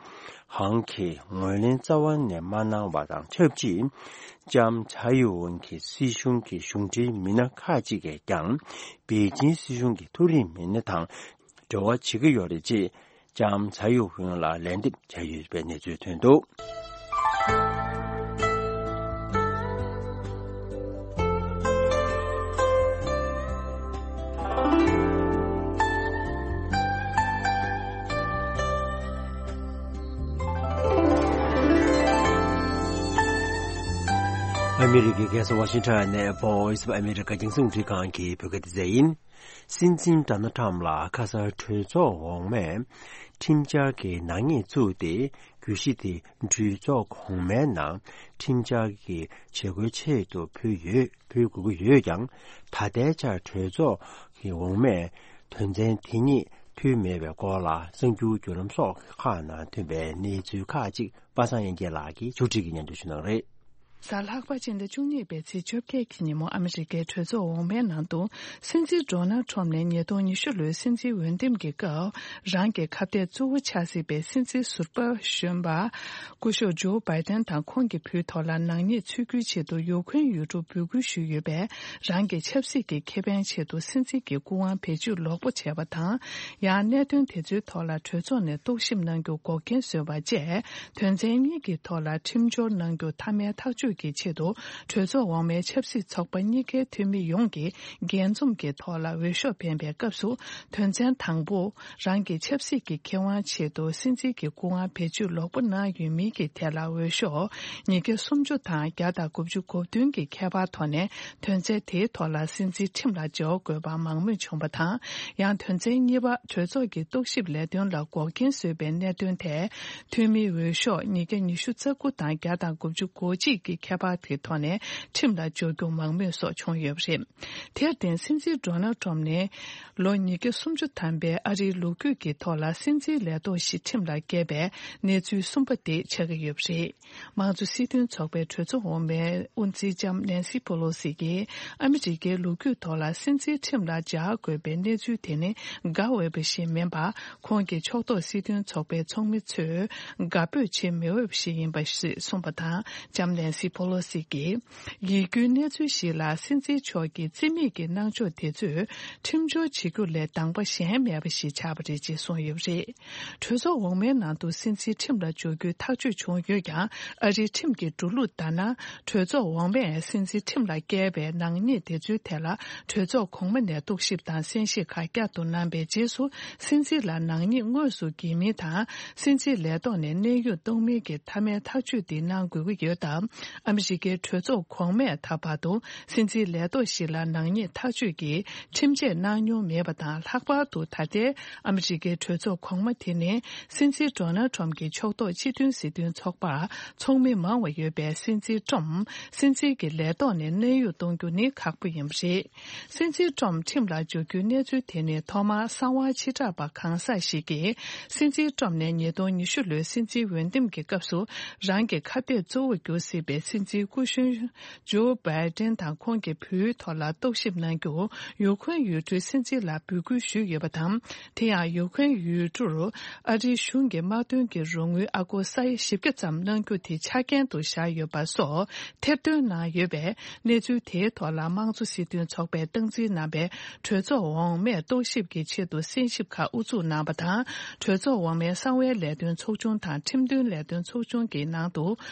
ཧང་གིས་ངོས་ལེན་རྩ་བ་ནས་མ་གནང་བ་དང་ཆབས་ཅིག་ལྕམ་ཚའེ་ཝེན་གྱི་སྲིད་གཞུང་གི་གཞུང་འབྲེལ་མི་སྣ་ཁག་ཅིག་གིས་ཀྱང་པེ་ཅིན་སྲིད་གཞུང་གི་མཐོ་རིམ་མི་སྣ་དང་འབྲེལ་བ་བྱེད་ཀྱི་ཡོད་རེད་ཅེས། ལྕམ་ཚའེ་ཝེན་ལ་ལན་འདེབས་བྱས་ཡོད་པའི་གནས་ཚུལ་ཐོན་འདུག། ཨ་མི་རི་ཀའི་རྒྱལ་ས་ཝ་ཤིང་ཊོན་ནས་Voice of America རྒྱང་སྲིང་རླུང་འཕྲིན་ཁང་གི་བོད་སྐད་སྡེ་ཚན་ཡིན། སྲིད་འཛིན་ཌོ་ནལ་ཁྲམ་ལ་ཁ་སང་གྲོས་ཚོགས་འོག་མས་ཁྲིམས་འཆར་གྱི་ནག་ཉེས་བཙུགས་ཏེ། གྱོད་གཞི་དེ་གྲོས་ཚོགས་གོང་མའི་ནང་ཁྲིམས་འཆར་གྱི་བྱེད་སྒོའི་ཆེད་དུ་ཕུལ་ཡོད། ཕུལ་དགོས་ཀྱི་ཡོད་ཀྱང་། ད་ལྟའི་ཆར་གྲོས་ཚོགས་ཀྱི་འོག་མས་དོན་ཚན་དེ་ཉིད་ཕུལ་མེད་པའི་སྐོར་ལ་གསར་འགྱུར་བརྒྱུད་ལམ་སོགས་ཁག་ནང་ཐོན་པའི་གནས་ཚུལ་ཁག་ཅིག་པ་སངས་དབྱངས་སྐྱིད་ལགས་ཀྱིས་ཕྱོགས་སྒྲིག་གིས་སྙན་སྒྲོན་ཞུ་གནང་རེད། གཟའ་ལྷག་པ་སྤྱི་ཟླ་བཅུ་གཉིས་པའི་ཚེས་བཅོ་བརྒྱད་ཀྱི་ཉིན་མོ་ཨ་མི་རི་ཀའི་གྲོས་ཚོགས་འོག་མའི་ནང་དུ། སྲིད་འཛིན་ཌོ་ནལ་ཁྲོམ་ནས་ཉིས་སྟོང་ཉི་ཤུ་ལོའི་སྲིད་འཛིན་འོས་འདེམས་ཀྱི་སྐབས། རང་གི་ཁ་གཏད་གཙོ་བོ་ཆགས་སྲིད་པའི་སྲིད་འཛིན་ཟུར་པ་གཞོན་པ། སྐུ་ཞབས་ཇོ་བྷའི་ཏན་དང་ཁོང་གི་བུའི་ཐོག་ལ་ནག་ཉེས་ཚུད་རྒྱུའི་ཆེད་དུ་ཡུཀ་རེན་ཡུལ་གྲུར་འབོད་སྐུལ་ཞུས་ཡོད་པས། རང་གི་ཆབ་སྲིད་ཀྱི་ཁེ་ཕན་ཆེད་དུ་སྲིད་འཛིན་གྱི་སྐུ་དབང་བེད་སྤྱོད་ལོག་པ་བྱས་པ་དང་། ཡང་གནད་དོན་དེ་ཚོའི་ཐོག་ལ་གྲོས་ཚོགས་ནས་རྟོག་ཞིབ་གནང་རྒྱུ་འགོག་རྐྱེན་བཟོས་པ་བཅས། དོན་ཚན་གཉིས་ཀྱི་ཐོག་ལ་ཁྲིམས་སྦྱོར་གནང་རྒྱུ་མཐའ་མའི་ཐག་གཅོད་ཀྱི་ཆེད་དུ། གྲོས་ཚོགས་འོག་མའི་ཆབ་སྲིད་ཚོགས་པ་གཉིས་ཀའི་འཐུས་མི་ཡོངས་ཀྱིས་རྒྱས་འཛོམས་ཀྱི་ཐོག་ལ་འོས་ཤོག་འཕེན་པའི་སྐབས་སུ། དོན་ཚན་དང་པོ། རང་གི་ཆབ་སྲིད་ཀྱི་ཁེ་དབང་ཆེད་དུ་སྲིད་འཛིན་གྱི་སྐུ་དབང་བེད་སྤྱོད་ལོག་པ་གནང་ཡོད་མིན་གྱི་ཐད་ལ་འོས་ཤོག་ཉིས་བརྒྱ་སུམ་ཅུ་དང་བརྒྱ་དང་དགུ་བཅུ་གོ་བདུན་གྱི་ཁྱད་པར་ཐོག་ནས། དོན་ཚན་དེའི་ཐོག་ལ་སྲིད་འཛིན་ཁྲིམས་ལ་འབྱོར་དགོས་པ་མང་མོས་བྱུང་བ་དང་། ཡང་དོན་ཚན་གཉིས་པ། གྲོས་ཚོགས་ཀྱི་རྟོག་ཞིབ་ལས་དོན་ལ་འགོག་རྐྱེན་བཟོས་པའི་གནད་དོན་ཐད། འཐུས་མིའི་འོས་ཤོག་ཉིས་བརྒྱ་ཉི་ཤུ་རྩ་དགུ་དང་བརྒྱ་དང་དགུ་བཅུ་གོ་གཅིག་གི་ཁྱད་པར་དེའི་ཐོག་ནས་ཁྲིམས་ལ་འབྱོར་རྒྱུ་མང་མོས་སོགས་བྱུང་ཡོད་པ་རེད། དེར་བརྟེན། སྲིད་འཛིན་ཌོ་ནལ་ཁྲོམ་ནས་ལོ་ཉིས་བརྒྱ་སུམ་ཅུ་ཐམ་པའི་ཨ་རིའི་ལོ་རྒྱུས་ཀྱི་ཐོག་ལ་སྲིད་འཛིན་ལས་ཐོག་ཞིག་ཁྲིམས་ལ་བཀལ་བའི་གནས་ཚུལ་གསུམ་པ་དེ་ཆགས་ཀྱི་ཡོད་པ་རེད། དམངས་གཙོ་སྲིད་དོན་ཚོགས་པའི་གྲོས་ཚོགས་འོག་མའི་དབུ་འཛིན་ལྕམ་ནན་སི་པོ་ལོ་སི་གིས། ཨ་མི་རི་ཀའི་ལོ་རྒྱུས་ཐོག་ལ་སྲིད་འཛིན་ཁྲིམས་ལ་སྦྱར་དགོས་པའི་གནས་ཚུལ་དེ་ནི་དགའ་འོས་པ་ཞིག་མིན་པར། ཁོང་གི་ཕྱོགས་གཏོགས་སྲིད་དོན་ཚོགས་པའི་ཚོགས་མི་ཚོས་དགའ་འབོད་བྱེད་མི་འོས་པ་ཞིག་ཡིན་པ་ཞེས་གསུངས་པ་དང་། ལྕམ་ནན་སི་པོ་ལོ་སི་གིས། ཡིད་སྐྱོའི་གནས་ཚུལ་ཞིག་ལ། སྲིད་འཛིན་མཆོག་གི་རྩིས་མེད་ཀྱི་གནང་ཕྱོགས་དེ་ཚོས། ཁྲིམས་སྦྱོར་བྱེད་རྒྱུ་ལས་དང་པ་གཞན་མེད་པ་ཞིག་ཆགས་པ་རེད་ཅེས་གསུངས་ཡོད་པ་རེད། གྲོས་ཚོགས་འོག་མའི་ནང་དུ་སྲིད་འཛིན་ཁྲིམས་ལ་འཇོག་རྒྱུའི་ཐག་གཅོད་བྱུང་ཡོད་ཀྱང་། ཨ་རིའི་ཁྲིམས་ཀྱི་འགྲོ་ལུགས་ལྟར་ན། གྲོས་ཚོགས་འོག་མས་སྲིད་འཛིན་ཁྲིམས་ལ་བཀལ་བའི་ནག་ཉེས་དེ་ཚོའི་ཐད་ལ། གྲོས་ཚོགས་གོང་མ་ནས་རྟོག་ཞིབ་དང་གསན་བཞེས་ཁག་བསྐྱར་དུ་གནང་པའི་རྗེས་སུ། སྲིད་འཛིན་ལ་ནག་ཉེས་དངོས་སུ་འགེལ་མིན་དང་། སྲིད་འཛིན་ལས་ཐོག་ནས་གནས་དབྱུང་གཏོང་མིན་གྱི་མཐའ་མའི་ཐག་གཅོད་འདི་གནང་དགོས་ཀྱི་ཡོད་སྟབས། ཨ་མི་རི་ཀའི་གྲོས་ཚོགས་གོང་མས་ད་བར་དུ་སྲིད་འཛིན་ལས་ཐོག་ཞིག་ལ་ནག་ཉེས་ཐག་གཅོད་ཀྱི་ཁྲིམས་ཆད་གནང་མྱོང་མེད་པ་དང་། ལྷག་པར་དུ་ད་ལྟའི་ཨ་མི་རི་ཀའི་གྲོས་ཚོགས་གོང་མ་དེ་ནི་སྲིད་འཛིན་ཌོ་ནལ་ཊམ་གྱི་ཕྱོགས་གཏོགས་སྤྱི་མཐུན་སྲིད་དོན་ཚོགས་པར་ཚོགས་མི་མང་བ་ཡོད་པས། སྲིད་འཛིན་ཊམ་སྲིད་འཛིན་གྱི་ལས་ཐོག་ནས་གནས་དབྱུང་གཏོང་རྒྱུ་ནི་ཁག་པོ་ཡིན་པ་རེད། སྲིད་འཛིན་ཊམ་ཁྲིམས་ལ་འཇུག་རྒྱུའི་གནས་ཚུལ་དེ་ནི་ཐོག་མར་གསང་བ་ཕྱི་བསྒྲགས་པ་གང་ཟག་ཞིག་གིས་སྲིད་འཛིན་ཊམ་ནས་ཉིས་སྟོང་ཉི་ཤུ་ལོའི་སྲིད་འཛིན་འོས་འདེམས་ཀྱི་སྐབས་སུ་རང་གི་ཁ་གཏད་གཙོ་བོར་གྱུར་སྲིད་པའི་སྲིད་འཛིན་སྐུ་གཞོན་ཇོ་བྷའི་ཏན་དང་ཁོང་གི་བུའི་ཐོག་ལ་རྟོག་ཞིབ་གནང་རྒྱུར་ཡུ་ཁུ་རེན་ཡུལ་གྲུའི་སྲིད་འཛིན་ལ་འབོད་སྐུལ་ཞུས་ཡོད་པ་དང་། དེ་ཡང་ཡུ་ཁུ་རེན་ཡུལ་གྲུར་ཨ་རིའི་གཞུང་གིས་དམག་དོན་གྱི་རོགས་དངུལ་ཨ་སྒོར་ས་ཡ་བཞི་བརྒྱ་ཙམ་གནང་རྒྱུ་དེ་ཆ་རྐྱེན་དུ་བཞག་ཡོད་པ་སོགས་ཐེར་འདོན་གནང་ཡོད་པས། གནས་ཚུལ་དེའི་ཐོག་ལ་དམངས་གཙོ་སྲིད་དོན་ཚོགས་པས་སྟངས་འཛིན་གནང་བའི་གྲོས་ཚོགས་འོག་མས་རྟོག་ཞིབ་ཀྱི་ཆེད་དུ་གསན་ཞིབ་ཁག་དབུ་འཛུགས་གནང་བ་དང་། གྲོས་ཚོགས་འོག་མའི་གསང་བའི་ལས་དོན་ཚོགས་ཆུང་དང་ཁྲིམས་དོན་ལས་དོན་ཚོགས་ཆུང་གི་ནང་དུ་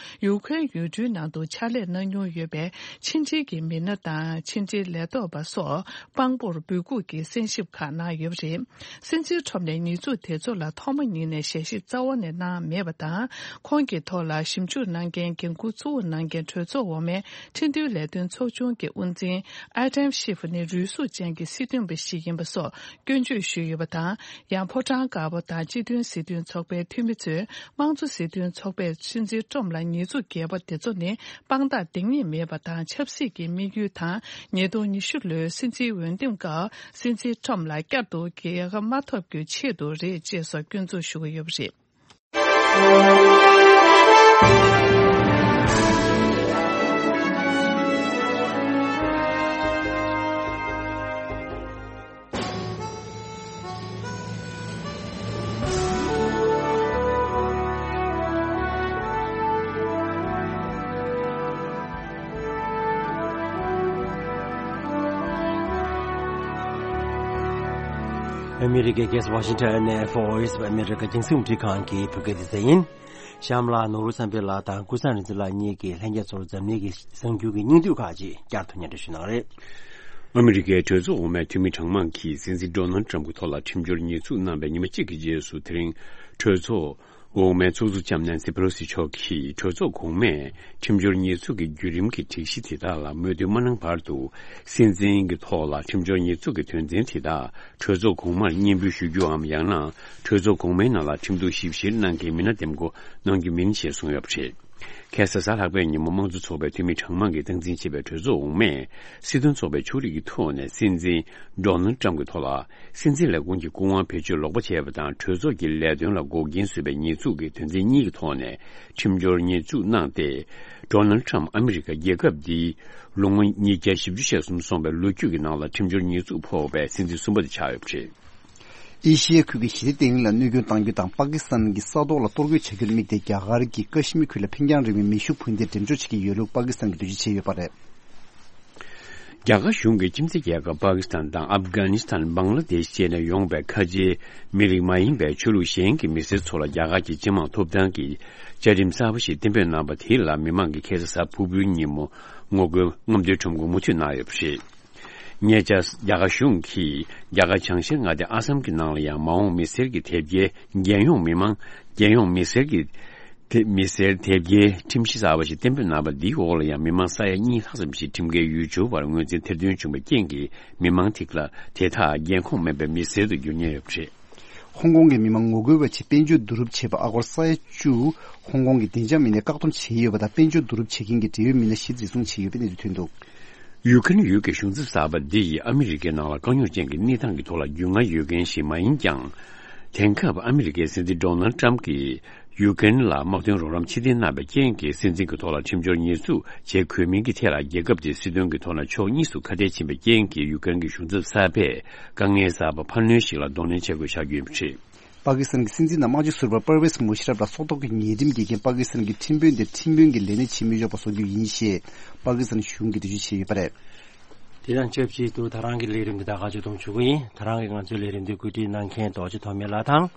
ཡུ་ཁུ་རེན་ཡུལ་གྲུའི་ནང་དུ་ཕྱག་ལས་གནང་མྱོང་ཡོད་པའི་ཕྱི་འབྲེལ་གྱི་མི་སྣ་དང་ཕྱི་འབྲེལ་ལས་ཐོག་པ་སོགས་དཔང་པོར་འབོད་འགུག་གི་གསན་ཞིབ་ཁག་གནང་ཡོད་པ་རེད། སྲིད་འཛིན་ཁྲོམ་ནས་ཉེས་འཛུགས་དེ་ཚོ་ལ་ཐོག་མ་ཉིད་ནས་ཞལ་བཞེས་རྩ་བ་ནས་གནང་མེད་པ་དང་། ཁོང་གི་ཐོག་ལ་ཞིབ་འཇུག་གནང་མཁན་འགན་འཁུར་གཙོ་བོ་གནང་མཁན་གྲོས་ཚོགས་འོག་མའི་ཁྲིམས་མཐུན་ལས་དོན་ཚོགས་ཆུང་གི་དབུ་འཛིན་ཨ་ཏམ་ཤིབ་ནི་རུལ་སུངས་ཅན་གྱི་སྲིད་དོན་པ་ཞིག་ཡིན་པ་སོགས་སྐྱོན་བརྗོད་ཞུས་ཡོད་པ་དང་། ཡང་ཕོ་བྲང་དཀར་པོ་དང་སྤྱི་མཐུན་སྲིད་དོན་ཚོགས་པའི་འཐུས་མི་ཚོས་དམངས་གཙོ་སྲིད་དོན་ཚོགས་པས་སྲིད་འཛིན་ཁྲོམ་ལ་ཉེས་འཛུགས་བརྒྱབ་པ་དེ་ཚོ་ནི་དཔང་རྟགས་འདང་ངེས་མེད་པ་དང་ཆབ་སྲིད་ཀྱི་དམིགས་ཡུལ་དང་། ཉིས་སྟོང་ཉི་ཤུ་ལོའི་སྲིད་འཛིན་འོས་འདེམས་སྐབས་སྲིད་འཛིན་ཁྲོམ་ལ་བསྐྱར་དུ་རྒྱལ་ཁ་མ་ཐོབ་རྒྱུའི་ཆེད་དུ་རེད་ཅེས་སོགས་སྐྱོན་འཛུགས་ཞུ་གི་ཡོད་པ་རེད། ཨ་མི་རི་ཀའི་རྒྱལ་ས་ཝ་ཤིང་ཊོན་ནས་Voice of America རྒྱང་སྲིང་རླུང་འཕྲིན་ཁང་གི་བོད་སྐད་སྡེ་ཚན་ཡིན། གཤམ་ལ་ནོར་བུ་བསམ་འཕེལ་ལགས་དང་ཀུན་བཟང་རིག་འཛིན་ལགས་གཉིས་ཀྱིས་ལྷན་རྒྱས་ཚོར་འཛམ་གླིང་གི་གསར་འགྱུར་གྱི་སྙིང་བསྡུས་ཁག་ཅིག་བསྐྱར་དུ་སྙན་སྒྲོན་ཞུ་གནང་རེད། ཨ་མི་རི་ཀའི་གྲོས་ཚོགས་འོག་མའི་འཐུས་མི་གྲངས་མང་གིས་སྲིད་འཛིན་ཌོ་ནལ་ཊམ་གྱི་ཐོག་ལ་ཁྲིམས་སྦྱོར་ཉེས་འཛུགས་གནང་བའི་ཉི་མ་གཅིག་གི་རྗེས་སུ། དེ་རིང་གྲོས་ཚོགས་འོག་མའི་ཚོགས་གཙོ་ལྕམ་ནན་སི་པེ་ལོ་སི་མཆོག་གིས་གྲོས་ཚོགས་གོང་མས་ཁྲིམས་སྦྱོར་ཉེས་འཛུགས་ཀྱི་བརྒྱུད་རིམ་གྱི་སྒྲིག་གཞི་དེ་དག་ལ་མོས་མཐུན་མ་གནང་བར་དུ། སྲིད་འཛིན་གྱི་ཐོག་ལ་ཁྲིམས་སྦྱོར་ཉེས་འཛུགས་ཀྱི་དོན་ཚན་དེ་དག་གྲོས་ཚོགས་གོང་མར་སྙན་འབུལ་ཞུ་རྒྱུའམ། ཡང་ན་གྲོས་ཚོགས་གོང་མའི་ནང་ལ་ཁྲིམས་གཏུག་ཞིབ་བཤེར་གནང་མཁན་མི་སྣ་འདེམས་བསྐོ་གནང་རྒྱུ་མིན་ཞེས་གསུངས་ཡོད་པ་རེད། ཁ་སང་གཟའ་ལྷག་པའི་ཉིན་མོ་དམངས་གཙོ་ཚོགས་པའི་འཐུས་མི་གྲངས་མང་གིས་སྟངས་འཛིན་བྱས་པའི་གྲོས་ཚོགས་འོག་མས་སྲིད་དོན་ཚོགས་པའི་ཕྱོགས་རིས་ཀྱི་ཐོག་ནས་སྲིད་འཛིན་ཌོ་ནལ་ཊམ་གྱི་ཐོག་ལ་སྲིད་འཛིན་ལས་ཁུངས་ཀྱི་སྐུ་དབང་བེད་སྤྱོད་ལོག་པ་བྱས་པ་དང་། གྲོས་ཚོགས་ཀྱི་ལས་དོན་ལ་འགོག་རྐྱེན་བཟོས་པའི་ཉེས་འཛུགས་ཀྱི་དོན་ཚན་གཉིས་ཀྱི་ཐོག་ནས་ཁྲིམས་སྦྱོར་ཉེས་འཛུགས་གནང་སྟེ། ཌོ་ནལ་ཊམ་ཨ་མི་རི་ཀ་རྒྱལ་ཁབ་འདིའི་ལོ་ངོ་ཉིས་བརྒྱ་བཞི་བཅུ་ཞེ་གསུམ་སོང་བའི་ལོ་རྒྱུས་ཀྱི་ནང་ལ་ཁྲིམས་སྦྱོར་ཉེས་འཛུགས་ཕོག་པའི་སྲིད་འཛིན་གསུམ་པ་དེ་ཆགས་ཡོད་པ་རེད། ཨེ་ཤི་ཡའི་ཁུལ་གྱི་ཞི་བདེ་བརྟན་ལྷིང་ལ་གནོད་སྐྱོན་གཏང་རྒྱུ་དང་། པ་ཀི་སི་ཐན་གྱི་ས་ཐོག་ལ་གཏོར་རྒོལ་བྱ་རྒྱུར་དམིགས་ཏེ། རྒྱ་གར་གྱི་ཀ་ཤི་མིར་ཁུལ་ལ་འཕེན་རྒྱང་རིང་བའི་མེ་ཤུགས་འཕུར་མདེལ་འགྲེམས་འཇོག་བྱེད་ཀྱི་ཡོད་ལུགས་པ་ཀི་སི་ཐན་གྱིས་འགྲེལ་བརྗོད་བྱས་ཡོད་པ་རེད། རྒྱ་གར་གཞུང་གིས་ཁྱིམ་མཚེས་རྒྱལ་ཁབ་པ་ཀི་སི་ཐན་དང་ཨབ་གྷ་ནི་སི་ཐན། བང་ལ་དེཤ་བཅས་ནས་ཡོང་པའི་ཁ་ཆེའི་མི་རིགས་མ་ཡིན་པའི་ཆོས་ལུགས་གཞན་གྱི་མི་སེར་ཚོ་ལ་རྒྱ་གར་གྱི་སྤྱི་དམངས་ཐོབ་ཐང་གི་བཅའ་ཁྲིམས་གསར་པ་ཞིག་གཏན་འབེབས་གནང་པ་དེ་ལ། མི་མང་གིས་ཁ་སང་གཟའ་ཕུར་བུའི་ཉིན་མོ་ངོ་རྒོལ་རྔམ་སྟོན་ཁྲོམ་སྐོར་མུ་མཐུད་གནང་ཡོད་པ་རེད། ཉེ་ཆར་རྒྱ་གར་གཞུང་གིས་རྒྱ་གར་བྱང་ཤར་མངའ་སྡེ་ཨ་སམ་གྱི་ནང་ལ་ཡང་མ་འོངས་མི་སེར་གྱི་དེབ་སྐྱེལ། རྒྱལ་ཡོངས་མི་མང་། རྒྱལ་ཡོངས་མི་སེར་གྱི་དེ། མི་སེར་དེབ་སྐྱེལ་ཁྲིམས་གཞི་གསར་པ་ཞིག་གཏན་འབེབས་གནང་བ་འདིའི་འོག་ལ་ཡང་མི་མང་ས་ཡ་གཉིས་ལྷག་ཙམ་ཞིག་ཁྲིམས་འགལ་ཡུལ་སྐྱོར་བར་ངོས་འཛིན་ཐེར་འདོན་བྱུང་བའི་རྐྱེན་གྱིས། མི་མང་དེ་ལ། དེ་དག་རྒྱལ་ཁོངས་མེད་པའི་མི་སེར་དུ་འགྱུར་ཉེན་ཡོད་པ་རེད། ཧོང་ཀོང་གི་མི་མང་ངོ་རྒོལ་བ་ཆེད་དཔལ་འབྱོར་བསྡུ་རུབ་བྱས་པ་ཨ་སྒོར་ས་ཡ་བཅུ། ཧོང་ཀོང་གི་བདེ་འཇགས་མི་སྣས་བཀག་སྡོམ་བྱས་ཡོད་པ་དང་། དཔལ་འབྱོར་བསྡུ་རུབ་བྱེད་མཁན་གྱི་འབྲེལ་ཡོད་མི་སྣ་བཞི་འཛིན་བཟུང་བྱས་ཡོད་པའི་གནས་ཚུལ་ཐོན་འདུག་ཡུ་ཀེ་རེན་ཡུལ་གྱི་གཞུང་ཚབ་གསར་པ་འདི་ཡིས་ཨ་མི་རི་ཀའི་ནང་ལ་དཀའ་རྙོག་ཅན་གྱི་གནས་སྟངས་ཀྱི་ཐོག་ལ་རྒྱུས་མངའ་ཡོད་མཁན་ཞིག་མ་ཡིན་ཀྱང་། དེང་སྐབས་ཨ་མི་རི་ཀའི་སྲིད་འཛིན་ཌོ་ནལ་ཊམ་གྱིས་ཡུ་ཀེ་རེན་ལ་དམག་དོན་རོགས་རམ་ཕྱིར་འཐེན་གནང་བའི་རྐྱེན་གྱིས། སྲིད་འཛིན་གྱི་ཐོག་ལ་ཁྲིམས་སྦྱོར་ཉེས་འཛུགས་བྱེད་དགོས་མིན་གྱི་ཐད་ལ། རྒྱལ་ཁབ་དེའི་སྲིད་དོན་གྱི་ཐོག་ན་ཕྱོགས་གཉིས་སུ་ཁ་གཏད་ཕྱིན་པའི་རྐྱེན་གྱིས། ཡུ་ཀེ་རེན་གྱི་གཞུང་ཚབ་གསར་པས་དཀའ་ངལ་གསར་པ་འཕར་སྣོན་ཞིག་ལ་གདོང་ལེན་བྱེད་དགོས་ཆགས་རྒྱུ་ཡིན་པ་རེད། པ་ཀི་སི་ཐན་གྱི་སྲིད་འཛིན་དང་དམངས་སྤྱི་ཟུར་པ་པར་ཝེས་མུ་ཤ་རབ་ལ་སྲོག་ཐོག་གི་ཉེས་ཁྲིམས་འགེལ་རྐྱེན། པ་ཀི་སི་ཐན་གྱི་ཁྲིམས་དཔོན་དེ་ཁྲིམས་དཔོན་གྱི་ལས་གནས་བྱེད་མི་ཆོག་པ་བཟོ་རྒྱུ་ཡིན་ཞེས་པ་ཀི་སི་ཐན་གཞུང་གིས་འགྲེལ་བརྗོད་བྱས་ཡོད་པ་རེད། དེ་དང་ཆབས་ཅིག་ཏུ་ད་རང་གི་ལས་རིམ་འདི་ད་ག་ཅིག་ཐོག་མཇུག་སྒྲིལ་ཡིན། ད་རང་གིས་ང་ཚོའི་ལས་རིམ་འདི་བཀོད་སྒྲིག་གནང་མཁན་རྡོ་རྗེ་ཐོགས་མེད་ལགས་དང་།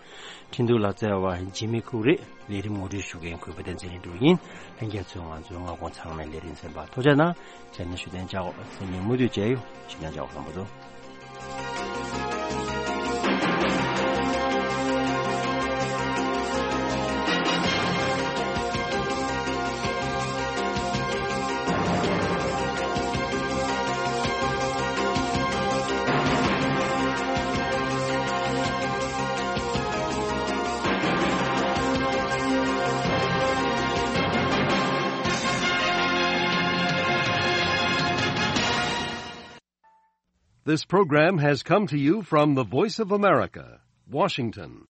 འཕྲིན་གཏོང་ལ་བརྩེ་བ་འཇིགས་མེད་ཁུག་རེ། ལས་རིམ་ངོ་སྤྲོད་ཞུ་མཁན་གུས་པ་བསྟན་འཛིན་ལྷུན་གྲུབ་ཡིན། ལྷན་རྒྱས་ཚོས་ང་ཚོའི་མངའ་ཁོངས་ཚང་མའི་ལས་རིམ་གསན་པར་ཐུགས་རྗེ་གནང་། ཅན་ནི་ཞུ་བདེན་ཅག་སེམས་ནི་མུ་མཐུད་བྱས་ཡོད། ཞུ་བདེན་ཅག་ལྷན་པོ་ཚོ། This program has come to you from the Voice of America, Washington.